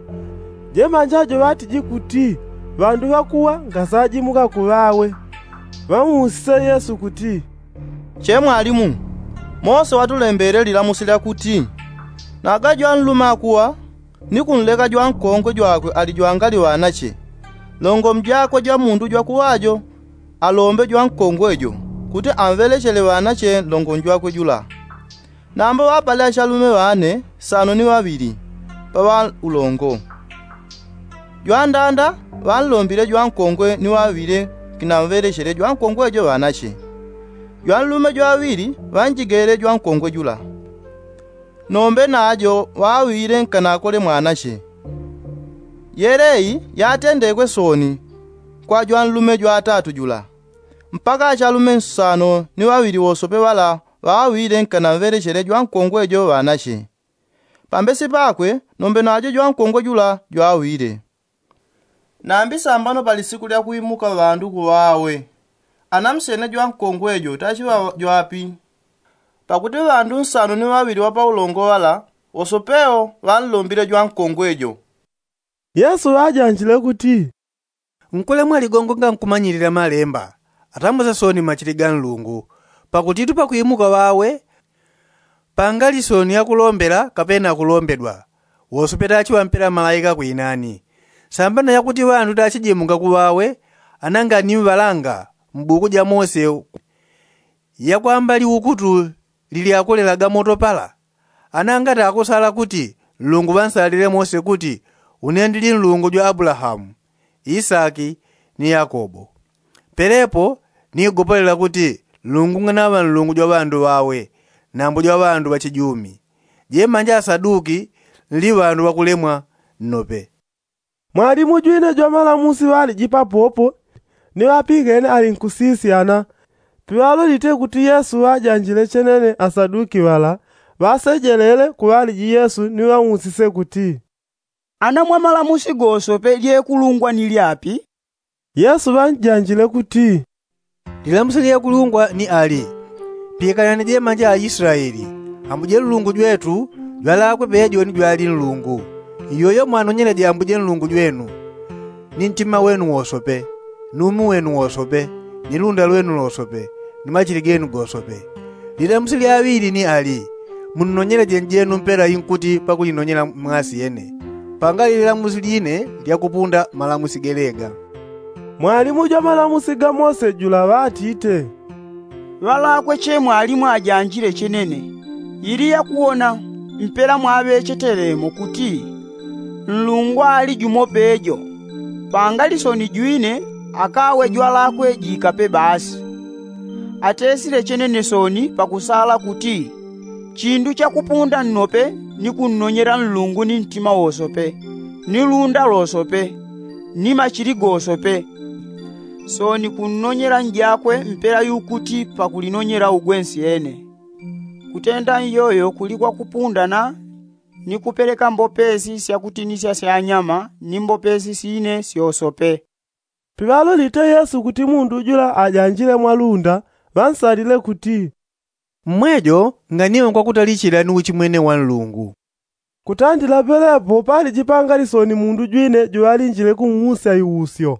Jemanja jo ŵatiji kuti, ŵandu ŵakuwa ngasajimuka kuŵawe. Ŵamusise yesu kuti, che mwalimu, mose ŵatulembele lilamusi lyakuti, naga jwanluma akuwa, ni kunleka jwankongwe jwakwe ali jwangali ŵanache, longo mjakwe jwamundu jwakuwajo alombe jwankongwe jo, kuti amŵelechele ŵanache longo njwakwe jula. Nambo ŵapale achalume ŵane sano ni ŵaŵili, paŵa ulongo. Jwandanda ŵanlombile jwankongwe ni ŵaŵile, kinamŵelechele jwankongwe jo ŵanache. Jwanlume jwaŵili ŵanjigele jwankongwe jula, nombe najo ŵaŵile nkanakole mwanache. Yeleyi yatendekwe sooni kwa jwanlume jwatatu jula, mpaka achalume nsano ni ŵaŵili wosope ŵala ŵaŵile nkanamŵelechele jwankongwe jo ŵanache. Pambesi pakwe nombe najo jwankongwe jula jwaŵile. Nambi sambano pa lisiku lya kuimuka ŵandu kuŵawe, anamsyene jwankongwe jo tachiŵa jwapi? Pakuti ŵandu nsano ni ŵaŵili ŵa paulongo ŵala wosopewo ŵanlombile jwankongwe jo. Yesu ŵajanjile kuti, nkulemwa ligongo ngankumanyilila malemba, atambuse sooni machili ga nlungu. Pakutitu pakuimuka ŵawe pangali sooni akulombela kapena akulombedwa, wosope tachiŵampela malaika kwinani. Sambano yakuti ŵandu tachijimuka kuŵawe, ananganiŵalanga mbuku ja mose, yakwamba liukutu lilyakulelaga moto pala. Anangati akusala kuti nlungu ŵansalile mose kuti, une ndili nlungu jwa abulahamu, isaki, ni yakobo. Pelepo nigopolela kuti nlungu nganaŵa nlungu jwa ŵandu ŵawe, nambo jwa ŵandu ŵachijumi. Jemanja asaduki nli ŵandu ŵakulemwa nnope. Mwalimu jwine jwamalamusi ŵaliji papopo, ni ŵapingene alinkusisyana. Piŵalolite kuti yesu ŵajanjile chenene asaduki ŵala, ŵasejelele ku ŵaliji yesu ni ŵausise kuti, ana mwamalamusi gosope lyekulungwa ni lyapi? Yesu ŵanjanjile kuti, lilamusi lyekulungwa ni ali, pikanani jemanja aislaeli, ambuje nlungu jwetu jwalakwe pejo ni jwali nlungu. Iyoyo mwanonyeleje ambuje nlungu jwenu ni ntima wenu wosope, ni umi wenu wosope, ni lunda lwenu losope, ni machili genu gosope. Lilamusi lyaŵili ni ali, munnonyeleje njenu mpela inkuti pakulinonyela mwasi yene. Pangali lilamusi line lyakupunda malamusi gelega. Mwalimu jwa malamusi ga mose jula ŵatite, ŵalakwe che mwalimu ajanjile chenene. Ili yakuwona mpela mwaŵechetelemo kuti nlungu ali jumo pejo, pangali sooni jwine akawe jwalakwe jikape basi. Atesile chenene sooni pakusala kuti, chindu chakupunda nnope ni kunnonyela nlungu ni ntima wosope, ni lunda losope, ni machili gosope. Sooni kunnonyela njakwe mpela yukuti pakulinonyela ugwe nsyene. Kutenda nyoyo kuli kwakupundana ni kupeleka mbopesi syakutinisya syanyama ni mbopesi sine syosope. Piŵalolite yesu kuti mundu jula ajanjile mwalunda, ŵansalile kuti, mmwejo nganiwe kwakutalichila ni uchimwene wa nlungu. Kutandila pelepo pali jipanga lisoni mundu jwine juŵalinjile kung'usya iusyo.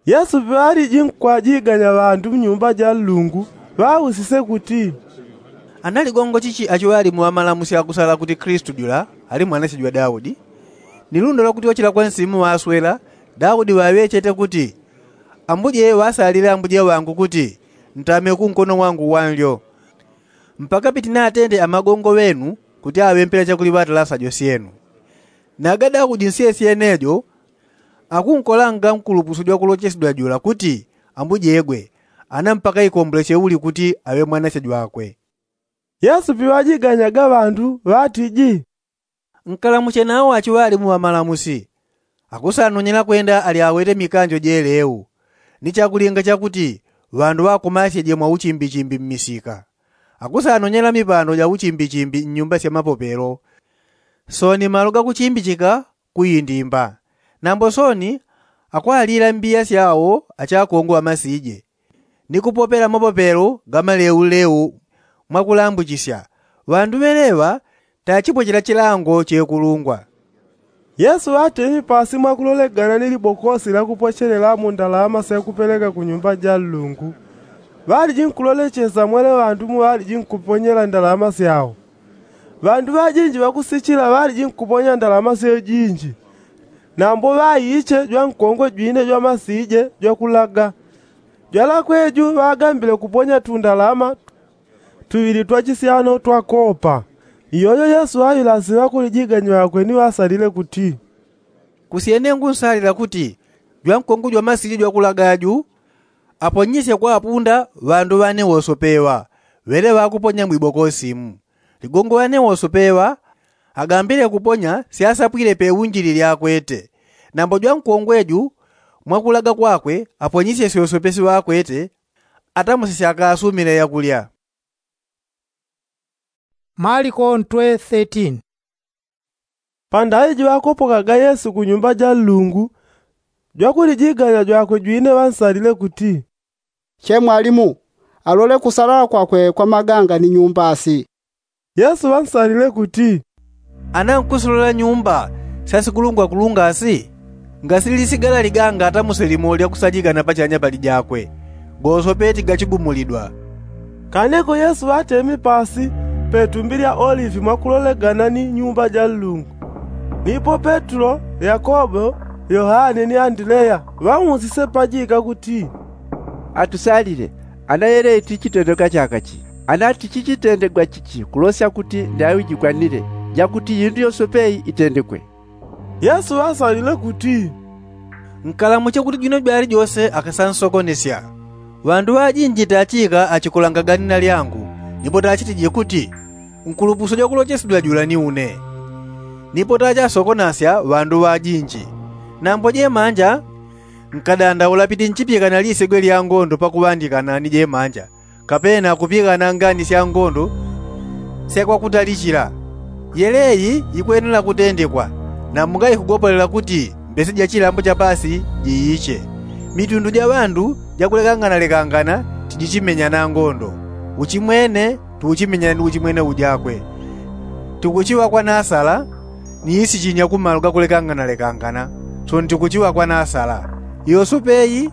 Yesu piŵaliji nkwajiganya ŵandu mnyumba ja nlungu, ŵausise kuti, ana ligongo chichi achiŵalimu ŵamalamusi akusala kuti klistu jula ali mwanache jwa daudi? Ni lundo lwakuti wachila kwa nsimu ŵaswela, daudi ŵaŵechete kuti, ambuje ŵasalile ambuje ŵangu kuti, ntame kunkono wangu wanlyo, mpaka pitinatende amagongo ŵenu kuti aŵe mpela chakuli ŵatalasajo syenu. Naga daudi nsyesyenejo akunkolanga nkulupuso jwakulochesedwa jula kuti, ambujegwe, ana mpaka ikomboleche uli kuti aŵe mwanache jwakwe. Yesu piŵajiganyaga ŵandu ŵatiji, nkalamuche nawo achiŵalimu ŵamalamusi. Akusanonyela kwenda ali awete mikanjo jeleu, ni chakulinga chakuti ŵandu ŵakumasyeje mwauchimbichimbi mmisika. Akusanonyela mipando ja uchimbichimbi nnyumba sya mapopelo, sooni malo gakuchimbichika kuindimba. Nambo sooni akwalila mbiya syao achakongwe ŵamasije, ni kupopela mapopelo ga maleuleu mwakulambuchisya. Ŵandu ŵeleŵa tachipochela chilango chekulungwa. Yesu ŵatemi pasi mwakulolegana ni libokosi lyakupochelelamo ndalama syakupeleka ku nyumba ja nlungu. Ŵaliji nkulolechesa mwele ŵandu muŵaliji nkuponyela ndalama syao. Ŵandu ŵajinji ŵakusichila ŵaliji nkuponya ndalama syeo jinji. Nambo ŵaiche jwankongwe jwine jwamasije jwakulaga. Jwalakwe ju ŵagambile kuponya tundalama tuŵili twa chisyano twa kopa. Iyoyo yesu aŵilasi ŵakulijiganya ŵakwe ni ŵasalile kuti, kusyene ngunsalila kuti jwankongwe jwamasije jwakulaga ju aponyisye kwapunda ŵandu ŵane wosopeŵa ŵele ŵakuponya mwiboko simu. Ligongo ŵane wosopeŵa agambile kuponya syasapwile peunjili lyakwete. Nambo jwankongwe ju mwakulaga kwakwe aponyisye syosopesi ŵakwete atamuse syakasumile yakulya. Maliko ntwe thirteen. Pandaŵi jiŵakopokaga yesu ku nyumba ja nlungu, jwakulijiganya jwakwe jwine ŵansalile kuti, che mwalimu, alole kusalala kwakwe kwa maganga ni nyumba si. Yesu ŵansalile kuti, ana nkusilola nyumba syasikulungwakulunga si? Ngasililisigala liganga atamuse limo lyakusajikana pachanya pali jakwe, gosope tigachigumulidwa. Kaneko yesu ŵatemi pasi petumbi lya olivi mwakulolegana ni nyumba ja nlungu. Nipo petulo, yakobo, yohane ni andileya ŵausise pajika kuti, atusalile, ana yeleyi tichitendeka chaka chi? Ana tichichitendegwa chichi kulosya kuti ndaŵi jikwanile, jakuti yindu yosope itendekwe? Yesu ŵasalile kuti, nkalamuche kuti jwino jwalijose akasansokonesya. Ŵandu ŵajinji tachika achikulanga ganina lyangu, nipo tachitiji kuti, nkulupuso jwakulochesedwa jula ni une. Nipo tachasokonasya ŵandu ŵajinji. Nambo jemanja, nkadandaula piti nchipyekana lisigwe lya ngondo pakuŵandikana ni jemanja, kapena kupyekana ngani sya ngondo syakwakutalichila. Yeleyi yikwenela kutendekwa, nambo ngaikugopolela kuti mbese ja chilambo cha pasi jiiche. Mitundu ja ŵandu jakulekanganalekangana tijichimenyana ngondo. Uchimwene tuuchimenyana ni uchimwene ujakwe. Tikuchiŵa kwanasala ni isichinya kumalo gakulekanganalekangana. Sono tikuchiŵa kwanasala. Yosope iyi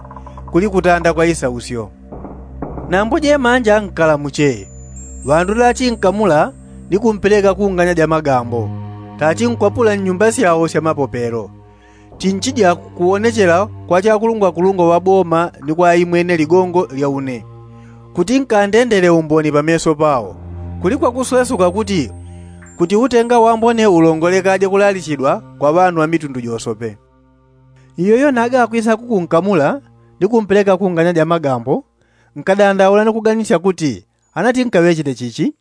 kuli kutanda kwa isausyo. Nambo jemanja nkalamuche. Ŵandu tachinkamula ni kumpeleka kunganya ja magambo. Tachinkwapula nnyumba syao sya mapopelo. Tinchija kuwonechela kwa chakulungwakulungwa ŵa boma ni kwa imwene ligongo lya une, kuti nkandendele umboni pameso pao. Kuli kwakuswesuka kuti, kuti utenga wambone ulongolekaje kulalichidwa kwa ŵanu ŵa mitundu josope. Iyoyo naga akwisa kukunkamula ni kumpeleka kunganya ja magambo, nkadandaula ni kuganisya kuti, ana tinkaŵechete chichi?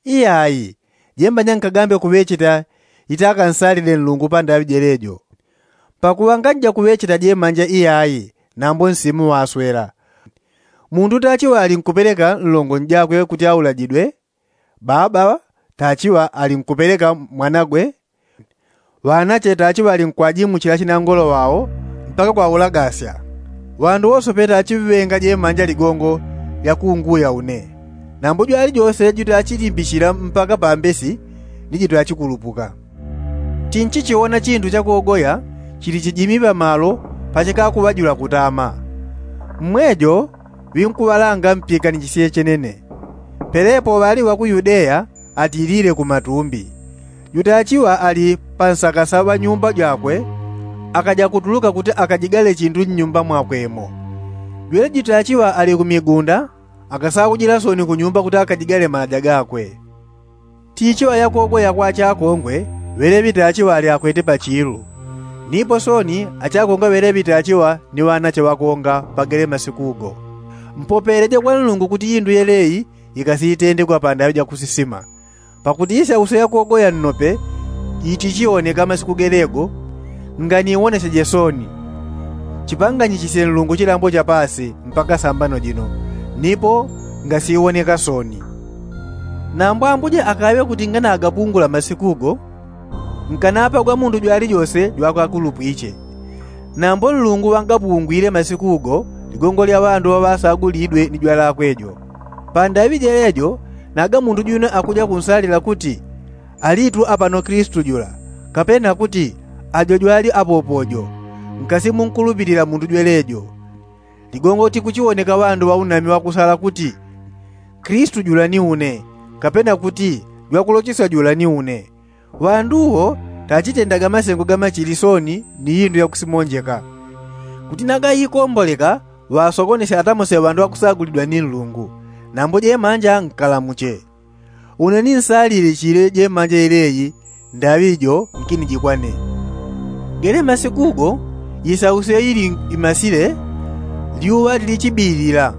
Iyayi, jemanja nkagambe kuŵecheta itakansalile nlungu pandaŵi jelejo. Pakuŵa nganjija kuŵecheta jemanja iyayi, nambo nsimu ŵaswela. Mundu tachiŵa ali nkupeleka nlongo njakwe kuti aulajidwe, baba tachiŵa ali nkupeleka mwanagwe, ŵanache tachiŵa ali nkwajimuchila chinangolo ŵao mpaka kwaulagasya. Ŵandu wosope tachiŵenga jemanja ligongo lya kunguya une. Nambo jwalijose jutachilimbishila mpaka pambesi ni jutachikulupuka. Tinchichiwona chindu cha kogoya chili chijimi pamalo pachikakuŵa jula kutama. Mmwejo ŵinkuŵalanga mpyekanichisye chenene. Pelepo ŵali ŵa ku yudeya atilile ku matumbi. Jutachiŵa ali pansakasa ŵa nyumba jakwe akaja kutuluka kuti akajigale chindu nnyumba mwakwemo. Jwele jutachiŵa ali ku migunda akasaujila soni ku nyumba kuti akajigale malaja gakwe. Tichiŵa yakogoya kwa chakongwe ŵeleŵi tachiŵa ali akwete pachilu. Nipo soni achakongwe ŵeleŵi tachiŵa ni ŵanache ŵakonga pagele masikugo. Mpopeleje kwa nlungu kuti indu yeleyi ikasiitendegwa pandaŵi jakusisima. Pakuti isausyo yakogoya nnope itichiwoneka masiku gelego, nganiwoneseje soni. Chipanganyichisye nlungu chilambo cha pasi mpaka sambano jino, nipo ngasiwoneka soni. Nambo ambuje akaŵe kuti nganagapungula masikugo, nkanapagwa mundu jwalijose jwakwakulupwiche. Nambo nlungu ŵangapungwile masikugo ligongo lya ŵandu ŵaŵasagulidwe ni jwalakwe jo. Pandaŵi jelejo naga mundu jwino akuja kunsalila kuti, alitu apano kilisitu jula, kapena kuti, ajo jwali apopo jo. Nkasimunkulupilila mundu jwelejo. Ligongo tikuchiwoneka ŵandu ŵaunami ŵakusala kuti, kilisitu jula ni une, kapena kuti, jwakulochesya jula ni une. Ŵandu wo tachitendaga masengo ga machili soni ni indu yakusimonjeka. Kuti naga ikomboleka ŵasokonesya atamose ŵandu ŵakusagulidwa ni nlungu. Nambo jemanja nkalamuche. Une ninsalile chile jemanja ileyi ndaŵi jo nkinijikwane. Gele masikugo isausyo ili imasile Lyuŵa lilichibilila,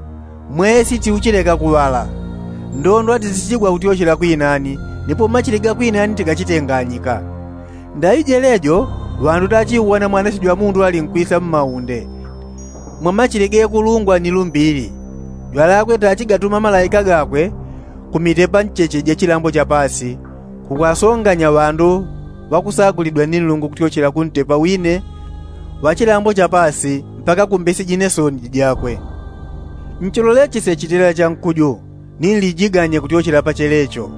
mwesi tiuchileka kuŵala, ndondo atizichigwa kutyochela kwinani, nipo machili ga kwinani tigachitenganyika. Ndaŵi jelejo ŵandu tachiuwona mwanache jwa mundu alinkwisa mmaunde, mwamachili gekulungwa ni lumbili. Jwalakwe tachigatuma malaika gakwe kumitepa ncheche ja chilambo cha pasi, kukwasonganya ŵandu ŵakusagulidwa ni nlungu kutyochela kuntepa wine wa chilambo cha pasi mpaka kumbesi jine soni jijakwe. Nchololechesye chitela cha nkuju, ni nlijiganye kutyochela pachelecho.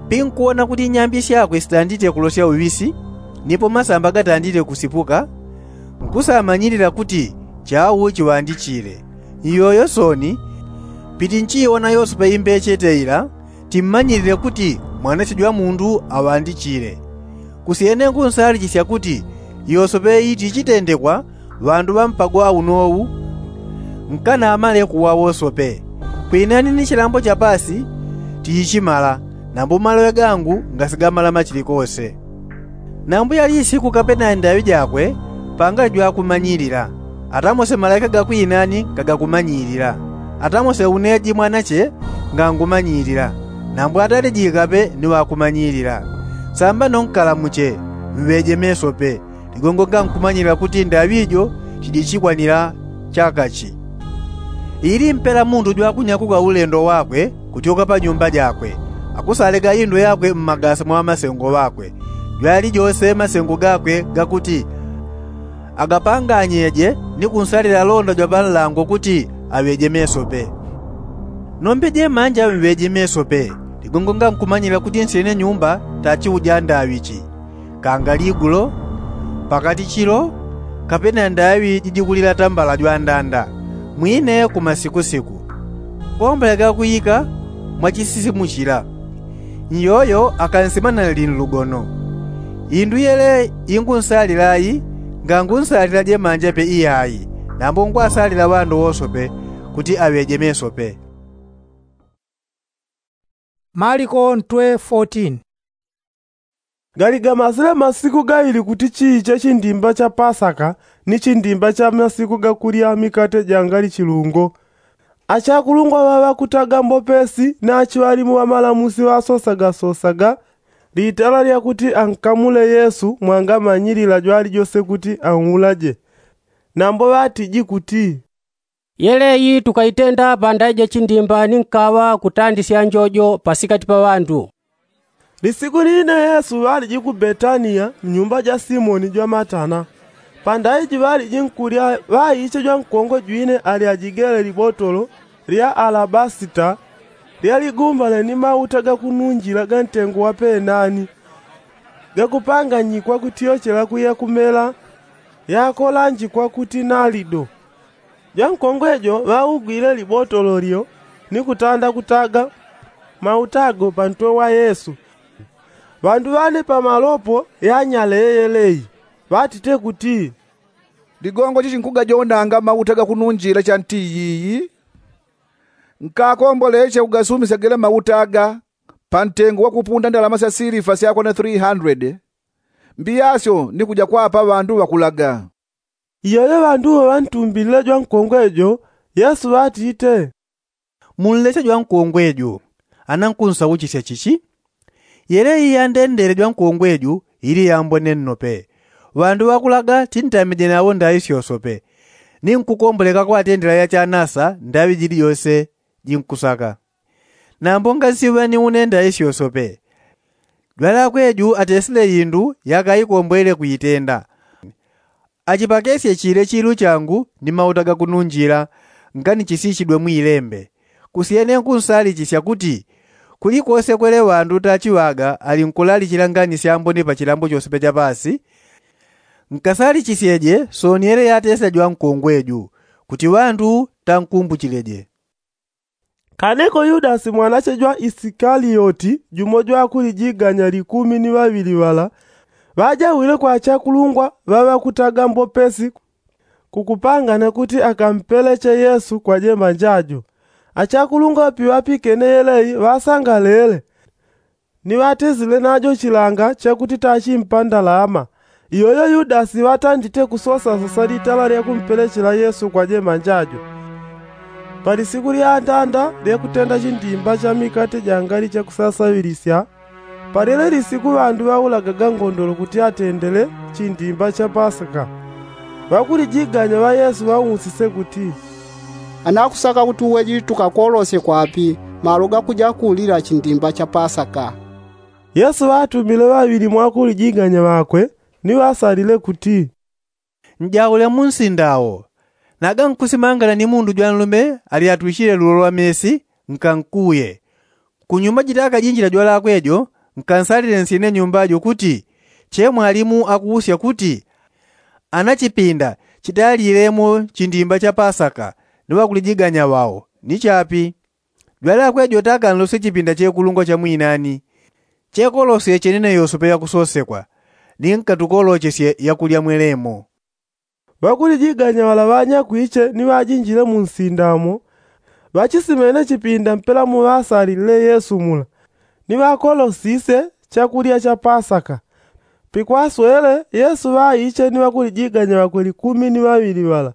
Pinkuwona kuti nyambi syakwe sitandite kulosya uŵisi, nipo masamba gatandite kusipuka, nkusamanyilila kuti chau chiŵandichile. Iyoyo soni, pitinchiiwona yosope imbeche teila, timmanyilile kuti mwanache jwa mundu aŵandichile. Kusyene nkunsalichisya kuti yosope itichitendekwa ŵandu ŵa mpago aunowu nkanamale kuŵa wosope. Kwinani ni chilambo cha pasi tiichimala, nambo maloŵe gangu ngasigamala machili kose. Nambo yali isiku kapena ndaŵi jakwe pangali jwakumanyilila, atamose malaika ga kwinani ngagakumanyilila, atamose uneji mwanache ngangumanyilila, nambo atalijikape ni ŵakumanyilila. Samba nonkalamuche, mŵeje mesope, ligongo ngankumanyilila kuti ndaŵi jo chijichikwanila chakachi. Ili mpela mundu jwakunyakuka ulendo wakwe kutyoka pa nyumba jakwe, akusalega indo yakwe mmagasa mwa ŵamasengo ŵakwe. Jwalijose masengo gakwe gakuti agapanganyeje ni kunsalila londa jwa panlango kuti aŵeje mesope. Nombeje manja mŵeje mesope, ligongo ngankumanyilila kuti nsyene nyumba tachiuja ndaŵichi. Kanga ligulo, pakati chilo, kapena ndaŵi jijikulila tambala jwandanda, mwine kumasikusiku. Komboleka kuika mwachisisimuchila. Nyoyo akansimana lili nlugono. Indu yele ingunsalila ayi, ngangunsalila jemanja pe iyayi, nambo ngwasalila ŵandu wosope kuti aŵeje mesope. Maliko ntwe fourteen. Gali gamasile masiku gaili kuti chiiche chindimba cha pasaka ni chindimba cha masiku gakulya mikate jangali chilungo. Achakulungwa ŵaŵakutaga mbopesi na achiŵalimu ŵamalamusi ŵasosaga sosaga litala lyakuti ankamule yesu mwangamanyilila jwalijose kuti anulaje. Nambo ŵatiji kuti, yeleyi tukaitenda pandaje chindimba ni nkaŵa kutandisya njojo pasikati pa ŵandu. Lisiku line yesu ŵaliji ku betaniya mnyumba ja simoni jwa matana. Pandaiji ŵaliji nkulya ŵaiche jwa nkongwe jwine alyajigele libotolo lya alabasita, lyaligumbane ni mauta gakununjila ga ntengo wa penani, gakupanganyikwa kutyochela kuya kumela, yakolanjikwa kuti nalido. Jwankongwe jo ŵaugwile libotolo lyo ni kutanda kutaga mauta ago pantwe wa yesu. Ŵandu ŵane pamalopo yanyale yeleyi, ŵatite kuti, ligongo chichi nkugajondanga mauta gakununjila cha nti yiyi? Nkakomboleche kugasumisya gele mauta aga pantengo wakupunda ndalama sya silifa syakwana three hundred, mbiyasyo ni kuja kwapa ŵandu ŵakulaga. Iyoyo ŵandu ŵo ŵantumbilile jwankongwe jo, yesu ŵatite, munleche jwankongwe jo. Ana nkunsauchisya chichi? Yele iyandendele jwankongwe jo ili yambone nnope. Ŵandu ŵakulaga tintamije nawo ndaŵi syosope, ni nkukomboleka kwatendela yachanasa ndaŵi jili jose jinkusaka. Nambo ngansiŵa ni une ndaŵi syosope. Jwalakwe ju atesile indu yakaikombwele kuitenda. Achipakesye chile chilu changu ni mauta gakununjila, nganichisishidwe mwilembe. Kusyene nkunsalichisya kuti kulikose kwele ŵandu tachiŵaga ali nkulalikila ngani syambone pa chilambo chosepe cha pasi, nkasalichisyedye soni yele yatesya jwankongwe ju, kuti ŵandu tankumbuchileje. Kaneko yudasi mwanache jwa isikaliyoti jumo jwakulijiganya likumi ni ŵaŵili ŵala, ŵajawile kwa achakulungwa ŵaŵakutaga mbopesi kukupangana kuti akampeleche yesu kwa jemanja jo. Achakulungwa piŵapikene yeleyi ŵasangalele, ni ŵatesile najo chilanga chakuti tachimpa ndalama. Iyoyo yudasi ŵatandite kusosasosa litala lya kumpelechela yesu kwa jemanja jo. Pali siku lya ndanda lye kutenda chindimba cha mikate jangali chakusasaŵilisya, palile lisiku ŵandu ŵaulagaga ngondolo kuti atendele chindimba cha pasaka. Ŵakulijiganya ŵa yesu ŵausise kuti, anakusaka kuti uwe jili tukakolosye kwapi malo gakuja kuulila chindimba cha pasaka? Yesu ŵatumile ŵaŵili mwa ŵakulijiganya ŵakwe, ni ŵasalile kuti, njaule mu nsinda awo. Naga nkusimangana ni mundu jwanlume alyatwichile lulo lwa mesi, nkankuye. Kunyuma jita akajinjila jwalakwe jo, nkansalile nsyene nyumba jo kuti, che mwalimu akuusya kuti, ana chipinda chitalilemo chindimba cha pasaka ni ŵakulijiganya ŵao ni chapi? Jwalakwe jo takanlosye chipinda chekulungwa cha mwinani, chekolosye chenene yosope yakusosekwa, ni nkatukolochesye yakulya mwelemo. Ŵakulijiganya ŵala ŵanyakwiche ni ŵajinjile mu nsinda mo, ŵachisimene chipinda mpela muŵasalilile yesu mula, ni ŵakolosise chakulya cha pasaka. Pikwaswele yesu ŵaiche ni ŵakulijiganya ŵakwe likumi ni ŵaŵili ŵala.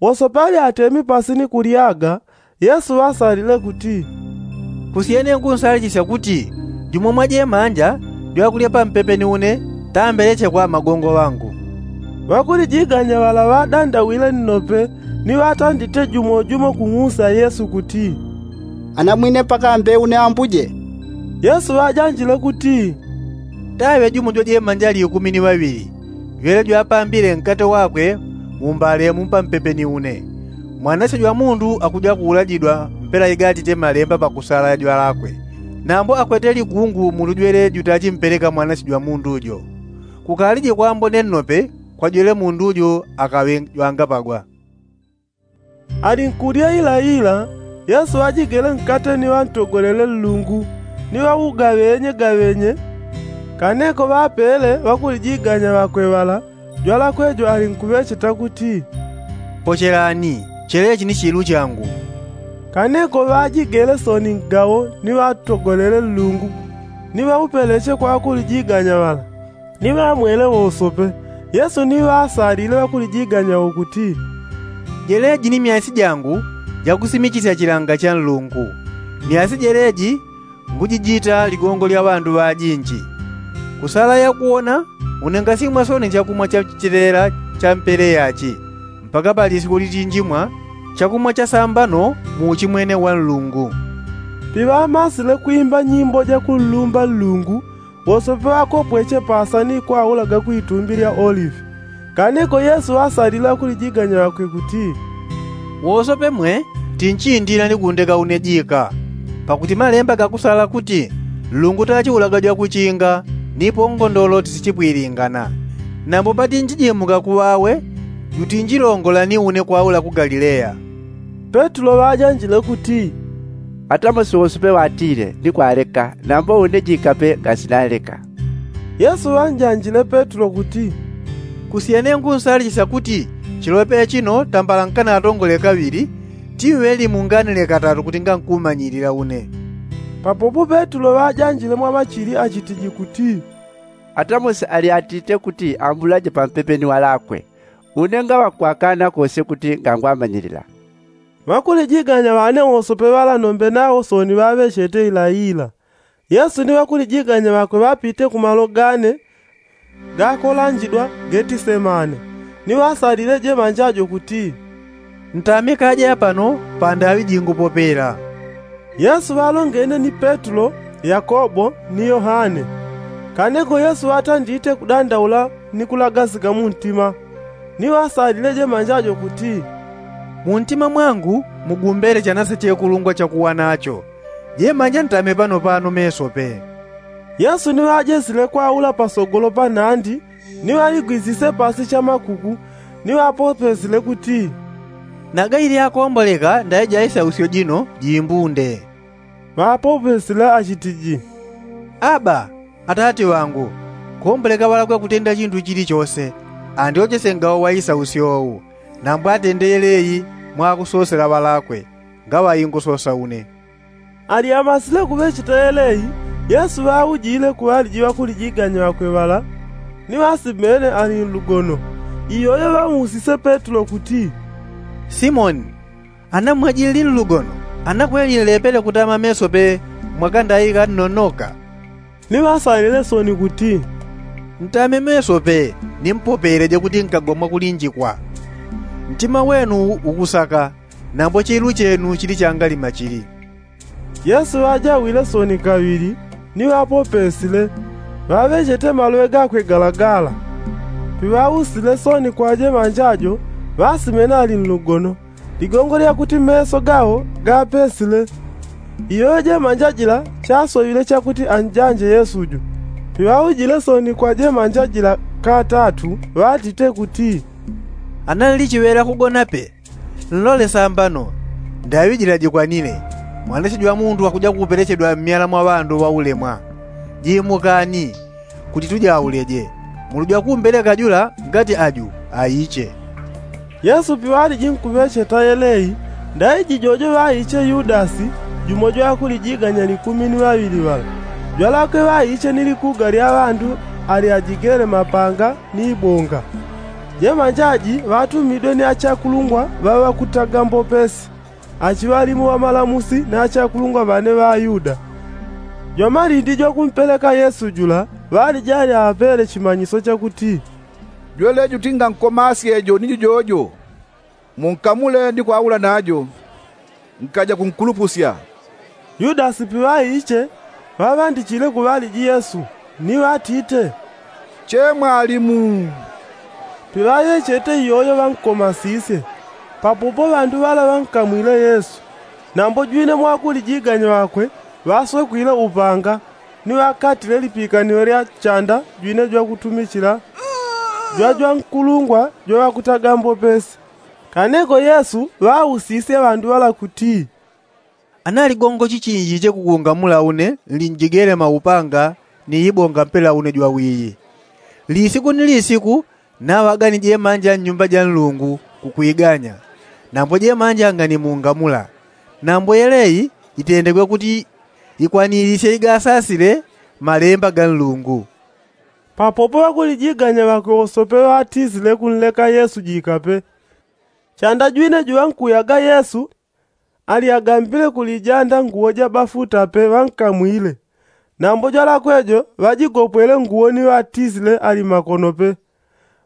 Wosope alyatemi pasi ni kulyaga, yesu ŵasalile kuti, kusyene nkunsalichisya kuti, jumo mwa jemanja jwakulya pampepe ni une, tambeleche kwa magongo ŵangu. Ŵakulijiganya ŵala ŵadandawile nnope, ni ŵatandite jumo jumo kung'usa yesu kuti, anamwine pakambe une ambuje? Yesu ŵajanjile kuti, taŵe jumo jwa jemanja likumi ni ŵaŵili, jwele jwapambile nkate wakwe, mumbalemu pampepe ni une. Mwanasye jwa mundu akuja kuulajidwa mpela igatite malemba pakusala jwalakwe. Nambo akwete ligungu mundu jwele jutachimpeleka mwanasye jwa mundu jo. Kukalije kwambone nnope, kwa jwele mundu jo akaŵe jwangapagwa. Alinkulya ilaila, yesu ŵajigele nkate ni ŵantogolele nlungu, ni ŵaugaŵenye gaŵenye. Kaneko ŵapele ŵakulijiganya ŵakwe ŵala, jwalakwe jo alinkuŵecheta kuti, pochelani, chelechi ni chilu changu. Kaneko ŵajigele soni ngawo ni ŵatogolele nlungu, ni ŵaupeleche kwa ŵakulijiganya ŵala, ni ŵamwele wosope. Yesu ni ŵasalile ŵakulijiganya wo kuti, jeleji ni myasi jangu jakusimichisya chilanga cha nlungu. Myasi jeleji ngujijita ligongo lya ŵandu ŵajinji. Kusala yakuwona, une ngasimwa soni chakumwa cha chilela cha mpele yachi, mpaka pa lisiku litinjimwa chakumwa cha sambano mu uchimwene wa nlungu. Piŵamasile kwimba nyimbo jakunlumba nlungu, wosope ŵakopweche pasa ni kwaulaga kwitumbi lya olivi. Kaneko yesu ŵasalile ŵakulijiganya ŵakwe kuti, wosope mwe, tinchindila ni kundeka une jika. Pakuti malemba gakusala kuti, nlungu tachiulaga jwakuchinga, nipo ngondolo tisichipwilingana. Nambo patinchijimuka kuŵawe, jutinjilongola ni une kwaula ku galileya. Petulo ŵajanjile kuti, atamosi wosope ŵatile ni kwaleka, nambo une jika pe ngasinaleka. Yesu ŵanjanjile petulo kuti, kusyene nkunsalichisya kuti, chiloŵe chino tambala nkanatongole kaŵili, tiŵe limu nganile katatu kuti ngankumanyilila une. Papopo petulo ŵajanjile mwa ŵachili achitiji kuti, atamosi alyatite kuti ambulaje pampepe ni ŵalakwe, une ngaŵakwakana kose kuti ngangwamanyilila. Ŵakulijiganya ŵane wosope ŵala nombe nawo soni ŵaŵechete ilaila. Yesu ni ŵakulijiganya ŵakwe ŵapite ku malo gane gakolanjidwa getisemane, ni ŵasalile jemanja jo kuti, ntamikaje apano pandaŵi jingu popela. Yesu ŵalongene ni petulo, yakobo, ni yohane. Kaneko yesu ŵatandite kudandaula ni kulagasika mu ntima, ni ŵasalile jemanja jo kuti, mu ntima mwangu mugumbele chanase chekulungwa chakuwa nacho. Jemanja ntame pano pano mesope. Yesu ni ŵajesile kwaula pasogolo pa nandi, ni ŵaligwisise pasi chamakuku, ni ŵapopesile kuti, naga ilyakomboleka ndaija isausyo jino jimbunde. Ŵapopesile achitiji, aba, atate ŵangu, komboleka ŵalakwe kutenda chintu chilichose. Andyochese ngawo wa isausyo ou, nambo atende yeleyi mwakusosela ŵalakwe, ngaŵaingusosa une. Alyamasile kuŵecheta yeleyi, yesu ŵaujile ku ŵaliji ŵakulijiganya ŵakwe ŵala, ni ŵasimene ali nlugono. Iyoyo ŵamusise petulo kuti, simoni, Ana mwajili nlugono, ana kweli nlepele kutama meso pe mwaka ndai ganonoka? Ni ŵasalile soni kuti, ntame meso pe ni mpopeleje kuti nkagwa mwakulinjikwa. Ntima wenu ukusaka, nambo chilu chenu chili changalima chili. Yesu ŵajawile soni kaŵili, ni ŵapopesile, ŵaŵechete maloŵe gakwe galagala. Piŵausile soni kwa jemanja jo, ŵasimena ali nlugono. Ligongo lya kuti meso gawo gapesile. Iyoyo jemanja jila chasoŵile chakuti anjanje yesu jo. Piŵaujile soni kwa jemanja jila katatu, ŵatite kuti, ana nlichiŵela kugona pe, nlole sambano. Ndaŵi jila jikwanile, mwanasye jwa mundu akuja kupelechedwa mmyala mwa ŵandu ŵaulemwa. Jimukani, kuti tujauleje, mulu jwa kumbeleka jula ngati aju aiche. Yesu piŵaliji nkuŵecheta yelei, ndaiji jojo ŵaiche yudasi, jumo jwa ŵakulijiganya likumi ni ŵaŵili ŵala. Jwalakwe ŵaiche ni likuga lya ŵandu alyajigele mapanga ni ibonga. Jemanja ji ŵatumidwe ni achakulungwa ŵa ŵakutaga mbopesi, achiŵalimu ŵa malamusi na achakulungwa ŵane ŵa ayuda. Jwamalindi jwakumpeleka yesu jula, ŵaliji alyaŵapele chimanyiso chakuti, jweleji uti ngankomasye jo ni jujojo, munkamule ni kwaula najo, nkaja kunkulupusya. Yudasi piŵaiche, ŵaŵandichile ku ŵaliji yesu, ni ŵatite, che mwalimu. Piŵaŵechete iyoyo ŵankomasisye. Papopo ŵandu ŵala ŵankamwile yesu, nambo jwine mwa ŵakulijiganya ŵakwe ŵaswekwile upanga, ni ŵakatile lipikaniwe lya chanda jwine jwakutumichila jwa jwankulungwa jwa ŵakutaga mbopesi. Kaneko yesu ŵausisye ŵandu ŵala kuti, ana ligongo chichinjiche kukungamula une nlinjigele maupanga ni ibonga mpela une jwawiyi. Lisiku ni lisiku naŵaga ni jemanja nnyumba ja nlungu kukwiganya, nambo jemanja nganimungamula. Nambo yelei itendegwe kuti ikwanilisye igasasile malemba ga nlungu. Papopo ŵakulijiganya ŵakwe wosope ŵatisile kunleka yesu jikape. Chanda jwine juŵankuyaga yesu, alyagambile kulijanda nguwo ja bafuta pe ŵankamwile. Nambo jwalakwe jo ŵajigopwele nguwo ni ŵatisile ali makono pe.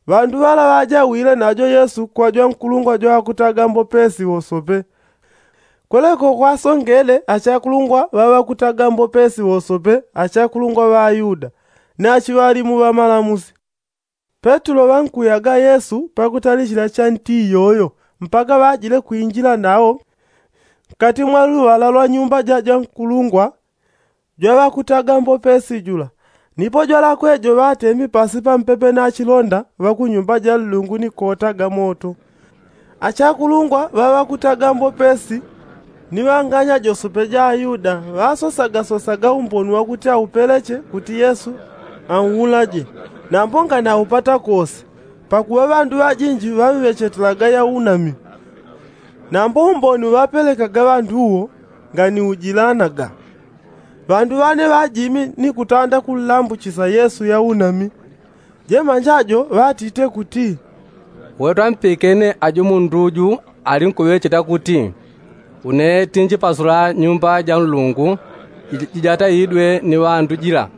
Ŵandu ŵala ŵajawile najo yesu kwa jwankulungwa jwa ŵakutaga mbopesi wosope. Kweleko kwasongele achakulungwa ŵa ŵakutaga mbopesi wosope, achakulungwa ŵa ayuda, ni achiŵalimu ŵa malamusi. Petulo ŵankuyaga yesu pakutalichila cha nti iyoyo, mpaka ŵajile kwinjila nawo nkati mwa luŵala lwa nyumba ja jwankulungwa jwa ŵakutaga mbopesi jula. Nipo jwalakwe jo ŵatemi pasi pampepe na chilonda ŵa ku nyumba ja nlungu ni kotaga moto. Achakulungwa ŵa ŵakutaga mbopesi ni ŵanganya josope ja ayuda ŵasosagasosaga umboni wakuti aupeleche kuti yesu anulaje, nambo nganaupata kose. Pakuŵa ŵandu ŵajinji ŵamŵechetelaga yaunami. Nambo umboni uŵapelekaga ŵandu uwo nganiujilanaga. Ŵandu ŵane ŵajimi ni kutanda kunlambuchisa yesu yaunami. Jemanja jo ŵatite kuti, uwe twampikene aju mundu uju alinkuŵecheta kuti, une tinjipasula nyumba ja nlungu jijataidwe ni ŵandu jila.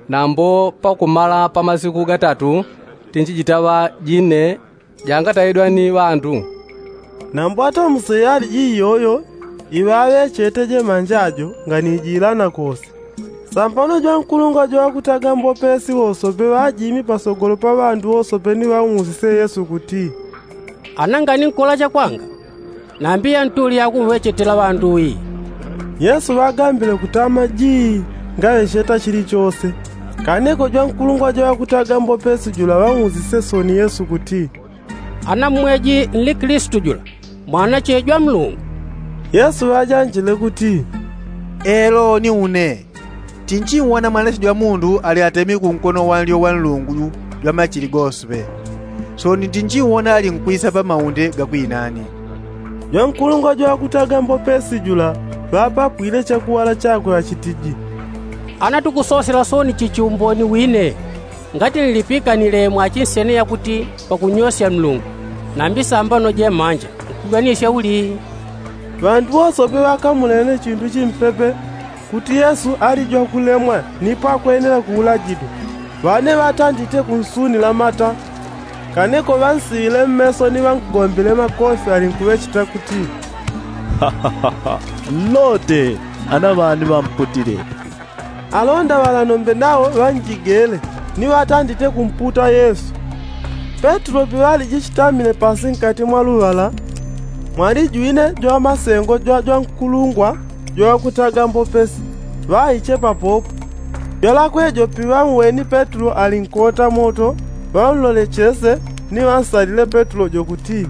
Nambo pakumala pa masiku gatatu tinjijitaŵa jine jangataidwa ni ŵandu. Nambo atamuseyaliji iyoyo iŵaŵechete jemanja jo nganijilana kose. Sambano jwankulungwa jwa ŵakutaga mbopesi wosope ŵajimi pasogolo pa ŵandu wosope ni ŵamusise yesu kuti, ana nganinkola chakwanga? Nambi yantuli yakumŵechetela ŵandu wi? Yesu ŵagambile kutama jii ngaŵecheta chilichose. Kaneko jwankulungwa jwa ŵakutaga mbopesi jula ŵamusise soni yesu kuti, ana mmweji nli kilistu jula, mwanache jwa mlungu? Yesu ŵajanjile kuti, elo ni une. Tinchiwona mwanache jwa mundu ali atemi kunkono wanlyo wa nlungu jwa machili gosope. Soni tinchiwona ali nkwisa pa maunde gakwinani. Jwankulungwa jwa ŵakutaga mbopesi jula ŵapapwile chakuŵala chakwe ŵachitiji, ana tukusosela soni chichi umboni wine, ngati nlipikanile mwachinsene yakuti pakunyosya nlungu, nambi sambano jemanja nkuganisya uli? Ŵandu wosope ŵakamulele chindu chimpepe kuti yesu ali jwakulemwa nipo akwenela kuulajidwa. Ŵane ŵatandite kunsunila mata. Kaneko ŵansiŵile mmeso ni ŵankugombile makofi alinkuŵecheta kuti, nlote. Ana ŵani ŵamputile. Alonda ŵala nombe nawo ŵanjigele ni ŵatandite kumputa yesu. Petulo piŵalijichitamile pasi nkati mwa luŵala, mwalijwine jwa masengo jwa jwankulungwa jwa ŵakutaga mbopesi ŵaiche papopo. Jwalakwe jo piŵamweni petulo ali nkota moto, ŵamlole chese ni ŵansalile petulo jo kuti,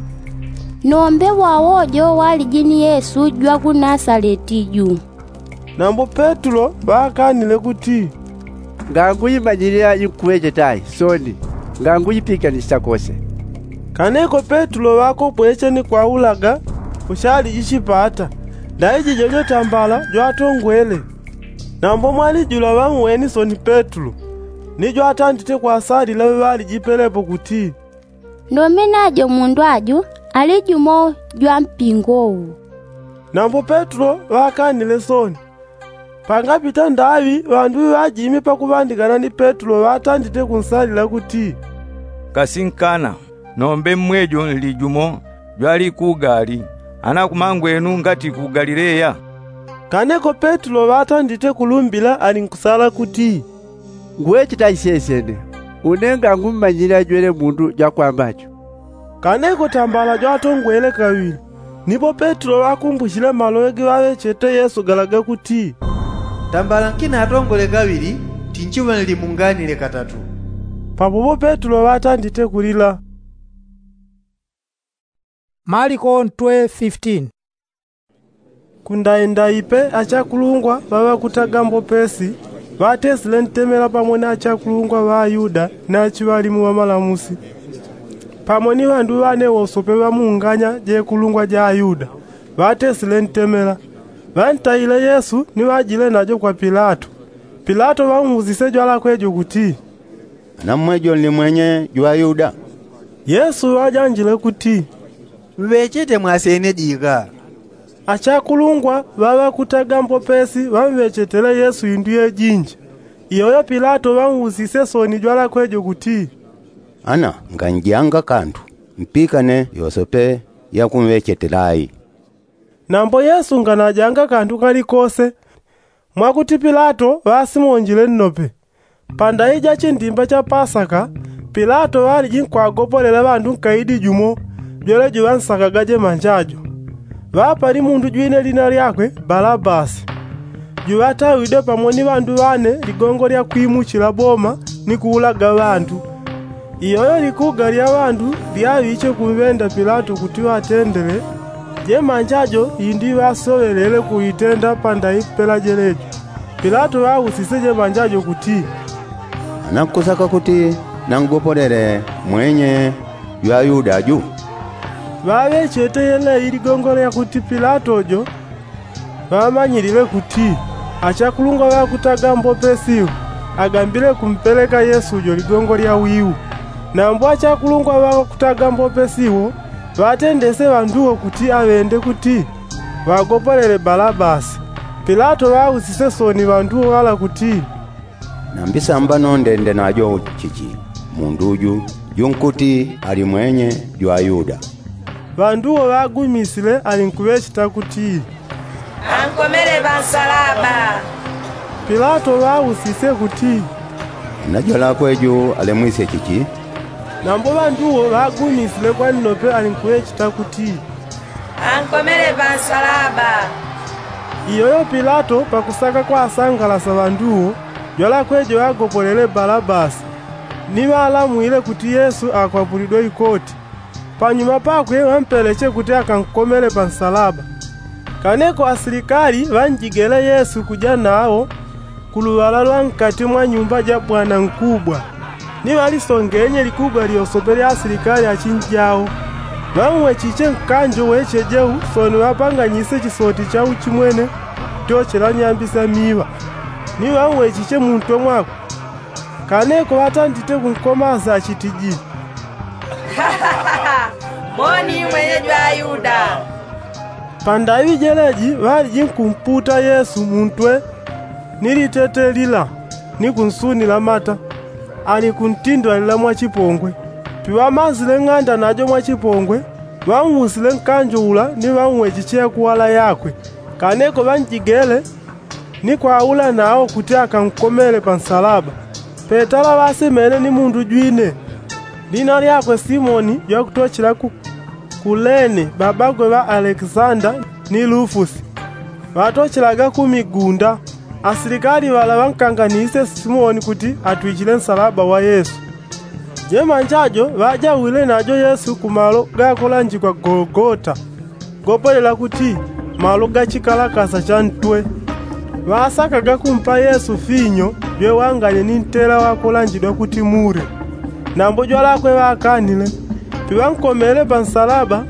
nombe wawo jo waliji ni yesu jwa ku nasaleti ju. Nambo petulo ŵakanile kuti, ngangu imanyilila inkuŵecheta ai soni, ngangu ipikanichita kose. Kaneko petulo ŵakopweche ni kwaulaga kuchalijichipata. Ndaiji jojo tambala jwatongwele. Nambo mwalijula ŵamweni soni petulo ni jwatandite kwasalila ŵeŵalijipelepo kuti, ndomena jo mundu aju ali jumo jwa mpingo wu. Nambo petulo ŵakanile soni. Pangapita ndaŵi ŵandu ŵajimi pakuŵandikana ni petulo ŵatandite kunsalila kuti, kasinkana. Nombe mmwejo nli jumo jwalikugali. Ana kumangwenu ngati ku galileya. Kaneko petulo ŵatandite kulumbila alinkusala kuti, nguŵecheta isyesene. Une ngangummanyile ajwele mundu jwakwamba jo. Kaneko tambala jwatongwele kaŵili. Nipo petulo ŵakumbuchile maloŵe giŵaŵechete yesu gala gakuti, tambala nkina atongole kaŵili, tinchiŵa nlimunganile katatu. Papopo petulo ŵatandite kulila. Maliko ntwe fifteen. Kundaindaipe achakulungwa ŵaŵakutaga mbopesi ŵatesile ntemela pamo ni achakulungwa ŵa ayuda ni achiŵalimu ŵamalamusi, pamo ni ŵandu ŵane wosope ŵamunganya jekulungwa ja ayuda. Ŵatesile ntemela. Ŵantaile yesu ni ŵajile najo kwa pilato. Pilato ŵamusise jwalakwe jo kuti, ana mmwejo nli mwenye jwa ayuda? Yesu ŵajanjile kuti, mŵechete mwasene jika. Achakulungwa ŵaŵakutaga mbopesi ŵamŵechetele yesu indu yejinji. Iyoyo pilato ŵamusise soni jwalakwe jo kuti, ana nganjanga kandu mpikane yosope yakumŵechetela ai? Nambo yesu nganajanga kandu kalikose. Mwakuti pilato ŵasimonjile nnope. Pandayi ja chindimba cha pasaka, pilato ŵaliji nkwagopolela ŵandu nkaidi jumo jwele juŵansakaga jemanja jo. Ŵapali mundu jwine lina lyakwe balabasi, juŵatawidwe pamo ni ŵandu ŵane ligongo lya kwimuchila boma ni kuulaga ŵandu. Iyoyo likuga lya ŵandu lyaŵiche kumŵenda pilato kuti ŵatendele jemanja jo indi ŵasoŵelele kuitenda pandayi pela jelejo. Pilato ŵausise jemanja jo kuti, ana nkusaka kuti nangopolele mwenye jwa ayuda aju? Ŵaŵechete yeleyi ligongo lya kuti pilato jo ŵamanyilile kuti achakulungwa ŵakutaga mbopesi iwo agambile kumpeleka yesu jo ligongo lya wiu. Nambo achakulungwa ŵakutaga mbopesi iwo ŵatendese ŵandu wo kuti aŵende kuti ŵagopolele balabasi. Pilato ŵausise soni ŵandu wo ŵala kuti, nambi sambano ndende najo chichi, mundu uju junkuti ali mwenye jwa ayuda? Ŵandu wo ŵagumisile alinkuŵecheta kuti, ankomele pansalaba. Pilato ŵausise kuti, ana jwalakwe ju alemwisye chichi? Nambo ŵandu wo ŵagumisile kwa nnope alinkuŵecheta kuti, ankomele pansalaba. Iyoyo pilato pakusaka kwasangalasa ŵandu wo, jwalakwe jo ŵagopolele balabasi. Ni ŵalamwile kuti yesu akwapulidwe ikoti. Panyuma pakwe ŵampeleche kuti akankomele pansalaba. Kaneko asilikali ŵanjigele yesu kuja nawo kuluŵala lwa nkati mwa nyumba ja bwana nkubwa. Ni ŵalisongenye likuga lyosope lya asilikali achinji awo. Ŵauwechiche nkanjo weche jeu soni ŵapanganyise chisoti cha uchimwene tyochela nyambi sya miiŵa. Ni ŵauwechiche muntwe mwakwe. Kaneko ŵatandite kunkomasa achitiji, moni mwenye jwa ayuda. Pandaŵi jeleji ŵaliji nkumputa yesu muntwe ni litete lila ni kunsunila mata, ali kuntindwalila mwachipongwe. Piŵamasile ng'anda najo mwachipongwe, ŵausile nkanjo ula ni ŵauwechiche yakuwala yakwe. Kaneko ŵanjigele ni kwaula nao kuti akankomele pansalaba. Petala ŵasemene ni mundu jwine, lina lyakwe simoni jwakutochela ku kulene babagwe ŵa alekisanda ni lufusi. Ŵatochelaga kumigunda. Asilikali ŵala ŵankanganise simoni kuti atwichile nsalaba wa yesu. Jemanjajo ŵajawile najo yesu kumalo gakolanjikwa gologota, gopolela kuti malo gachikalakasa cha ntwe. Ŵasakaga kumpa yesu finyo jwewanganye ni ntela wakolanjidwa kuti mure. Nambo jwalakwe ŵakanile. Piŵankomele pansalaba,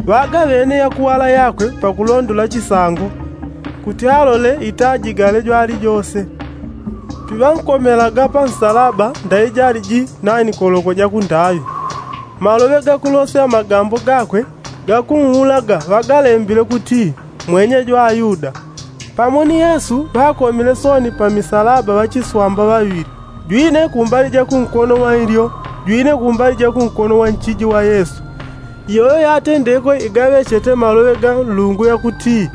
ŵagaŵene yakuwala yakwe pakulondola chisango, kuti alole itajigale jwalijose. Piŵankomelaga pansalaba ndaijali ji naini koloko jakundaŵi. Maloŵe gakulosya magambo gakwe gakuuulaga ŵagalembile kuti, mwenye jwa ayuda. Pamo ni yesu ŵakomile sooni pamisalaba ŵachiswamba ŵaŵili, jwine kumbali jakunkono wa ilyo, jwine kumbali jakunkono wa nchiji wa yesu. Iyoyo yatendeko igaŵechete maloŵe ga nlungu yakuti,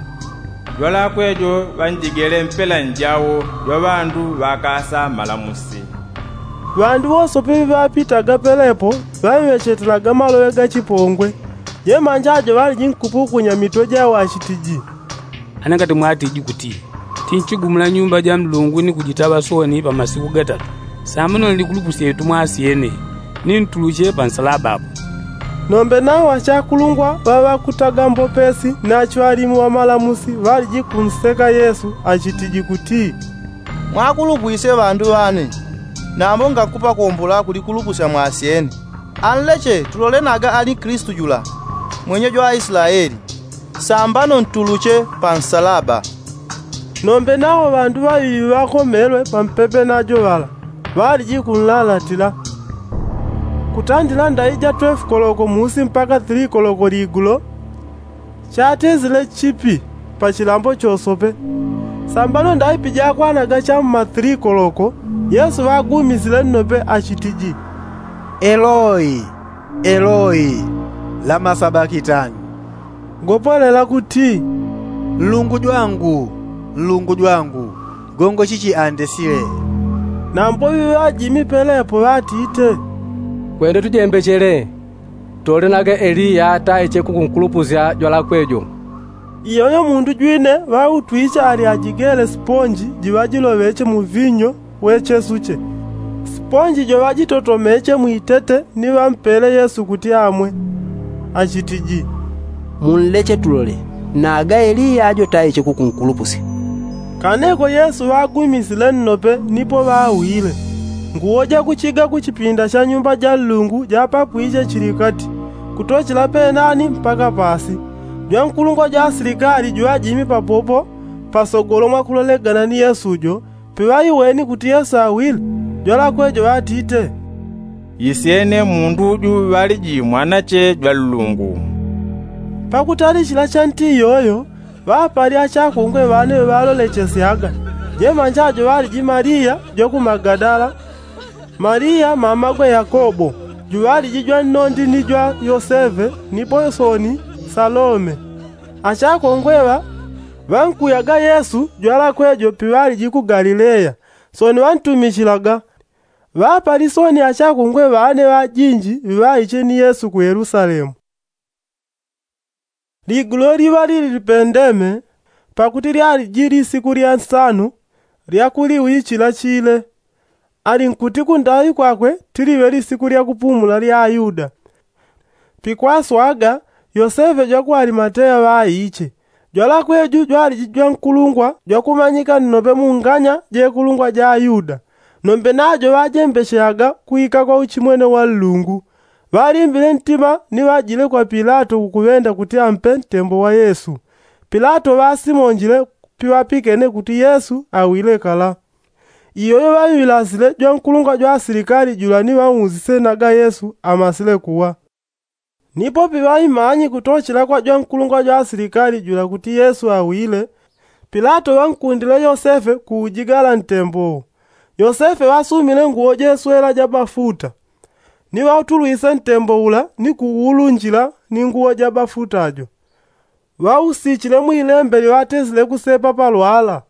jwalakwe jo ŵanjigele mpela njawo jwa ŵandu ŵakasa malamusi. Ŵandu wosope ŵiŵapitaga pelepo ŵaŵechetelaga maloŵe ga chipongwe. Jemanjajo ŵaliji nkupukunya mitwe jawo achitiji, ane ngati mwatiji kuti, tinchigumula nyumba ja nlungu ni kujitaŵa sooni pamasiku gatatu, sambano nlikulupusye itumwa asyene, ni ntulusye pansalaba apo. Nombe nawo achakulungwa ŵaŵakutaga mbopesi ni achwalimu ŵamalamusi ŵaliji kunseka yesu achitiji kuti, mwakulupwisye ŵandu ŵane, nambo ngakupa kumbula kulikulupusya mwasyene. Anleche tulole naga ali kristu jula, mwenye jwa aislaeli. Sambano ntulusye pansalaba. Nombe nawo ŵandu ŵaŵili ŵakomelwe pampepe najo ŵala ŵaliji kunlalatila. Kutandila ndaija twelve koloko musi mpaka three koloko ligulo, chatezile chipi pachilambo chosope. Sambano ndaipi jakwanaga cha mma three koloko, yesu ŵagumisile nnope achitiji, eloi, eloi, lama sabakitani? Gopolela kuti, nlungu jwangu, nlungu jwangu, gongo chichi andesile? Nambo ŵiŵajimi pelepo ŵatite, kwende tujembechele, tole naga eliya taiche kukunkulupusya jwalakwe jo. Iyoyo mundu jwine ŵautwiche ali ajigele siponji jiŵajiloŵeche mu vinyo we chesuche. Siponji jo ŵajitotomeche mwitete ni ŵampele yesu kuti amwe, achitiji, munleche tulole, naga eliya ajo taiche kukunkulupusya. Kaneko yesu ŵagumisile nnope nipo ŵawile. Nguwo jakuchiga kuchipinda cha nyumba ja nlungu japapwiche chilikati, kutochela penani mpaka pasi. Jwankulungwa jwa asilikali jwajimi papopo pasogolo mwakulolegana ni yesu jo. Piŵaiweni kuti yesu awile, jwalakwe jo ŵatite, isyene mundu ju ŵaliji mwanache jwa nlungu. Pakutali chila chanti iyoyo ŵapali achakungwe ŵane ŵalolechesyaga. Jemanja jo ŵaliji maria jwa ku magadala, maria mamagwe yakobo, juŵaliji jwa nnondi ni jwa yoseve, nipo sooni salome. Achakungwe ŵa ŵankuyaga yesu jwalakwe jo piŵaliji ku galileya. Sooni ŵantumichilaga. Ŵapali sooni achakungwe ŵane ŵajinji ŵiŵaiche ni yesu ku yelusalemu. Ligulo liŵa lili lipendeme, pakuti lyaliji lisiku lya nsanu lya kuliwichila chile. Ali nkuti kundaŵi kwakwe tiliŵe lisiku lya kupumula lya ayuda. Pikwaswaga, yosefe jwa ku alimateya ŵaiche. Jwalakwe ju jwaliji jwankulungwa jwakumanyika nnope mu nganya jekulungwa ja ayuda. Nombe najo ŵajembecheaga kuika kwa uchimwene wa nlungu. Ŵalimbile ntima ni ŵajile kwa pilato kukuŵenda kuti ampe ntembo wa yesu. Pilato ŵasimonjile piŵapikene kuti yesu awile kala. Iyoyo ŵaŵilasile jwankulungwa jwa asilikali jula ni ŵausise naga yesu amasile kuwa. Nipo piŵaimanyi kutochela kwa jwankulungwa jwa asilikali jula kuti yesu awile, pilato ŵankundile yosefe kuujigala ntembo. Yosefe ŵasumile nguwo jeswela ja bafuta, ni ŵautulwise ntembo ula ni kuulunjila ni nguwo ja bafuta jo. Ŵausichile mwilembe liŵatesile kusepa palwala,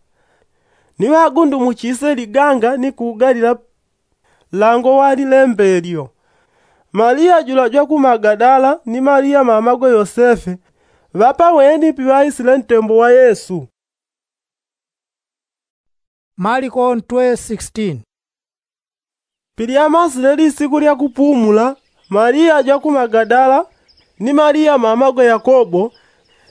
ni ŵagundumuchise liganga ni kuugalila. Lango wa lilembe lyo. Malia jula jwa ku magadala ni malia mamagwe yosefe ŵapaweni piŵaisile ntembo wa yesu. Maliko ntwe sixteen. Pilyamasile lisiku lya kupumula, malia jwa ku magadala ni malia mamagwe yakobo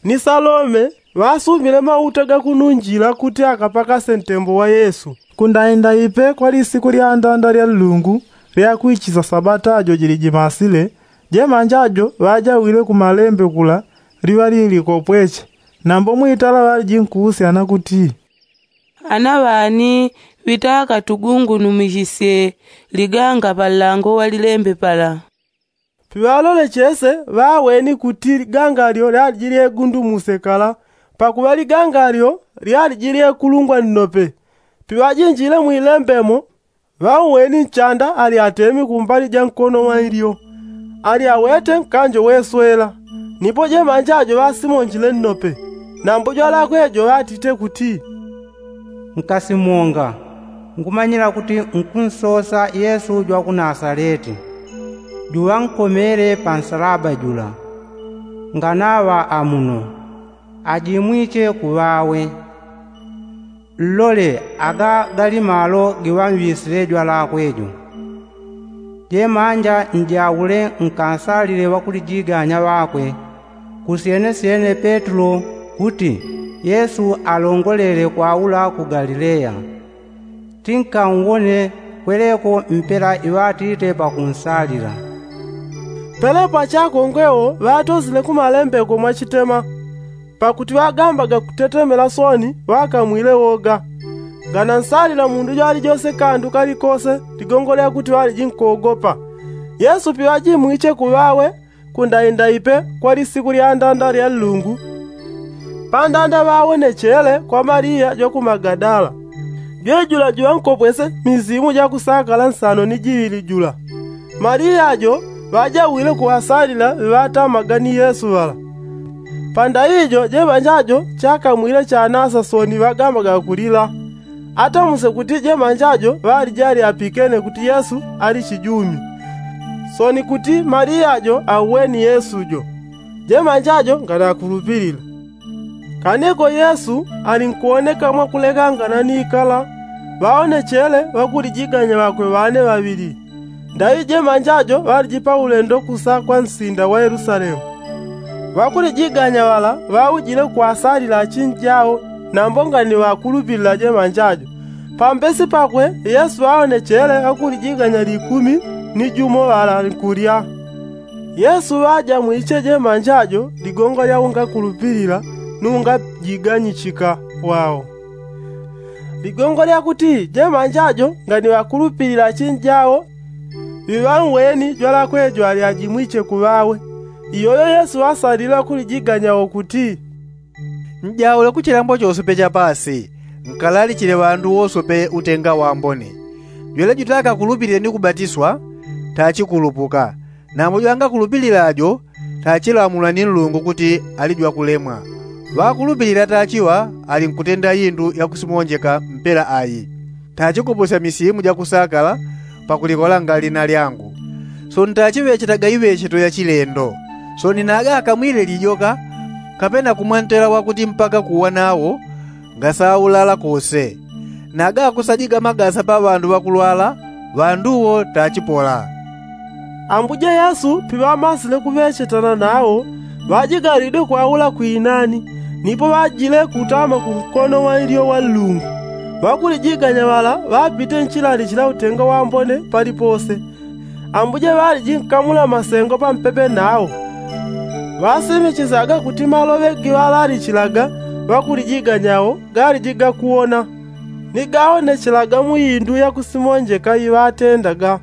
ni salome ŵasumile mauta ga kununjila kuti akapakase ntembo wa yesu. Kundaindaipe kwa lisiku lya andanda lya nlungu, lya kwichisa sabata jo jilijimasile, jemanja jo ŵajawile ku malembe kula liŵa lilikopweche. Nambo mwitala ŵaliji nkuusyana kuti, ana ŵani ŵitaka tugungunumishisye liganga pa nlango wa lilembe pala? Piŵalole chese ŵaweni kuti liganga lyo lyaliji lyegundumuse kala, pakuŵa liganga lyo lyaliji lyekulungwa nnope. Piŵajinjile mwilembe mo, ŵauweni nchanda ali atemi kumbali ja nkono wa ilyo, ali awete nkanjo weswela. Nipo jemanja jo ŵasimonjile nnope, nambo jwalakwe jo ŵatite kuti, nkasimonga, ngumanyila kuti nkunsosa yesu jwa ku nasaleti, juŵankomele pa nsalaba jula. Nganaŵa amuno, ajimwiche kuŵawe. Nlole aga gali malo giŵamŵisile jwalakwe jo. Jemanja njaule nkansalile ŵakulijiganya ŵakwe, kusyenesyene petulo, kuti yesu alongolele kwaula ku galileya. Tinkanwone kweleko mpela iŵatite pakunsalila. Pelepo achakongwe wo ŵatosile ku malembeko mwachitema, pakuti ŵagambaga kutetemela soni ŵakamwile woga. Nganansalila mundu jwalijose kandu kalikose ligongo lya kuti ŵaliji nkogopa. Yesu piŵajimwiche kuŵawe, kundaindaipe kwa lisiku lya andanda lya nlungu, pandanda ŵawonechele kwa maliya jwa ku magadala, jwejula juŵankopwese misimu ja kusakala nsano ni jiŵili jula. Maliya jo ŵajawile kuŵasalila ŵiŵatamaga ni yesu ŵala. Pandaijo jemanja jo chakamwile chanasa soni ŵagambaga kulila. Atamuse kuti jemanja jo ŵaliji ali apikene kuti yesu ali chijumi, soni kuti maliya jo auweni yesu jo. Jemanja jo nganakulupilila. Kaneko yesu ali nkuwoneka mwakulekangana ni ikala, ŵaonechele ŵakulijiganya ŵakwe ŵane ŵaŵili. Ndaŵi jemanja jo ŵaliji pa ulendo kusa kwa nsinda wa yelusalemu. Ŵakulijiganya ŵala ŵaujile kwasalila achinjao, nambo ngani ŵakulupilila jemanja jo. Pambesi pakwe yesu ŵaonechele ŵakulijiganya likumi ni jumo ŵala nkulya. Yesu ŵajamwiche jemanja jo ligongo lya ungakulupilila nu ungajiganyichika wao. Ligongo lya kuti jemanja jo ngani ŵakulupilila achinjao, ŵiŵanweni jwalakwe jo ali ajimwiche kuŵawe. Iyoyo yesu ŵasalile ŵakulijiganya wo kuti, njaule ku chilambo chosepe cha pasi, nkalalichile ŵandu wosepe utenga wambone. Jwele jutakakulupilile ni kubatiswa, tachikulupuka. Nambo jwangakulupilila jo, tachilamulwa ni nlungu kuti ali jwakulemwa. Ŵakulupilila tachiŵa ali nkutenda indu yakusimonjeka mpela ayi. Tachikupusya misimu jakusakala pakulikolanga lina lyangu. Soni tachiŵechetaga iŵecheto ya chilendo. Soni naga akamwile lijoka, kapena kumwantela wakuti mpaka kuwa nawo ngasaulala kose. Naga akusajiga magasa pa ŵandu ŵakulwala, ŵandu wo tachipola. Ambuje yesu piŵamasile kuŵechetana nawo, ŵajigalwide kwaula kwinani. Nipo ŵajile kutama kunkono wa ilyo wa nlungu. Ŵakulijiganya ŵala ŵapite nchilali chila utenga wambone palipose. Ambuje ŵaliji nkamula masengo pampepe nawo. Ŵasimichisaga kuti maloŵe giŵalalichilaga ŵakulijiganya wo galiji gakuwona, ni gaonechelaga mu indu yakusimonjeka iŵatendaga.